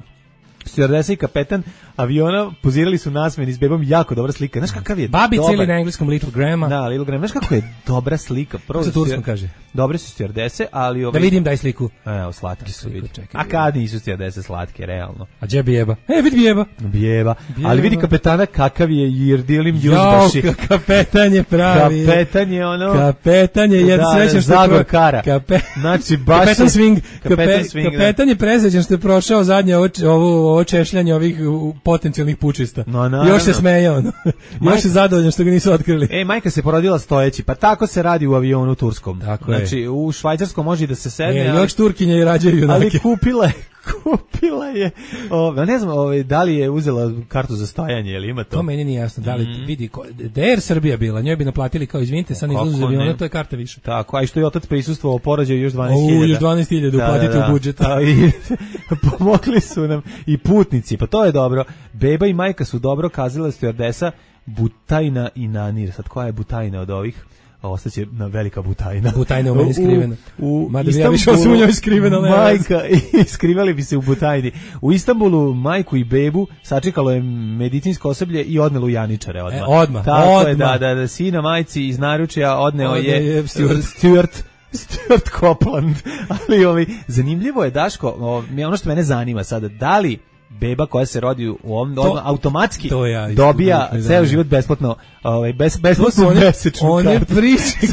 S6: stjuardesa i kapetan aviona pozirali su nasmeni s bebom, jako dobra slika. Znaš kakav je
S7: Babica
S6: dobar...
S7: ili na engleskom Little Grandma.
S6: Da, Little Grandma. Znaš kako je dobra slika.
S7: Kako se turskom kaže?
S6: Dobre su stjuardese, ali... Ovaj...
S7: Da vidim, daj sliku.
S6: Evo, slatke su, vidi.
S7: Čekaj,
S6: a kad nisu stjuardese slatke, realno?
S7: A gdje bijeba? E, vidi bijeba.
S6: Bijeba. Ali vidi kapetana kakav je Jirdilim Juzbaši.
S7: Jo, kapetan je pravi.
S6: Kapetan je ono...
S7: Kapetan je, jer
S6: da,
S7: srećan što
S6: Zagor Kara.
S7: Kape...
S6: Znači, baš...
S7: Kapetan swing.
S6: Kapetan,
S7: Kape...
S6: swing,
S7: kapetan je presrećan što je prošao zadnje ovo, ovo, ovo češljanje ovih potencijalnih pučista.
S6: No,
S7: još se smeje ono. Još je zadovoljan što ga nisu otkrili.
S6: E, majka se porodila stojeći, pa tako se radi u avionu turskom.
S7: Tako
S6: znači,
S7: je.
S6: u švajcarskom može i da se sedne.
S7: E,
S6: ali...
S7: još Turkinje i rađaju junake.
S6: Ali kupila je, kupila je, o, ne znam, o, da li je uzela kartu za stajanje, ili ima to?
S7: To meni nije jasno, da li mm. vidi, da je Air Srbija bila, njoj bi naplatili kao, izvinite, sad ne izlazu za aviona, to je karta više.
S6: Tako, a i što je otac prisustvovao porođaju još dvanaest hiljada.
S7: O, još dvanaest hiljada uplatite da, da, da. u budžet.
S6: A, i, pomogli su nam i putnici, pa to je dobro. Beba i majka su dobro kazala stjuardesa Butajna i Nanir. Sad koja je Butajna od ovih? Ostaće na velika Butajna.
S7: Butajna u meni skrivena.
S6: U, u
S7: Mada bi ja više osim u njoj skrivena.
S6: Majka, skrivali bi se u Butajni. U Istanbulu majku i bebu sačekalo je medicinsko osoblje i odnelo u Janičare odmah.
S7: E, odmah,
S6: Tako
S7: odmah.
S6: je, da, da, da, sina majci iz naručja odneo
S7: Odne
S6: je,
S7: je Stuart.
S6: Stuart Stuart Copeland. Ali ovi, zanimljivo je, Daško, o, ono što mene zanima sada, da li beba koja se rodi u ovom, to, automatski to ja dobija ceo život besplatno, ovaj bez besplatnu mesečnu
S7: kartu. One priče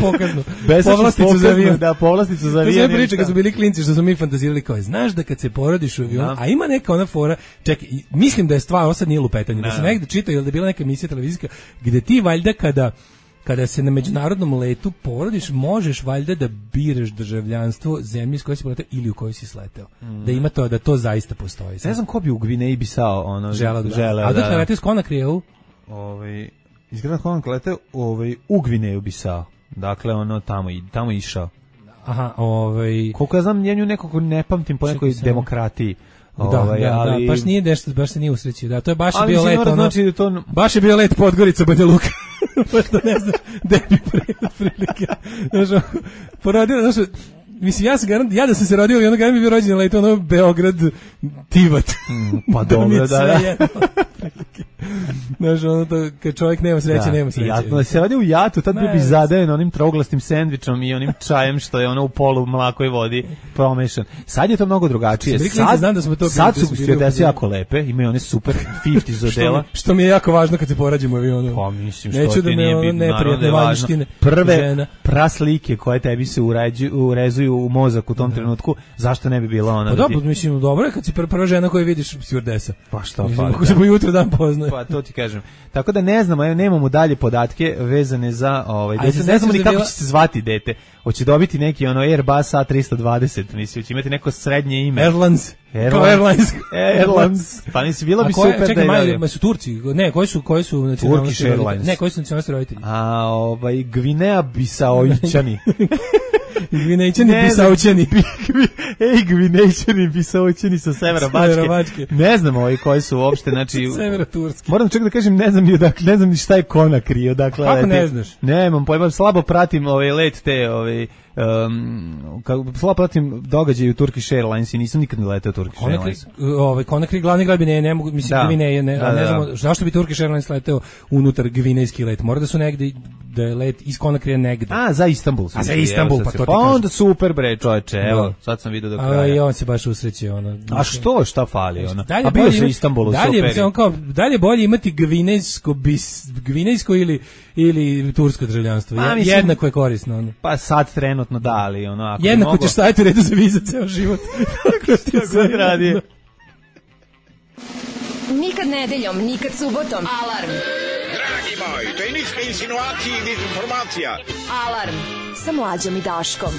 S7: pokazno. Povlasticu za avion.
S6: Da, povlasticu za avion.
S7: To je priče kad su bili klinci što su mi fantazirali kao, znaš da kad se porodiš u avionu, a ima neka ona fora, čekaj, mislim da je stvar, ovo sad nije lupetanje, da sam negde čitao ili da je bila neka emisija televizijska gde ti valjda kada kada se na međunarodnom letu porodiš, možeš valjda da biraš državljanstvo zemlje s koje si poletao ili u kojoj si sleteo. Mm. Da ima to, da to zaista postoji.
S6: Ne znam ko bi u Gvineji Bisao ono
S7: želeo da.
S6: Žele,
S7: a da da letio s Konakrija u
S6: ovaj izgleda Konakri leteo ovaj u Gvineju Bisao. Dakle ono tamo i tamo išao.
S7: Aha, ovaj
S6: koliko ja znam njenju nekako ne pamtim po nekoj demokratiji.
S7: Da,
S6: ovaj,
S7: da,
S6: ali...
S7: da, baš nije nešto, baš se nije usrećio. Da, to je baš
S6: ali
S7: bio let, ono,
S6: znači da to...
S7: baš je bio let Podgorica Banja Luka. Baš da ne znam, gde bi prilike. Znaš, porodila, znaš, mislim, ja, sam garant, ja da sam se rodio i ono garant bi bio rođen let, ono, Beograd, Tivat.
S6: Mm, pa dobro, da, da.
S7: Znaš, ono to, kad čovjek nema sreće, da, nema sreće.
S6: Jatno, da se radi u jatu, tad bi bi zadajen onim trouglastim sendvičom i onim čajem što je ono u polu mlakoj vodi promešan. Sad je to mnogo drugačije. Sad,
S7: znam da smo to
S6: sad su stjuardese jako lepe, imaju one super pedeset odela.
S7: što, što mi je jako važno kad se porađemo u avionu.
S6: Pa mislim,
S7: neću
S6: što
S7: da
S6: ti
S7: me
S6: nije
S7: ono
S6: bitno,
S7: neprijatne vanjštine.
S6: Prve
S7: žena.
S6: praslike koje tebi se uređu, urezuju u mozak u tom da. trenutku, zašto ne bi bila ona?
S7: Pa dobro, mislim, dobro je kad si prva žena koju vidiš stjuardesa.
S6: Pa što
S7: fali? Ako se po jutru dan poznaje.
S6: Pa to ti kažem. Tako da ne znamo, nemamo dalje podatke vezane za ovaj dete. Ne znamo ni kako bila... će se zvati dete. Hoće dobiti neki ono Airbus A tristo dvadeset, mislim, će imati neko srednje ime.
S7: Airlines.
S6: Airlines.
S7: Airlines.
S6: Airlines. Pa nisi bilo bi
S7: koje,
S6: super
S7: čekaj,
S6: da je.
S7: Ma su Turci. Ne, koji su koji su nacionalnosti
S6: roditelji?
S7: Ne, koji su nacionalnosti roditelji?
S6: A ovaj Gvineja Bisaoićani.
S7: Gvinejčani Bisaućani.
S6: Ej, Gvinejčani Bisaućani sa severa Bačke. Ne znam ovaj koji su uopšte, znači
S7: severa Turski.
S6: Moram čak da kažem, ne znam ni odakle, ne znam ni šta je Konakri, odakle.
S7: Kako ne znaš?
S6: Nemam pojma, slabo pratim ovaj let te, ovaj um, kako slabo pratim događaje u Turkish Airlines i nisam nikad ne leteo Turkish
S7: Konakri,
S6: Airlines.
S7: Ovaj Konakri glavni grad bi ne, ne mogu, mislim da. Gvineje, ne, da, ne znamo da. Zašto bi Turkish Airlines leteo unutar gvinejski let. Mora da su negde da je let iz Konakrija negde.
S6: A, za Istanbul.
S7: A za Istanbul, pa to ti
S6: pa onda super bre, čoveče, evo, sad sam vidio do kraja.
S7: A i on se baš usrećio, ono.
S6: A što, šta fali, ono?
S7: A bio se u
S6: Istanbulu,
S7: dalje,
S6: super.
S7: On kao, dalje bolje imati gvinejsko, bis, gvinejsko ili, ili tursko državljanstvo. A, mislim, jednako je korisno, ono.
S6: Pa sad trenutno da, ali ono, ako
S7: jednako
S6: mogo...
S7: ćeš staviti redu za viza ceo život.
S6: Tako ti se radi.
S9: Nikad nedeljom, nikad subotom. Alarm.
S11: Dragi moj, to je ništa insinuacija i dezinformacija.
S9: Alarm sa Mlađom i Daškom.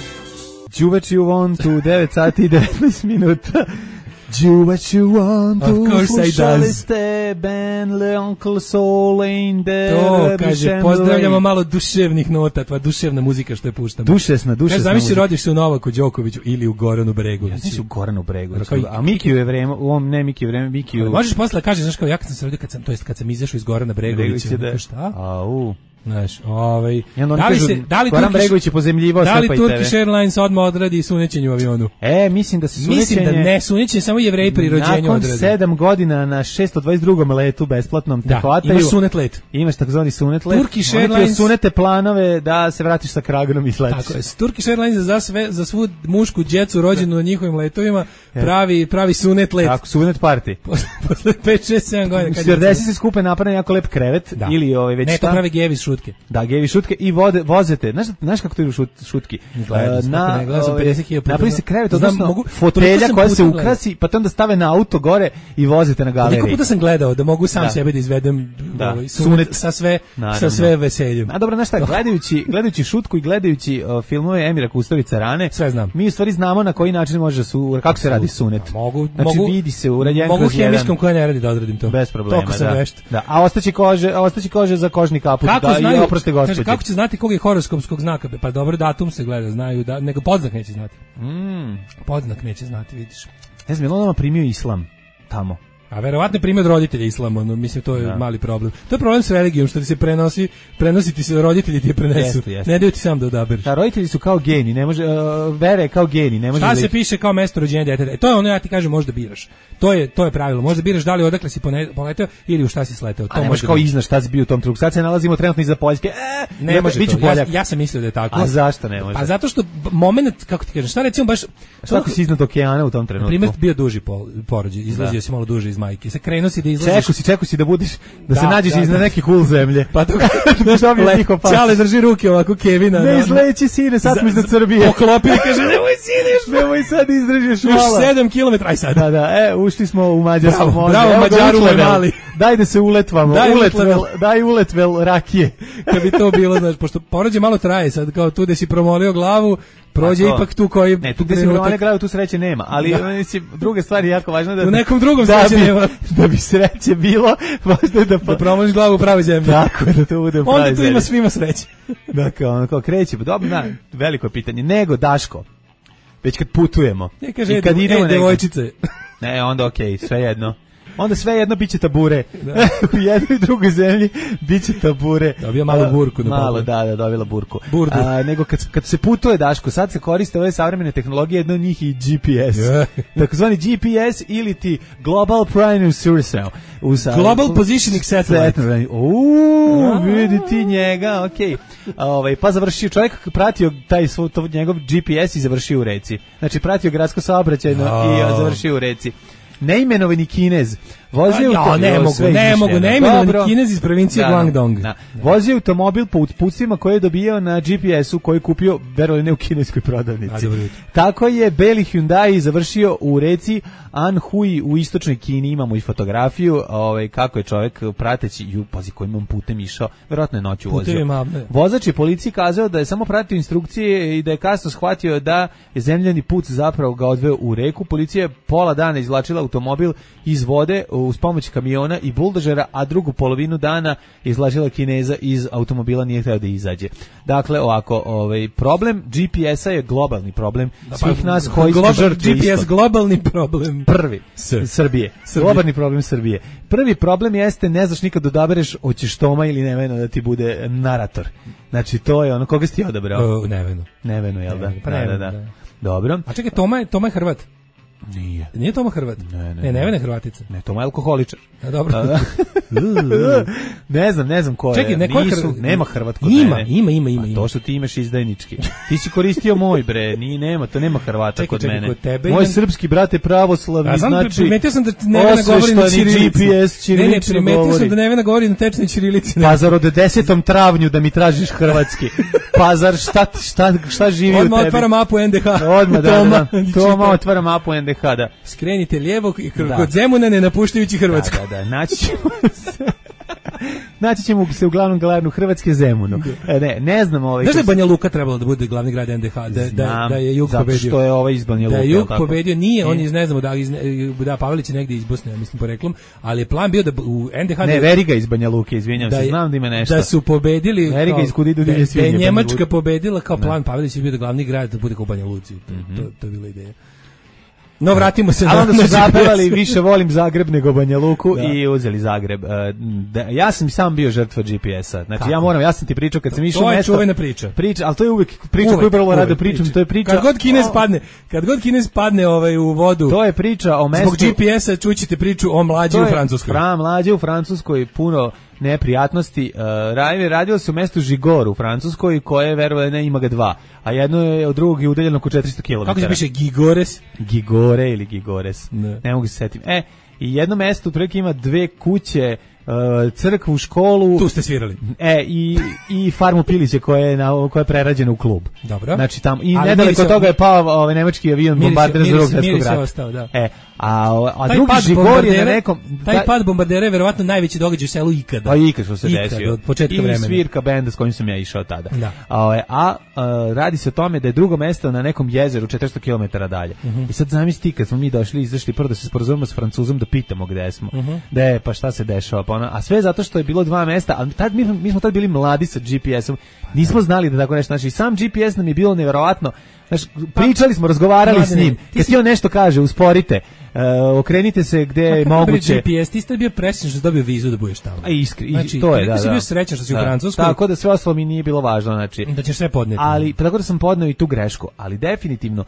S6: Đuveč you want to devet sati i devetnaest minuta. Do what you want to.
S7: Of course I
S6: Slušali
S7: does.
S6: ste Ben Le Uncle Soul in the
S7: To, kaže, pozdravljamo malo duševnih nota, tva duševna muzika što je puštamo.
S6: Dušesna, dušesna
S7: kaže, zamisli,
S6: muzika.
S7: rodiš se u Novaku Đokoviću ili u Goranu Bregoviću.
S6: Ja znači u Goranu Bregoviću.
S7: Kao i-
S6: A Mikiju je vreme, u ovom ne Mikiju vreme, Mikiju.
S7: Možeš posle da kažeš, znaš kao, ja kad sam se rodio, kad sam, to jest kad sam izašao iz Gorana Bregovića,
S6: Bregović je da.
S7: šta?
S6: Au.
S7: Znaš, ovaj,
S6: I onda oni
S7: da li
S6: kažu,
S7: se, da li
S6: Goran
S7: Turkish,
S6: Bregović je pozemljivao
S7: da li
S6: Stepa i
S7: Turkish
S6: tebe.
S7: Airlines odmah odradi sunećenje u avionu?
S6: E, mislim da se sunećenje...
S7: Mislim da ne, sunećenje samo Jevreji pri rođenju
S6: Nakon
S7: odrade.
S6: sedam godina na šesto dvadeset drugom letu besplatnom te
S7: Da,
S6: hvataju.
S7: imaš sunet let.
S6: Imaš takozvani sunet let.
S7: Turkish
S6: Oni ti
S7: Airlines-
S6: osunete planove da se vratiš sa kragnom i sletiš.
S7: Tako je, Turkish Airlines za sve za svu mušku djecu rođenu na njihovim letovima pravi pravi sunet let.
S6: Tako, sunet party.
S7: Posle, posle pet, šest, sedam godina. kad je-
S6: Stewardesi se skupe, naprave jako lep krevet
S7: Da.
S6: ili ovaj već
S7: Ne, to
S6: šta.
S7: pravi gevi šutke.
S6: Da, gevi šutke i vode, vozete. Znaš, znaš kako to idu šut, šutki?
S7: Gledam,
S6: E,
S7: svako ne, gledam sam
S6: ovaj,
S7: pedeset hiljada puta.
S6: napravi se krevet,
S7: Znam,
S6: odnosno
S7: mogu- toliko
S6: fotelja
S7: sam
S6: koja
S7: puta
S6: se
S7: gledao.
S6: ukrasi, pa te onda stave na auto gore i vozite na galeriji.
S7: Koliko puta sam gledao da mogu sam
S6: Da.
S7: sebe da izvedem
S6: Da.
S7: ovaj, sunet,
S6: Sunet.
S7: sa sve
S6: Naravno.
S7: sa sve veseljem.
S6: A dobro, znaš šta, gledajući, gledajući šutku i gledajući uh, filmove Emira Kusturice Rane,
S7: Sve znam.
S6: mi u stvari znamo na koji način može su, kako se radi sunet.
S7: Mogu,
S6: Znači
S7: mogu,
S6: vidi se urađen
S7: mogu
S6: kroz jedan.
S7: hemijskom koja ne radi da odradim to.
S6: Bez problema,
S7: Toliko sam
S6: da.
S7: vešt.
S6: Da. A ostaće kože, a ostaće kože za kožni kaput,
S7: Kako
S6: da,
S7: znaju,
S6: i oproste
S7: kaže,
S6: gospođe.
S7: kako će znati kog je horoskopskog znaka? Pa dobro, datum se gleda, znaju, da, nego podznak neće znati.
S6: Mm.
S7: Podznak neće znati, vidiš.
S6: Ne znam, je li on nama primio islam tamo?
S7: A verovatno je primjer od roditelja islama, ono, mislim, to je
S6: Da.
S7: mali problem. To je problem s religijom, što ti se prenosi, prenosi ti se, roditelji ti je prenesu.
S6: Jeste, jeste.
S7: Ne daju ti sam da odabereš.
S6: Da, roditelji su kao geni, ne može, uh, vere je kao geni, ne može
S7: Šta
S6: da
S7: se
S6: ih-
S7: piše kao mesto rođenja djeteta? E, to je ono, ja ti kažem, možda biraš. To je to je pravilo. Možda biraš da li odakle si pone- poleteo ili u šta si sleteo. To
S6: A ne može
S7: možda
S6: kao
S7: biraš.
S6: iznaš šta si bio u tom trenutku. Sad se nalazimo trenutno iza Poljske. E,
S7: Ne može
S6: biću
S7: to. Ja,
S6: Poljak.
S7: ja sam mislio da je tako.
S6: A zašto ne može?
S7: Pa zato što b- moment, kako ti kažeš, šta recimo baš...
S6: Šta ako si iznad okeana u tom
S7: Na
S6: trenutku?
S7: primjer, bio duži pol, porođaj, izlazio
S6: Da.
S7: si malo duže iz majke. Se krenuo si da izlaziš...
S6: Čeku si, čeku si da budeš, da,
S7: Da,
S6: se nađeš
S7: da,
S6: iznad
S7: da.
S6: nekih ul zemlje.
S7: Pa to
S6: da dobiješ
S7: Le-
S6: njihov pas.
S7: Čale drži ruke ovako Kevina.
S6: Ne izleći sine, sad smo iznad Srbije.
S7: Poklopi i kaže, nemoj sine, još,
S6: Nemoj sad izdržiš
S7: još
S6: malo.
S7: sedam kilometara, aj sad.
S6: Da, da, e, ušli smo u Mađarsku.
S7: Bravo,
S6: može.
S7: bravo,
S6: Evo ga
S7: Mađaru,
S6: Uletvel.
S7: moj mali.
S6: Daj da se uletvamo.
S7: Daj
S6: Uletvel,
S7: Uletvel.
S6: daj uletvel rakije.
S7: Kad bi to bilo, znaš, pošto porođaj malo traje, sad kao tu da si promolio glavu, prođe
S6: A to-
S7: ipak tu koji...
S6: Ne, tu gde se
S7: trenutak-
S6: romane grave, tu sreće nema, ali
S7: Da.
S6: mislim, druga stvar je jako važna da...
S7: U nekom drugom
S6: da
S7: sreće
S6: bi,
S7: nema.
S6: Da bi sreće bilo, važno je da...
S7: Da promoliš glavu u pravoj zemlji.
S6: Tako je, da to bude u
S7: Onda
S6: pravoj
S7: tu
S6: zemlji.
S7: ima svima sreće.
S6: Da, kao, ono, kao kreće, pa dobro, da, veliko je pitanje. Nego, Daško, već kad putujemo,
S7: Ne kaže,
S6: i kad
S7: e,
S6: idemo negdje-
S7: devojčice.
S6: Ne, onda okej, sve jedno. Onda sve jedno biće tabure. U jednoj i drugoj zemlji biće tabure.
S7: Dobio malu burku na
S6: Malo,
S7: papu.
S6: da, da, dobila burku.
S7: Burdu.
S6: A, nego kad, kad se putuje, Daško, sad se koriste ove savremene tehnologije, jedno od njih i G P S.
S7: Je.
S6: Takozvani G P S ili ti Global Primary Source.
S7: Global Positioning Satellite.
S6: Uuu, vidi ti njega, okej. Ovaj, pa završio, čovjek pratio taj svoj, to, njegov G P S i završio u reci. Znači, pratio gradsko saobraćajno
S7: Ja.
S6: i a, završio u reci. Neimenovani Kinez vozio
S7: Ja,
S6: auto-
S7: ne
S6: Evo,
S7: mogu,
S6: sve
S7: ne
S6: izmišljeno.
S7: mogu, neimenovani
S6: Dobro.
S7: Kinez iz provincije
S6: Da, da,
S7: Guangdong.
S6: da. Vozio automobil po uputstvima koje je dobio na G P S-u koji je kupio, verovali ne, u kineskoj prodavnici.
S7: A, dobro jutro.
S6: Tako je beli Hyundai završio u reci Anhui u istočnoj Kini, imamo i fotografiju, ovaj, kako je čovjek prateći, ju, pazi kojim on putem išao, verovatno je noću vozio.
S7: Putevima, ne.
S6: Vozač je policiji kazao da je samo pratio instrukcije i da je kasno shvatio da je zemljani put zapravo ga odveo u reku. Policija je pola dana izvlačila automobil iz vode uz pomoć kamiona i buldožera, a drugu polovinu dana izvlačila Kineza iz automobila, nije htio da izađe. Dakle, ovako, ovaj, problem G P S-a je globalni problem svih nas koji smo
S7: Global-
S6: žrtve
S7: G P S
S6: istog.
S7: globalni problem.
S6: Prvi,
S7: S.
S6: Srbije.
S7: Srbije.
S6: Globalni problem Srbije. Prvi problem jeste, ne znaš nikad odabereš hoćeš Toma ili Neveno da ti bude narator. Znači, to je ono, koga si ti odabrao?
S7: Uh, Neveno.
S6: Neveno, jel da?
S7: Pa
S6: Da,
S7: Neveno,
S6: da, da.
S7: da.
S6: Dobro.
S7: A čekaj, Toma je, Toma je Hrvat.
S6: Nije.
S7: Nije Toma Hrvat?
S6: Ne, ne,
S7: Ne,
S6: ne.
S7: Nevena je Hrvatica.
S6: Ne, Toma je alkoholičar.
S7: A dobro.
S6: Da, da. ne znam, ne znam ko je.
S7: Čekaj, neko je
S6: Nisu,
S7: Hrvat-
S6: nema Hrvat kod
S7: Ima,
S6: mene.
S7: ima, ima, ima,
S6: A
S7: ima.
S6: to što ti imaš izdajnički. Ti si koristio moj, bre. Nije, nema, to nema Hrvata
S7: Čekaj,
S6: kod
S7: čekaj,
S6: mene.
S7: kod tebe
S6: Moj
S7: imam-
S6: srpski brate pravoslavni,
S7: A znam,
S6: znači...
S7: primetio sam da Nevena govori na
S6: osveštani
S7: ćirilici.
S6: G P S
S7: Ne, ne,
S6: ćirilično
S7: primetio
S6: govori.
S7: sam da Nevena govori na tečnoj ćirilici.
S6: Pa zar od desetom travnju da mi tražiš hrvatski? Pa zar šta, šta, šta živi u
S7: Odmah
S6: tebi?
S7: otvara mapu N D H.
S6: Odmah, da,
S7: Toma,
S6: da, da.
S7: i
S6: Toma
S7: čita.
S6: otvara mapu N D H, da.
S7: Skrenite lijevo i kod
S6: Da.
S7: kod Zemuna ne napuštajući Hrvatsku.
S6: Da, da, da, naći ćemo se. Naći ćemo se u glavnom glavnu Hrvatske Zemunu. E, ne, ne znam ovaj.
S7: Znaš da je Banja Luka trebalo da bude glavni grad en de ha, da, da, da je Jug
S6: zato
S7: pobedio.
S6: Što je ovaj iz Banja Luke.
S7: Da je Jug pobedio, nije, on iz ne znamo da iz da Pavelić je negdje iz Bosne, ja mislim poreklom, ali je plan bio da u en de ha
S6: ne, Veriga iz Banja Luke, izvinjavam se, znam da ima nešto.
S7: Da su pobedili
S6: Veriga iz Kudidu
S7: da,
S6: da
S7: je Njemačka pobedila kao plan Pavelić je bio da glavni grad da bude kao u Banja Luci. To, mm-hmm. to, to je bila ideja. No, vratimo se
S6: na...
S7: A
S6: onda su zapevali više volim Zagreb nego Banja Luku da. I uzeli Zagreb. Uh, da, ja sam sam bio žrtva G P S-a. Znači, Kako? ja moram, ja sam ti pričao kad sam išao mesto...
S7: To je čuvena priča.
S6: priča. Ali to je uvijek priča uvek, koju prvo rado pričam. To je priča...
S7: Kad god Kinez padne, kad god Kinez padne ovaj, u vodu...
S6: To je priča o mestu...
S7: Zbog G P S-a čućete priču o mlađi u Francuskoj.
S6: Fra, mlađi u Francuskoj, puno neprijatnosti. Uh, radilo se u mestu Žigor u Francuskoj, koje, verovali ne, ima ga dva. A jedno je od drugog je udaljeno oko četiristo kilometara.
S7: Kako se piše Gigores?
S6: Gigore ili Gigores. Ne, ne mogu se setiti. E, i jedno mesto otprilike ima dve kuće, uh, crkvu, školu.
S7: Tu ste svirali.
S6: E, i, i farmu piliće koja je, na, koja je prerađena u klub.
S7: Dobro.
S6: Znači, tamo, i nedaleko toga je pao ovaj nemački avion bombarder za drugog svjetskog rata.
S7: Ostao, da.
S6: E, a, a drugi Žigor je na nekom...
S7: Taj taj pad bombardera je verovatno najveći događaj u selu ikada.
S6: Pa ikad što se ikada, desio.
S7: Od početka
S6: I
S7: vremena.
S6: I svirka benda s kojim sam ja išao tada.
S7: Da.
S6: A, a, a radi se o tome da je drugo mesto na nekom jezeru četiristo kilometara dalje. Uh-huh. I sad zamisli kad smo mi došli, izašli prvo da se sporazumemo s Francuzom da pitamo gde smo. Uh-huh. Da je, pa šta se dešava, pa ona, a sve zato što je bilo dva mesta, a tad mi, mi smo tad bili mladi sa G P S-om. Nismo znali da tako nešto, znači sam G P S nam je bilo neverovatno. Znači, pričali smo, razgovarali pa, s njim. Kad ti on nešto kaže, usporite, uh, okrenite se gde je moguće.
S7: G P S, ti ste bio presrećan što si dobio vizu da budeš tamo.
S6: A iskri,
S7: znači,
S6: to je, da,
S7: da. Ti si
S6: da.
S7: bio srećan što si da. u Francuskoj.
S6: Tako da sve ostalo mi nije bilo važno, znači.
S7: Da ćeš sve podneti.
S6: Ali, tako da sam podneo i tu grešku, ali definitivno,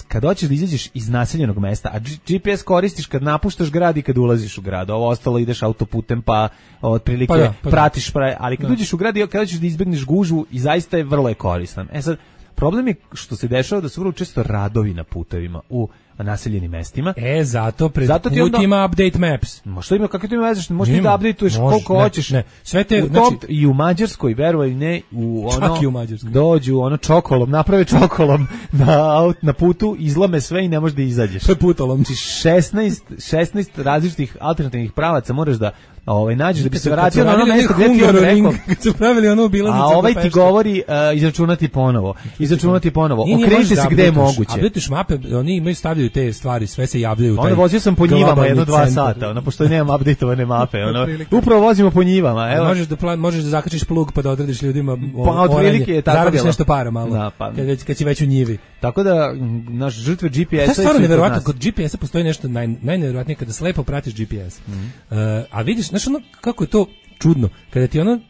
S6: kad hoćeš da izađeš iz naseljenog mesta, a G P S koristiš kad napuštaš grad i kad ulaziš u grad, ovo ostalo ideš autoputem pa otprilike pa da, pa pratiš, pra, ali kad da. uđeš u grad i kad hoćeš da izbegneš gužvu i zaista je vrlo je koristan. E sad, problem je što se dešava da su vrlo često radovi na putovima u naseljenim mestima.
S7: E, zato pred zato ti onda, ima update maps.
S6: Ma što ima, kako ti ima vezeš? Možeš ti da updateuješ koliko
S7: ne,
S6: hoćeš.
S7: Ne. Sve te,
S6: u
S7: znači,
S6: tom, i u Mađarskoj, veruj ne, u ono,
S7: čak i u Mađarskoj.
S6: Dođu ono čokolom, naprave čokolom na, na putu, izlome sve i ne možeš da izađeš.
S7: To je putolom.
S6: Znači šesnaest, šesnaest različitih alternativnih pravaca moraš da ovaj nađeš da bi se vratio na ono mesto gde ti on rekao.
S7: Kad su pravili ono obilaznicu.
S6: A ovaj ti govori uh, izračunati ponovo. Izračunati ponovo. Okrenite se gde je moguće.
S7: A updateš mape, oni imaju stavljaju te stvari, sve se javljaju.
S6: Onda vozio sam po njivama jedno dva sata, ono pošto nemam updateovane mape, ono. Upravo vozimo po njivama, evo.
S7: Možeš da plan, možeš da zakačiš plug pa da odrediš ljudima
S6: pa otprilike je tako.
S7: Zaradiš nešto para malo.
S6: Da, pa.
S7: Kad već kad si već u njivi.
S6: Tako da naš žrtve G P S-a.
S7: To je stvarno neverovatno, kod G P S-a postoji nešto naj najneverovatnije kada slepo pratiš G P S. Mm -hmm. uh, a vidiš, znaš ono kako je to čudno, kada ti ono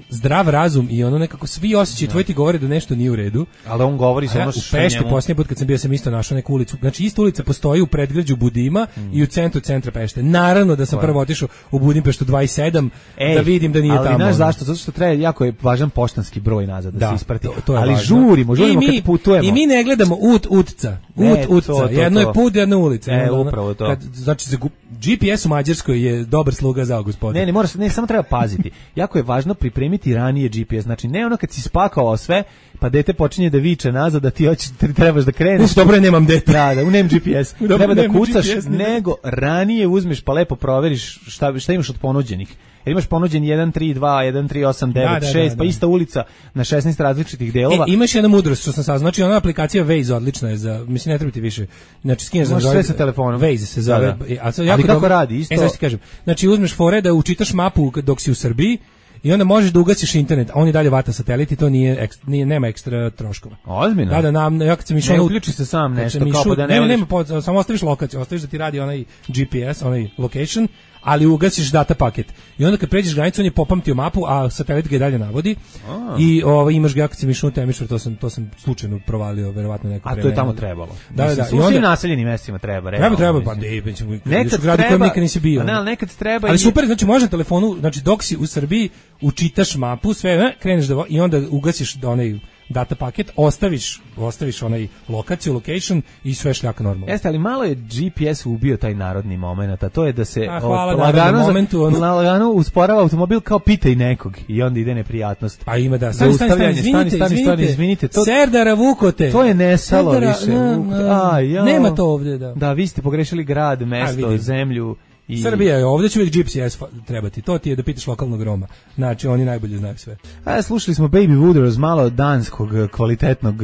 S7: zdrav razum i ono nekako svi osjećaji tvoji ti govore da nešto nije u redu.
S6: Ali on govori
S7: samo
S6: ja,
S7: što u Pešti posljednji put kad sam bio sam isto našao neku ulicu. Znači ista ulica postoji u predgrađu Budima mm. i u centru centra Pešte. Naravno da sam Koje? prvo otišao u Budimpeštu dvadeset sedam Ej, da vidim da nije
S6: ali
S7: tamo.
S6: Ali znaš zašto? Zato što treba jako je važan poštanski broj nazad da, da se isprati. To,
S7: to
S6: ali
S7: važno.
S6: žurimo, žurimo kad putujemo.
S7: I mi ne gledamo ut utca. Ut
S6: e,
S7: utca.
S6: To, to,
S7: jedno
S6: to.
S7: je put, jedno ulica.
S6: E, upravo to.
S7: Kad, znači za G P S u Mađarskoj je dobar sluga za gospodine.
S6: Ne, ne, moraš, ne, samo treba paziti. Jako je važno pripremiti ranije G P S. Znači ne ono kad si spakovao sve, pa dete počinje da viče nazad da ti hoćeš trebaš da kreneš.
S7: Uf, dobro, nemam dete.
S6: Da, da, nemam G P S.
S7: Dobro,
S6: treba da kucaš,
S7: G P S,
S6: nego ranije uzmeš pa lepo proveriš šta šta imaš od ponuđenih. Jer imaš ponuđen jedan tri dva, jedan tri osam devet šest, pa ista ulica na šesnaest različitih delova.
S7: E, imaš jedna mudrost što sam saznao, znači ona aplikacija Waze odlična je za, mislim ne treba ti više. Znači skineš za
S6: sve sa telefonom.
S7: Waze se zove.
S6: Da, da.
S7: A sad
S6: jako Ali kako dobro, radi isto?
S7: E, znači ti kažem. Znači uzmeš fore da učitaš mapu dok si u Srbiji. I onda možeš da ugasiš internet, a on i dalje vata satelit i to nije, ekstra, nije nema ekstra troškova.
S6: Ozbiljno?
S7: Da, da, nam, ja kad sam išao...
S6: Ne uključi se sam nešto, kao pa da ne...
S7: Ne, nema, nema, samo ostaviš lokaciju, ostaviš da ti radi onaj G P S, onaj location, ali ugasiš data paket. I onda kad pređeš granicu, on je popamtio mapu, a satelit ga i dalje navodi. A. I ovaj, imaš ga, ja kad sam išao u Temišvar, to sam, to sam slučajno provalio, verovatno neko
S6: A to je tamo trebalo.
S7: Da, da, da.
S6: U svim naseljenim mestima treba.
S7: Treba, treba, pa ne, nekad gradu kojem nikad nisi bio.
S6: Ne, ali nekad treba.
S7: Ali super, znači može na telefonu, znači dok si u Srbiji, učitaš mapu, sve, kreneš da i onda ugasiš onaj data paket, ostaviš, ostaviš onaj lokaciju, location i sve šljaka normalno.
S6: Jeste, ali malo je G P S ubio taj narodni moment, a to je da se
S7: a, hvala,
S6: o, lagano,
S7: momentu, on...
S6: lagano usporava automobil kao pitaj nekog i onda ide neprijatnost.
S7: Pa ima da, stani, stani, stani, izvinite, stani, stani, izvinite. To, Serdara Vukote.
S6: To je nesalo
S7: Serdara,
S6: više.
S7: Na, na,
S6: a, ja.
S7: Nema to ovdje, da.
S6: Da, vi ste pogrešili grad, mesto, zemlju. I...
S7: Srbija je, ovdje će uvijek G P S trebati, to ti je da pitaš lokalnog Roma, znači oni najbolje znaju sve.
S6: A, slušali smo Baby Wooders, malo danskog kvalitetnog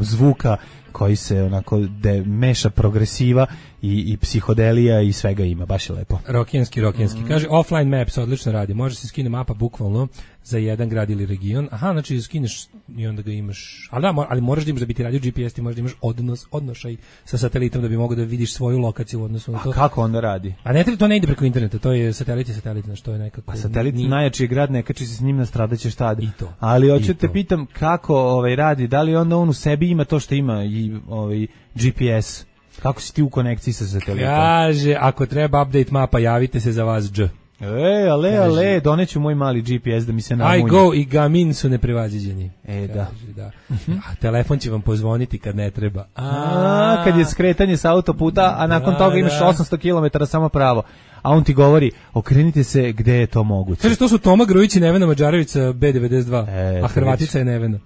S6: zvuka koji se onako de, meša progresiva i, i psihodelija i svega ima, baš je lepo.
S7: Rokijanski, rokijanski. Mm. Kaže, offline maps odlično radi, može se skine mapa bukvalno za jedan grad ili region. Aha, znači skineš i onda ga imaš, ali, da, ali moraš da imaš da bi ti radio G P S, ti možeš da imaš odnos, odnošaj sa satelitom da bi mogao da vidiš svoju lokaciju u odnosu na to.
S6: A kako onda radi?
S7: A ne, to ne ide preko interneta, to je satelit i satelit, znači to je nekako...
S6: A satelit
S7: ni...
S6: najjači je grad, ne kači se s njim, nastradaćeš tad.
S7: I to.
S6: Ali hoću te pitam kako ovaj, radi, da li onda on u sebi ima to što ima i ovaj, G P S? Kako si ti u konekciji sa satelitom?
S7: Kaže, ako treba update mapa, javite se za vas, dž.
S6: E, ale, Kaže, ale, doneću moj mali G P S da mi se namunje.
S7: I go i Gamin su neprevaziđeni.
S6: E,
S7: Kaže,
S6: da.
S7: da. A telefon će vam pozvoniti kad ne treba.
S6: A, a kad je skretanje sa autoputa, a nakon da, toga imaš da. osamsto kilometara samo pravo. A on ti govori, okrenite se gde je to moguće.
S7: Kaže, to su Toma Grujić i Nevena Mađarević sa B devedeset dva,
S6: e,
S7: a Hrvatica je Nevena.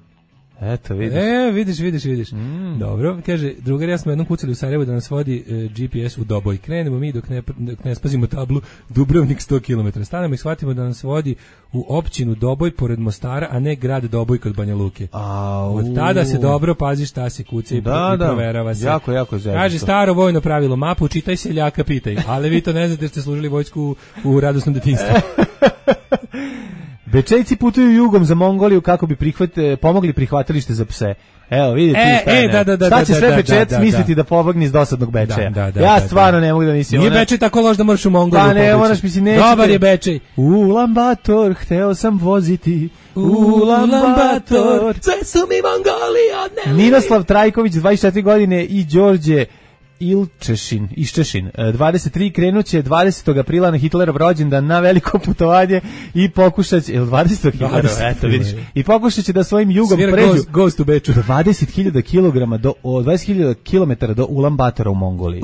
S6: Eto, vidiš.
S7: E, vidiš, vidiš, vidiš.
S6: Mm.
S7: Dobro, kaže, drugar, ja smo jednom kucali u Sarajevu da nas vodi e, G P S u Doboj. Krenemo mi dok ne, dok ne spazimo tablu Dubrovnik sto kilometara. Stanemo i shvatimo da nas vodi u općinu Doboj pored Mostara, a ne grad Doboj kod Banja Luke.
S6: Au.
S7: Od tada se dobro pazi šta se kuca i,
S6: da,
S7: i proverava se.
S6: Jako, jako zezno.
S7: Kaže, staro vojno pravilo, mapu čitaj, seljaka pitaj. Ali vi to ne znate jer ste služili vojsku u, u radosnom detinjstvu.
S6: Bečejci putuju jugom za Mongoliju kako bi prihvate, pomogli prihvatilište za pse. Evo, vidite
S7: e,
S6: šta,
S7: e, da, da, da,
S6: šta će
S7: da,
S6: sve
S7: da,
S6: Bečec
S7: da, da,
S6: misliti da,
S7: da
S6: pobegni iz dosadnog Bečeja.
S7: Da, da, da,
S6: ja
S7: da,
S6: stvarno
S7: da.
S6: ne mogu da mislim.
S7: Nije
S6: ona...
S7: Bečej tako loš da moraš u Mongoliju.
S6: Pa ne, moraš mislim, nećete.
S7: Dobar je Bečej.
S6: Ulan Bator, hteo sam voziti. Ulan Bator.
S7: Sve su mi Mongoli odneli.
S6: Ninoslav Trajković, dvadeset četiri godine i Đorđe Ilčešin, Iščešin, dvadeset tri krenuće dvadesetog aprila na Hitlerov rođendan na veliko putovanje i pokušać, jel dvadesetog Hitlerov, eto vidiš, i pokušat će da svojim jugom
S7: Svira
S6: pređu
S7: goes, goes to Beču.
S6: dvadeset hiljada kilograma do, o, dvadeset hiljada kilometara do Ulan Batora u Mongoliji.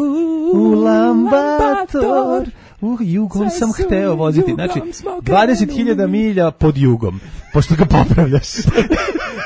S6: Ulan Bator, uh, jugom sam hteo voziti, znači dvadeset hiljada milja pod jugom, pošto ga popravljaš.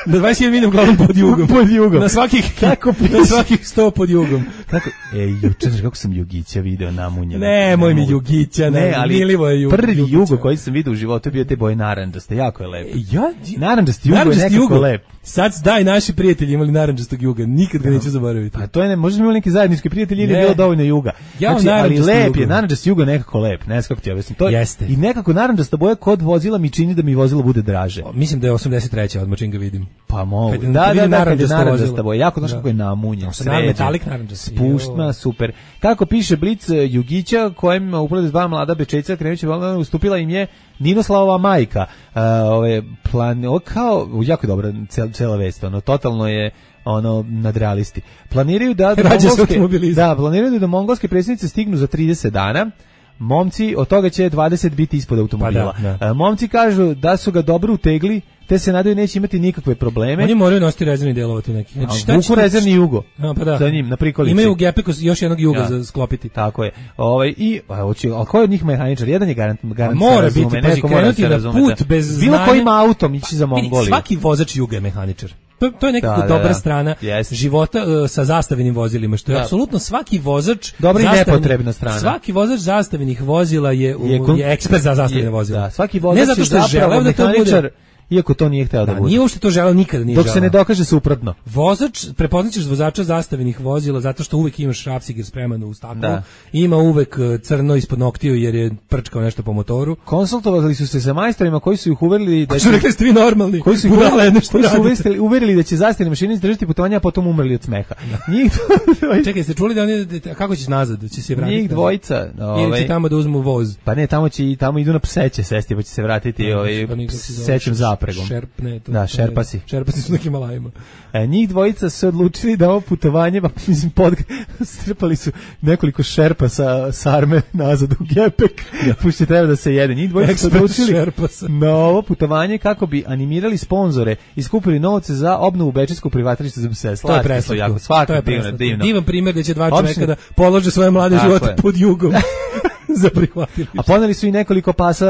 S7: Na dvadeset hiljada milja uglavnom pod jugom.
S6: Pod jugom.
S7: Na svakih,
S6: kako
S7: na svakih sto pod jugom.
S6: Tako, e, juče, znaš kako sam Jugića video namunjeno.
S7: Ne, moj mi Jugića, ne, ali milivo je Jugo.
S6: Prvi Jugo koji sam video u životu je bio te boje narandžaste, jako je lep.
S7: Ja,
S6: narandžasti Jugo je nekako jugo. Lep.
S7: Sad daj, naši prijatelji imali narandžastog Juga, nikad ga neću zaboraviti.
S6: Pa to je, ne, možda smo imali neki zajednički prijatelji ili je bilo dovoljno Juga.
S7: Ja,
S6: znači, ali lep je, narandžasti Jugo nekako lep, ne znam kako ti objasnim. To je,
S7: jeste.
S6: I nekako narandžasta boja kod vozila mi čini da mi vozilo bude draže.
S7: O, mislim da je osamdeset treća odmah čim ga vidim.
S6: Pa mogu.
S7: Kad,
S6: da, da, da, da, kad je narandžasta boja, jako znaš
S7: da.
S6: kako je namunjen,
S7: sređen. Metalik narandžasti.
S6: Spuštma, super. Kako piše Blic Jugića, kojem upravo dva mlada Bečejca krenuće, ustupila im je Ninoslava majka. Uh, ove plan, o, kao jako dobra cel, cela vest, ono totalno je ono nadrealisti. Planiraju da do mongolske, da, planiraju da do mongolske predsjednice stignu za trideset dana. Momci, od toga će dvadeset biti ispod automobila.
S7: Pa da, da.
S6: Momci kažu da su ga dobro utegli, te se nadaju neće imati nikakve probleme.
S7: Oni moraju nositi rezervni delova tu neki.
S6: Znači, šta vuku rezervni jugo.
S7: A, pa da.
S6: Za njim, na prikolici.
S7: Imaju u gepeku još jednog juga ja. za sklopiti.
S6: Tako je. Ovaj, i, a, hoće, a ko je od njih mehaničar? Jedan je garant, garant
S7: mora
S6: razume,
S7: biti, pazi, krenuti na put bez znanja.
S6: Bilo kojim autom ići za Mongoliju.
S7: Svaki vozač juga je mehaničar. To, to je nekako
S6: da,
S7: dobra
S6: da, da.
S7: strana yes. života uh, sa zastavenim vozilima, što je da. apsolutno svaki vozač
S6: dobra i nepotrebna strana.
S7: Svaki vozač zastavenih vozila je, u,
S6: je, kon...
S7: je ekspert za zastavljene vozila.
S6: Da, svaki vozač
S7: ne zato što je želeo da to bude,
S6: iako to nije hteo da, da bude.
S7: Nije uopšte to želeo, nikada nije
S6: Dok
S7: želeo.
S6: se ne dokaže suprotno.
S7: Vozač, prepoznaćeš vozača zastavenih vozila zato što uvek imaš šrafciger spreman u staklu,
S6: da.
S7: ima uvek crno ispod noktiju jer je prčkao nešto po motoru.
S6: Konsultovali su se sa majstorima koji su ih uverili da
S7: će... Su rekli ste vi normalni.
S6: Koji su ih uverili, koji su uverili, uverili da će zastavne mašine izdržati putovanja, a potom umrli od smeha. Njih dvojica...
S7: Čekaj, ste čuli da oni, kako ćeš nazad? Da će se vratiti?
S6: Njih dvojica.
S7: Ovaj... Ili će tamo da uzmu voz?
S6: Pa ne, tamo, će, tamo idu na pseće sesti, pa će se vratiti ovaj, sećem zapregom.
S7: Šerpne, to,
S6: da, šerpasi.
S7: Šerpasi su na Himalajima.
S6: E, njih dvojica su odlučili da ovo putovanje, pa mislim, pod, strpali su nekoliko šerpa sa sarme nazad u gepek, ja. Pušće treba da se jede. Njih dvojica su odlučili na ovo putovanje kako bi animirali sponzore i skupili novce za obnovu bečejskog prihvatilišta za pse.
S7: To je preslatko.
S6: Svako divno, divno.
S7: Divan primjer da će dva čoveka da polože svoje mlade živote pod jugom. za prihvatilište.
S6: A poneli su i nekoliko pasa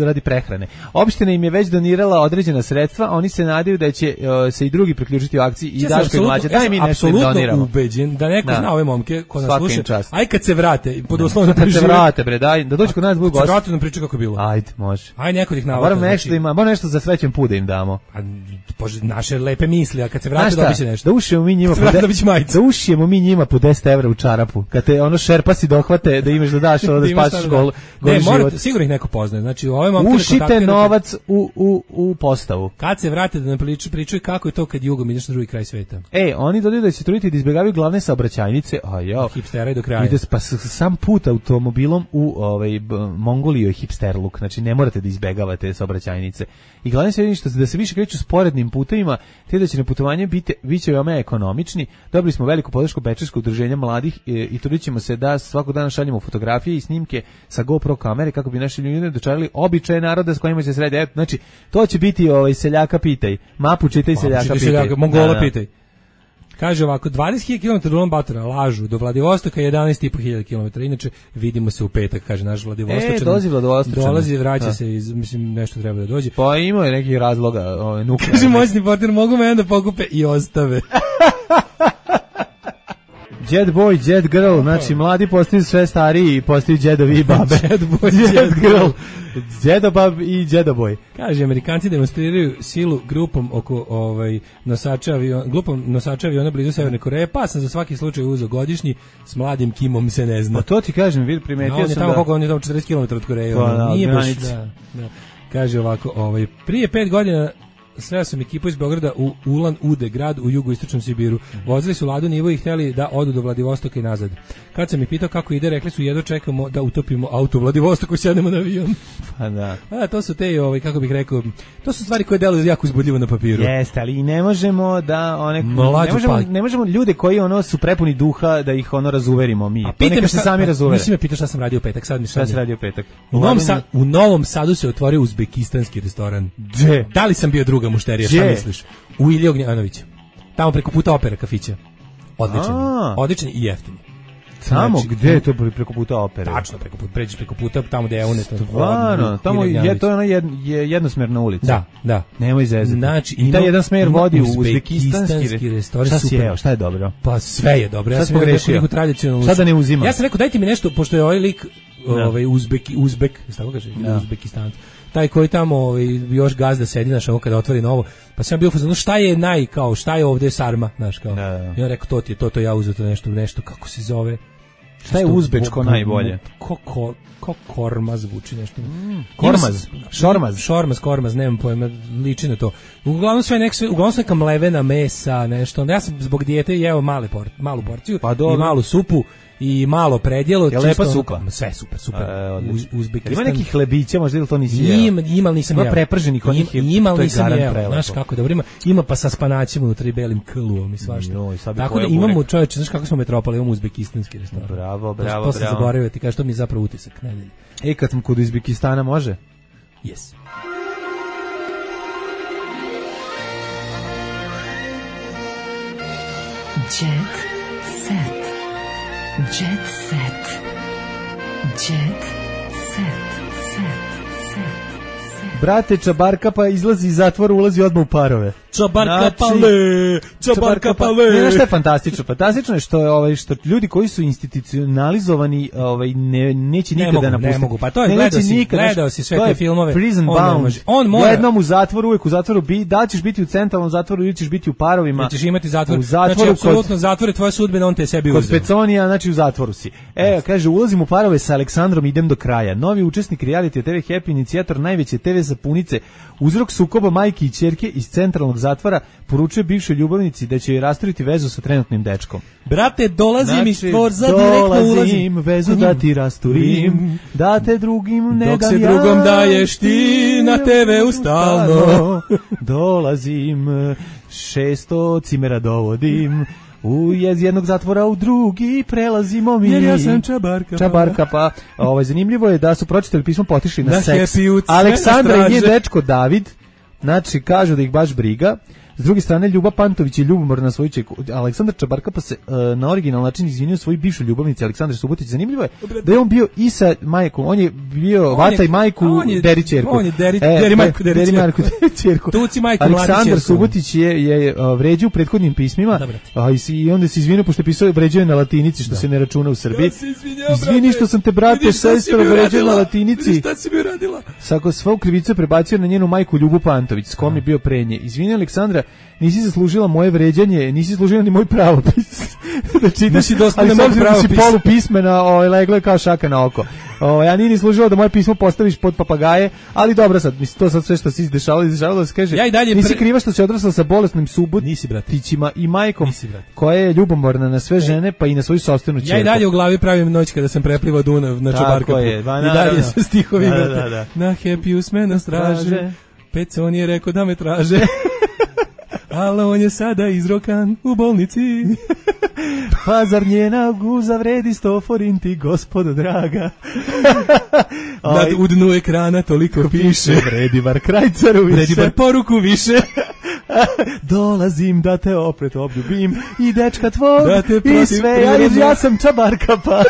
S6: radi prehrane. Opština im je već donirala određena sredstva, oni se nadaju da će uh, se i drugi priključiti u akciji i Daško i Mlađa. Daj mi nešto im doniramo.
S7: Apsolutno ubeđen da neko da. zna ove momke ko nas sluša.
S6: Aj
S7: kad se vrate, pod uslovom
S6: da se vrate, bre, daj, da dođu kod nas budu gosti.
S7: Vrate nam priča kako je bilo.
S6: Ajde, može.
S7: Aj neko ih navodi.
S6: Moram nešto da ima, moram nešto za srećan put da im damo.
S7: A bože, naše lepe misli, a kad se vrate dobiće nešto.
S6: Da ušijemo mi njima, da ušijemo mi njima po deset evra u čarapu. Kad te ono šerpasi dohvate da imaš da daš ovo da spasiš gol.
S7: Ne, morate, sigurno ih neko poznaje. Znači, ove momke
S6: ušite novac u, u, u postavu.
S7: Kad se vrate da nam priču, pričaju kako je to kad jugom ideš na drugi kraj sveta.
S6: E, oni dodaju da će truditi da izbjegavaju glavne saobraćajnice. A jo.
S7: Hipsteraj do kraja.
S6: Ide pa sam put automobilom u ovaj Mongoliju je hipsterluk. Znači ne morate da izbegavate saobraćajnice. I glavno je što da se više kreću sporednim putevima, te da će na putovanje biti biće veoma ekonomični. Dobili smo veliku podršku Bečarskog udruženja mladih i, i trudićemo se da svakog dana šaljemo fotografije i snimke sa GoPro kamere kako bi naši ljudi dočarali običaje naroda s kojima će se sredi. Znači, to će biti ovaj seljaka pitaj. Mapu čitaj, seljaka pitaj.
S7: Seljaka, Mongola da, da. pitaj. Kaže ovako, dvadeset hiljada kilometara Ulan Batora, lažu, do Vladivostoka jedanaest i po hiljada kilometara, inače vidimo se u petak, kaže naš Vladivostočan.
S6: E, dolazi Vladivostočan.
S7: Dolazi, vraća da. se, iz, mislim, nešto treba da dođe.
S6: Pa ima je nekih razloga. Ovaj,
S7: kaže, moćni partner, mogu me onda pokupe i ostave.
S6: Jet boy, jet girl, znači mladi postaju sve stariji i postaju djedovi i babe.
S7: Jet boy, jet, jet girl.
S6: Djedobab i djedoboj.
S7: Kaže, Amerikanci demonstriraju silu grupom oko ovaj nosača aviona, grupom nosača aviona blizu Severne Koreje, pa sam za svaki slučaj uzeo godišnji, s mladim Kimom se ne zna.
S6: Pa to ti kažem, vid primetio
S7: no,
S6: sam
S7: tamo
S6: da...
S7: koliko on je tamo četrdeset kilometara od Koreje.
S6: Pa, da,
S7: nije baš, da, da. Kaže ovako, ovaj, prije pet godina sreo sam ekipu iz Beograda u Ulan Ude, grad u jugoistočnom Sibiru. Vozili su Ladu Nivo i htjeli da odu do Vladivostoka i nazad. Kad sam ih pitao kako ide, rekli su jedno čekamo da utopimo auto u Vladivostoku, sjednemo na avion.
S6: Pa da.
S7: A to su te, ovaj, kako bih rekao, to su stvari koje deluju jako uzbudljivo na papiru.
S6: Jeste, ali ne možemo da one ne možemo, ne možemo ljude koji ono su prepuni duha da ih ono razuverimo mi.
S7: A pitam
S6: se sami razuvere.
S7: Nisi me pitao šta sam radio u petak, sad mi
S6: šta se radio u petak.
S7: U Novom, Sa, u Novom Sadu se otvorio uzbekistanski restoran.
S6: Gde?
S7: Da li sam bio druga mušterija, šta misliš? U Iliji Ognjanovića. Tamo preko puta opera kafića. Odličan. A. Odličan i jeftin.
S6: Tamo znači, gde je to preko puta opere?
S7: Tačno preko puta, pređeš preko puta tamo gde je Eunet.
S6: Stvarno, tamo je to ona jed, je jednosmerna ulica.
S7: Da, da.
S6: Nemoj zezati.
S7: Znači,
S6: i taj jedan smer vodi u uzbekistanski
S7: restoran.
S6: Šta si jeo, šta je dobro?
S7: Pa sve je dobro.
S6: Ja sam pogrešio.
S7: Šta
S6: da ne uzimam?
S7: Ja sam rekao dajte mi nešto, pošto je ovaj lik ovaj Uzbeki, Uzbek, šta kaže? Uzbekistan. Taj koji tamo ovaj, još gazda sedi, znaš, ovo kada otvori novo, pa sam bio fazonu, šta je naj, kao, šta je ovdje sarma, znaš, kao. Da, da. I on rekao, to ti je, to, to ja uzeo to nešto, nešto, kako se zove.
S6: Šta je uzbečko bo, bo, najbolje?
S7: Ko, ko, ko korma zvuči nešto.
S6: Mm, kormaz, šormaz.
S7: Šormaz, kormaz, nemam pojma, liči na to. Uglavnom sve nek sve, uglavnom sve neka mlevena mesa, nešto. Ja sam zbog dijete jeo male por, malu porciju pa i malu supu. I malo predjelo,
S6: je lepa supa.
S7: Sve super, super.
S6: E,
S7: Uz, Uzbekistan.
S6: Ima nekih hlebića, možda ili to nisi jeo?
S7: Ima, ima nisam jeo.
S6: Ima preprženih onih,
S7: ima nisam jeo. Znaš kako dobro ima. Ima pa sa spanaćima unutra i belim kluom i svašta.
S6: No,
S7: tako da imamo, čoveče, znaš kako smo metropole, imamo uzbekistanski restoran.
S6: Bravo, bravo, bravo.
S7: To sam zaboravio ti, kaže, to mi je zapravo utisak nedelje.
S6: E, kad sam kod Uzbekistana, može?
S7: Yes.
S1: Jet set. Jet set. Jet set. Set. Set.
S6: Brate, Čabarka pa izlazi iz zatvora, ulazi odmah u parove.
S7: Čabarka znači, pale, Čabarka pale.
S6: Ne, što je fantastično? Fantastično je što je ovaj što ljudi koji su institucionalizovani, ovaj ne neće nikada
S7: ne
S6: napustiti.
S7: Ne mogu, pa to je gledao si, nikada, gledao si sve te filmove.
S6: Prison
S7: on
S6: Bound.
S7: Može, on mora
S6: jednom u zatvoru, uvek u zatvoru bi, da ćeš biti u centralnom zatvoru ili ćeš biti u parovima.
S7: Da ćeš imati zatvor.
S6: U zatvoru,
S7: znači apsolutno zatvor je tvoja sudbina, on te sebi uzeo.
S6: Kod Peconija, znači u zatvoru si. E, kaže, ulazim u parove sa Aleksandrom, idem do kraja. Novi učesnik reality te ve Happy, inicijator najveće te ve sapunice, uzrok sukoba majke i ćerke iz centralnog zatvora, poručuje bivšoj ljubavnici da će joj rasturiti vezu sa trenutnim dečkom.
S7: Brate, dolazim znači, iz dvorza,
S6: direktno
S7: ulazim.
S6: Vezu da ti rasturim, da te drugim ne
S7: dok
S6: dam
S7: se
S6: ja,
S7: drugom daješ ti na te ve ustalno.
S6: Dolazim, šesto cimera dovodim, u iz jednog zatvora u drugi prelazimo mi.
S7: Jer ja sam Čabarka.
S6: Čabarka, pa ovaj, zanimljivo je da su pročitali pismo, potišli na, na seks.
S7: Happy,
S6: Aleksandra i njen dečko David, znači kažu da ih baš briga. S druge strane, Ljuba Pantović je ljubomor na svoju čeku. Aleksandar Čabarka pa se uh, na originalni način izvinio svojoj bivšoj ljubavnici Aleksandar Subotić. Zanimljivo je da je on bio i sa majkom, on je bio on Vata je, i majku Deri ćerku.
S7: On je Deri, e, deri majku, Deri, deri majku,
S6: Deri ćerku.
S7: Tuci majku,
S6: Aleksandar Subotić je, je uh, vređao u prethodnim pismima a, i, i onda se izvinio pošto je pisao vređao na latinici, što da. se ne računa u Srbiji. Ja Izvini što sam te, brate, sestro, vređao na latinici.
S7: Šta si mi uradila?
S6: Sako svu krivicu prebacio na njenu majku Ljubu Pantović, s kom je bio pre nje. Izvini, Aleksandra, nisi zaslužila moje vređanje, nisi zaslužila ni moj pravopis. da čitaš, ali s obzirom da si polupismena, ovaj, leglo je kao šaka na oko. Ovaj, ja nije ni služila da moje pismo postaviš pod papagaje, ali dobro sad, mislim, to sad sve što se izdešavalo, izdešavalo da se kaže,
S7: ja i dalje
S6: nisi
S7: pre...
S6: kriva što si odrasla sa bolesnim subotićima i majkom, koja je ljubomorna na sve žene, pa i na svoju sopstvenu ćerku.
S7: Ja i dalje u glavi pravim noć kada sam preplivao Dunav na Čabarkapu. I dalje se stihovi
S6: da, da, da.
S7: Na Happy usme na straže, Pecon je rekao da me traže. Ali on je sada izrokan u bolnici.
S6: Pa zar njena guza vredi sto forinti, gospodo draga.
S7: Nad u dnu ekrana toliko piše.
S6: Vredi bar krajcaru više.
S7: Vredi bar poruku više.
S6: Dolazim da te opet obljubim i dečka tvog
S7: da te
S6: i sve, ja, ja sam Čabarka pa.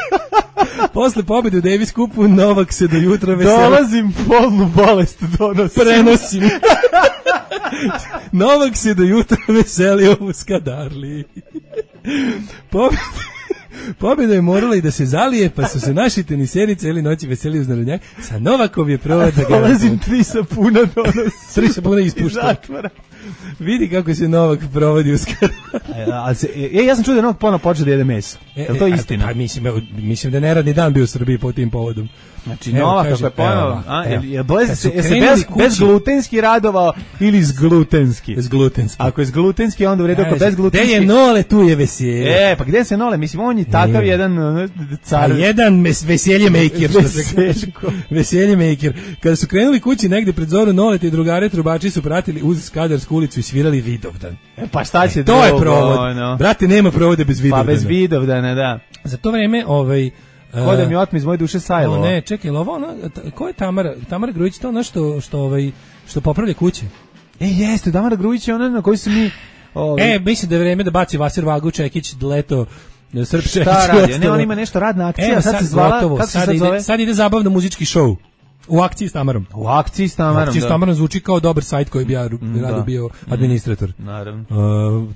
S7: Posle pobjede u Davis Cupu Novak se do jutra veselio.
S6: Dolazim, polnu bolest donosim.
S7: Prenosim. Novak se do jutra veselio u Skadarli. Pobjeda, pobjeda je morala i da se zalije, pa su se naši teniseri cijeli noći veseli uz narodnjak. Sa Novakov je provod za garantu.
S6: Dolazim, tri sapuna donosim.
S7: Tri sapuna ispušta. Vidi kako se Novak provodi u Skadarli.
S6: E, ja sam čuo da je Novak ponovno počeo da jede meso. Je li to istina?
S7: Pa mislim, mislim da je neradni dan bio u Srbiji po tim povodom.
S6: Znači, Novak kako je ponovno, je se bez, bez glutenski radovao ili s glutenski?
S7: S glutenski.
S6: Ako je s glutenski, onda u redu, ako bez glutenski.
S7: Gde je Nole, tu je veselje.
S6: E, pa gde se Nole? Mislim, on je takav jedan car.
S7: A jedan veselje maker. Veselje maker. Kada su krenuli kući negde pred zoru, Nole i drugare trubači su pratili uz Skadarsku ulicu i svirali Vidovdan.
S6: E, pa šta će
S7: e, to je provod. No. Brate, nema provode bez Vidovdana.
S6: Pa bez Vidovdana, da.
S7: Za to vreme, ovaj...
S6: Ko da mi otme iz moje duše Sajlo.
S7: Ne, čekaj, ovo ono, ko je Tamara? Tamara Grujić, to ono što, što, ovaj, što popravlja kuće.
S6: E, jeste, Tamara Grujić je ona na kojoj se mi...
S7: Ovaj... E, mislim da je vreme da baci Vasir Vagu, Čekić, Leto, Srp Čekić.
S6: Šta radi? Ne, on ima nešto radna akcija,
S7: e,
S6: sad, sad se zvala...
S7: Gotovo, sad, sad, sad, ide, sad ide zabavno muzički show. U akciji s Tamarom.
S6: U akciji s Tamarom,
S7: U akciji s Tamarom zvuči kao dobar sajt koji bi ja mm, rado bio administrator.
S6: Naravno.
S7: Uh,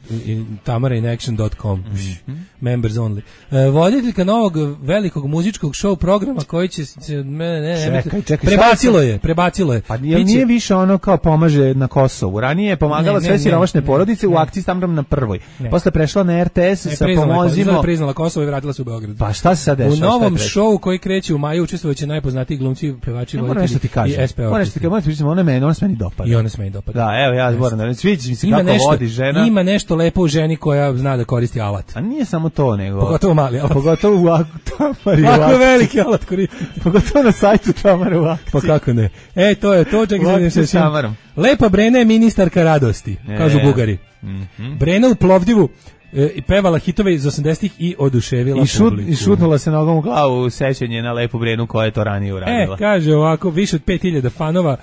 S7: tamarainaction dot com. Mm-hmm. Members only. Uh, voditeljka novog velikog muzičkog show programa koji će se... Ne, ne, ne,
S6: čekaj, čekaj.
S7: Prebacilo je, prebacilo je.
S6: Pa jel nije više ono kao pomaže na Kosovu? Ranije je pomagala ne, sve siromašne porodice ne, u akciji s Tamarom na prvoj. Ne. Posle prešla na R T S ne, sa pomozimo...
S7: Ne, priznala Kosovo i vratila se u Beograd.
S6: Pa šta se sad dešava?
S7: U novom showu koji kreće u maju učestvovaće najpoznatiji glumci, pevači,
S6: moram nešto ti kažem. Moram nešto ti kažem, moram ti pričam, ona meni, ona se meni dopada.
S7: I ona se meni dopada.
S6: Da, evo ja moram da sviđa mi se kako nešto, vodi žena.
S7: Ima nešto lepo u ženi koja zna da koristi alat.
S6: A nije samo to nego.
S7: Pogotovo mali alat.
S6: Pogotovo u Tamari.
S7: Kako veliki alat koristi.
S6: Pogotovo na sajtu Tamara u akciji.
S7: Pa kako ne. E, to je to, čekaj se se Lepa Brena je ministarka radosti, kažu Bugari. Brena u Plovdivu i pevala hitove iz osamdesetih i oduševila
S6: I šut,
S7: publiku.
S6: I šutnula se nogom u glavu u sećanje na Lepu Brenu koja je to ranije uradila.
S7: E, kaže ovako, više od pet hiljada fanova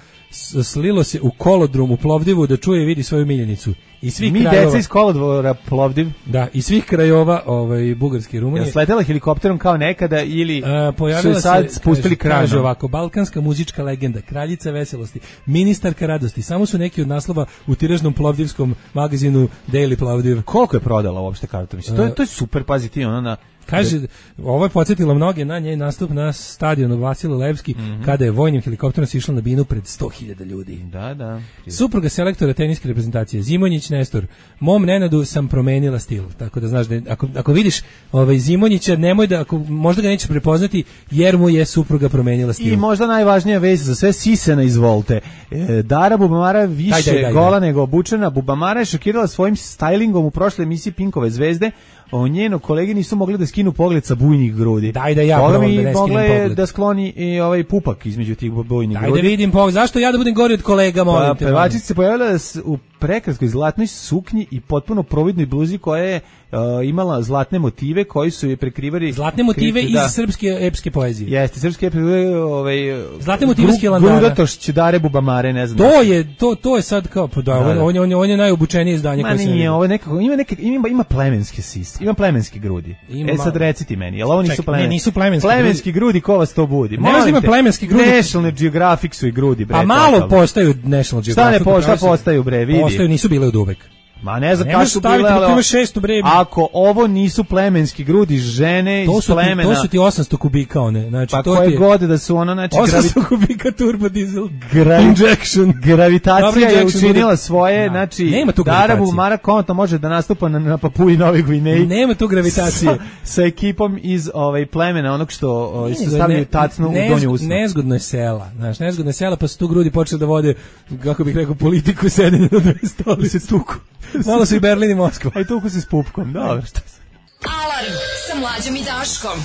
S7: slilo se u kolodrom u Plovdivu da čuje i vidi svoju miljenicu. I svih
S6: Mi
S7: krajova,
S6: deca iz kolodvora Plovdiv.
S7: Da, i svih krajova ovaj, Bugarske i Rumunije.
S6: Ja sletela helikopterom kao nekada ili
S7: A,
S6: su sad se, spustili
S7: kranom. Kaže ovako, balkanska muzička legenda, kraljica veselosti, ministarka radosti, samo su neki od naslova u tiražnom plovdivskom magazinu Daily Plovdiv.
S6: Koliko je prodala uopšte kartu? Mislim, to je, to je super, pazi ti, ona na...
S7: Kaže, ovo je podsjetilo mnoge na njen nastup na stadionu Vasile Levski, mm-hmm. kada je vojnim helikopterom sišla na binu pred sto hiljada ljudi.
S6: Da, da.
S7: Supruga selektora teniske reprezentacije, Zimonjić Nestor. Mom Nenadu sam promenila stil, tako da znaš da ako, ako vidiš ovaj Zimonjića, nemoj da, ako, možda ga nećeš prepoznati, jer mu je supruga promenila stil.
S6: I možda najvažnija vez za sve, Sisena izvolte. E, Dara Bubamara više daj, daj, daj, gola daj. nego obučena. Bubamara je šokirala svojim stylingom u prošloj emisiji Pinkove zvezde. O njeno kolege nisu mogli da skinu pogled sa bujnih grudi.
S7: Daj da ja probam da ne skinem pogled.
S6: Da skloni i ovaj pupak između tih bujnih
S7: Daj
S6: grudi.
S7: Daj da vidim pogled. Zašto ja da budem gori od kolega, molim
S6: pa,
S7: te?
S6: Pevačica se pojavila u prekraskoj zlatnoj suknji i potpuno providnoj bluzi koja je uh, imala zlatne motive koji su je prekrivali
S7: zlatne motive
S6: krivci,
S7: iz
S6: da.
S7: srpske epske poezije.
S6: Jeste, srpske epske ovaj
S7: zlatne motive iz Hilandara.
S6: Grudatošć, Dare Bubamare, ne znam.
S7: To je to to je sad kao pa da, da, da. On, on, on je najobučenije izdanje
S6: koje se. Ma nije, ovo je nekako ima neke ima ima plemenske sise. Ima plemenske grudi. Ima e sad reciti meni, jel ovo nisu
S7: Ček,
S6: plemenski?
S7: Ne, nisu plemenski.
S6: Plemenski grudi, grudi ko vas to budi?
S7: Ne znam ima plemenski grudi.
S6: National Geographic su i grudi, bre.
S7: A malo postaju National Geographic.
S6: Šta ne postaju, postaju bre, vidi.
S7: Postaju, nisu bile od uvek.
S6: Ma ne znam kako su bile, ali
S7: ima šesto bre.
S6: Ako ovo nisu plemenski grudi žene
S7: to
S6: iz plemena.
S7: Ti, to su ti osamsto kubika one, znači
S6: pa
S7: to
S6: koje
S7: je
S6: god da su ono, znači
S7: osamsto kubika turbo diesel
S6: Gravi,
S7: injection.
S6: Gravitacija je učinila bude. Svoje,
S7: da.
S6: Znači Darabu Mara Konto može da nastupa na, na Papui Novoj Gvineji.
S7: Nema tu gravitacije.
S6: Sa, sa ekipom iz ovaj plemena, onog što ovaj, su stavljaju tacnu
S7: ne,
S6: u donju usna.
S7: Nezgodno je sela, znaš, nezgodno je sela, pa su tu grudi počeli da vode, kako bih rekao, politiku sedenja na dve stolice se tuku. Malo su i Berlin i Moskva.
S6: Aj tuku se s pupkom, dobro, šta se.
S9: Alarm sa Mlađom i Daškom.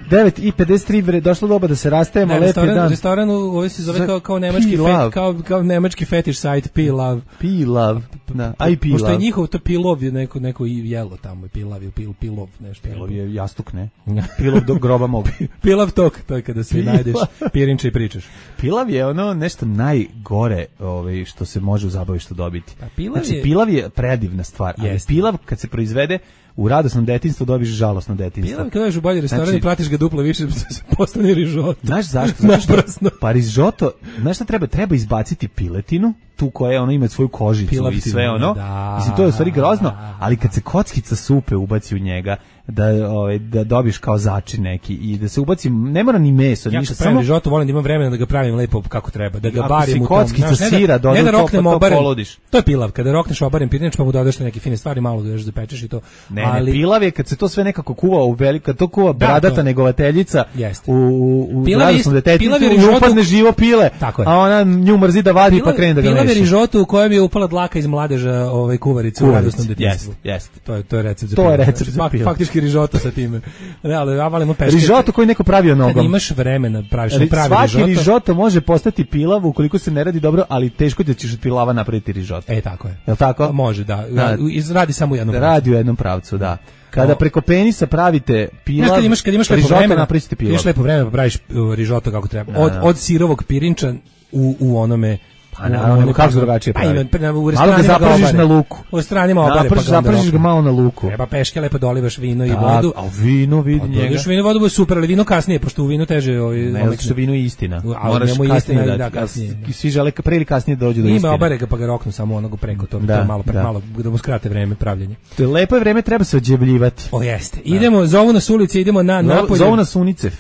S6: devet i pedeset tri bre, došlo doba da se rastajemo,
S7: ne,
S6: lepi
S7: restoran,
S6: dan.
S7: Restoran ovaj se zove kao kao nemački fet, kao kao nemački fetish site P-Love.
S6: P-Love. Da, aj P-Love.
S7: Pošto je njihov to Pilov je neko neko i jelo tamo, Pilav je pil Pilov, nešto.
S6: Pilov je jastuk, ne? Pilov do groba mog.
S7: Pilav tok, to je kada se najdeš pirinče i pričaš.
S6: Pilav je ono nešto najgore, ovaj što se može u zabavištu dobiti.
S7: A pilav
S6: znači
S7: je...
S6: pilav je predivna stvar, ali yes. Pilav kad se proizvede u radosnom detinjstvu dobiš žalosno detinjstvo.
S7: Pilav kad dođeš u bolji restoran znači, i platiš ga duplo više da se postane rižoto.
S6: Znaš zašto? Zato što, pa rižoto, znaš šta treba? Treba izbaciti piletinu, tu koja ono ima svoju kožicu Pilav i sve ono. Da, mislim, to je u stvari grozno, ali kad se kockica supe ubaci u njega, da ovaj da dobiš kao začin neki i da se ubaci, ne mora ni meso,
S7: ja
S6: ništa,
S7: samo rižoto volim da imam vremena da ga pravim lepo kako treba, da ga barim u tom.
S6: Kockica sira
S7: dodaš, ne da roknem
S6: to,
S7: obaren.
S6: Polodiš.
S7: To je pilav, kada rokneš obaren pirinač pa mu dodaš neke fine stvari, malo ga još zapečeš i to.
S6: Ne, ali ne, pilav je kad se to sve nekako kuva u velika, to kuva bradata da, negovateljica u u radosnom detetinstvu, u upadne živo pile, a ona nju mrzi da vadi pilav, pa krene da ga meša.
S7: Pilav je rižoto u kojem je upala dlaka iz mladeža ovaj kuvarice u radosnom detinjstvu.
S6: Jeste.
S7: To je to je recept za
S6: to je recept za
S7: pilav. Faktički rižoto sa time. Ne, ali ja volim peške.
S6: Rižoto koji neko pravio nogom.
S7: Kad imaš vremena, praviš pravi
S6: rižoto.
S7: Svaki
S6: rižoto može postati pilav ukoliko se ne radi dobro, ali teško da ćeš od pilava napraviti rižoto.
S7: E, tako je.
S6: Jel tako?
S7: Može, da. da. Radi samo u jednom
S6: pravcu. Radi u jednom pravcu, da. Kada preko penisa pravite pilav,
S7: kad imaš, kad imaš lepo vremena,
S6: napravite pilav.
S7: Imaš lepo vremena, praviš rižoto kako treba. Od, od sirovog pirinča u, u onome...
S6: A naravno, kako drugačije pravi.
S7: Pa, u
S6: malo ga zapržiš na luku.
S7: U stranima obare,
S6: pa zapržiš ga malo na luku.
S7: Treba peške, lepo dolivaš vino i vodu.
S6: A vino vidi njega.
S7: Dolivaš vino i vodu, bude super, ali vino kasnije, pošto u vinu teže... Ovaj,
S6: ne, zato što vino je istina.
S7: Moraš kasnije da, da kasnije.
S6: Svi žele pre ili kasnije dođu do istine.
S7: Ima obare ga pa ga roknu samo onoga preko, to malo malo da mu skrate vreme pravljenja.
S6: To je lepo vreme, treba se odjebljivati.
S7: O jeste. Idemo, zovu nas ulice, idemo na napolje.
S6: Zovu nas Unicev.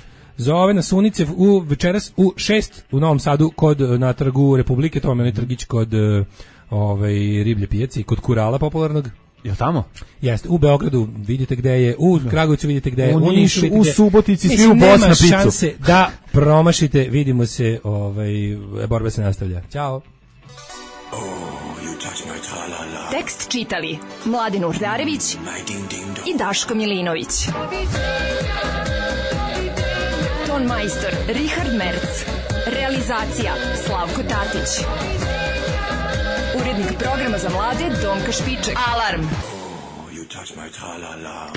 S7: Zove na Sunicev u večeras u šest u Novom Sadu kod na trgu Republike, to vam je onaj trgić kod ovaj riblje pijace i kod Kurala popularnog.
S6: Jel tamo?
S7: Jeste, u Beogradu vidite gde je, u Kragujevcu vidite gde je,
S6: u Nišu, u Subotici,
S7: svi
S6: u Bosna
S7: picu.
S6: Nema
S7: šanse da promašite, vidimo se, ovaj, borba se nastavlja. Ćao.
S9: Oh, tekst čitali Mladen Urdarević i Daško Milinović. Ton majstor Richard Merc. Realizacija Slavko Tatić. Urednik programa za mlade Donka Špiček. Alarm. Oh, you touch my tra-la-la.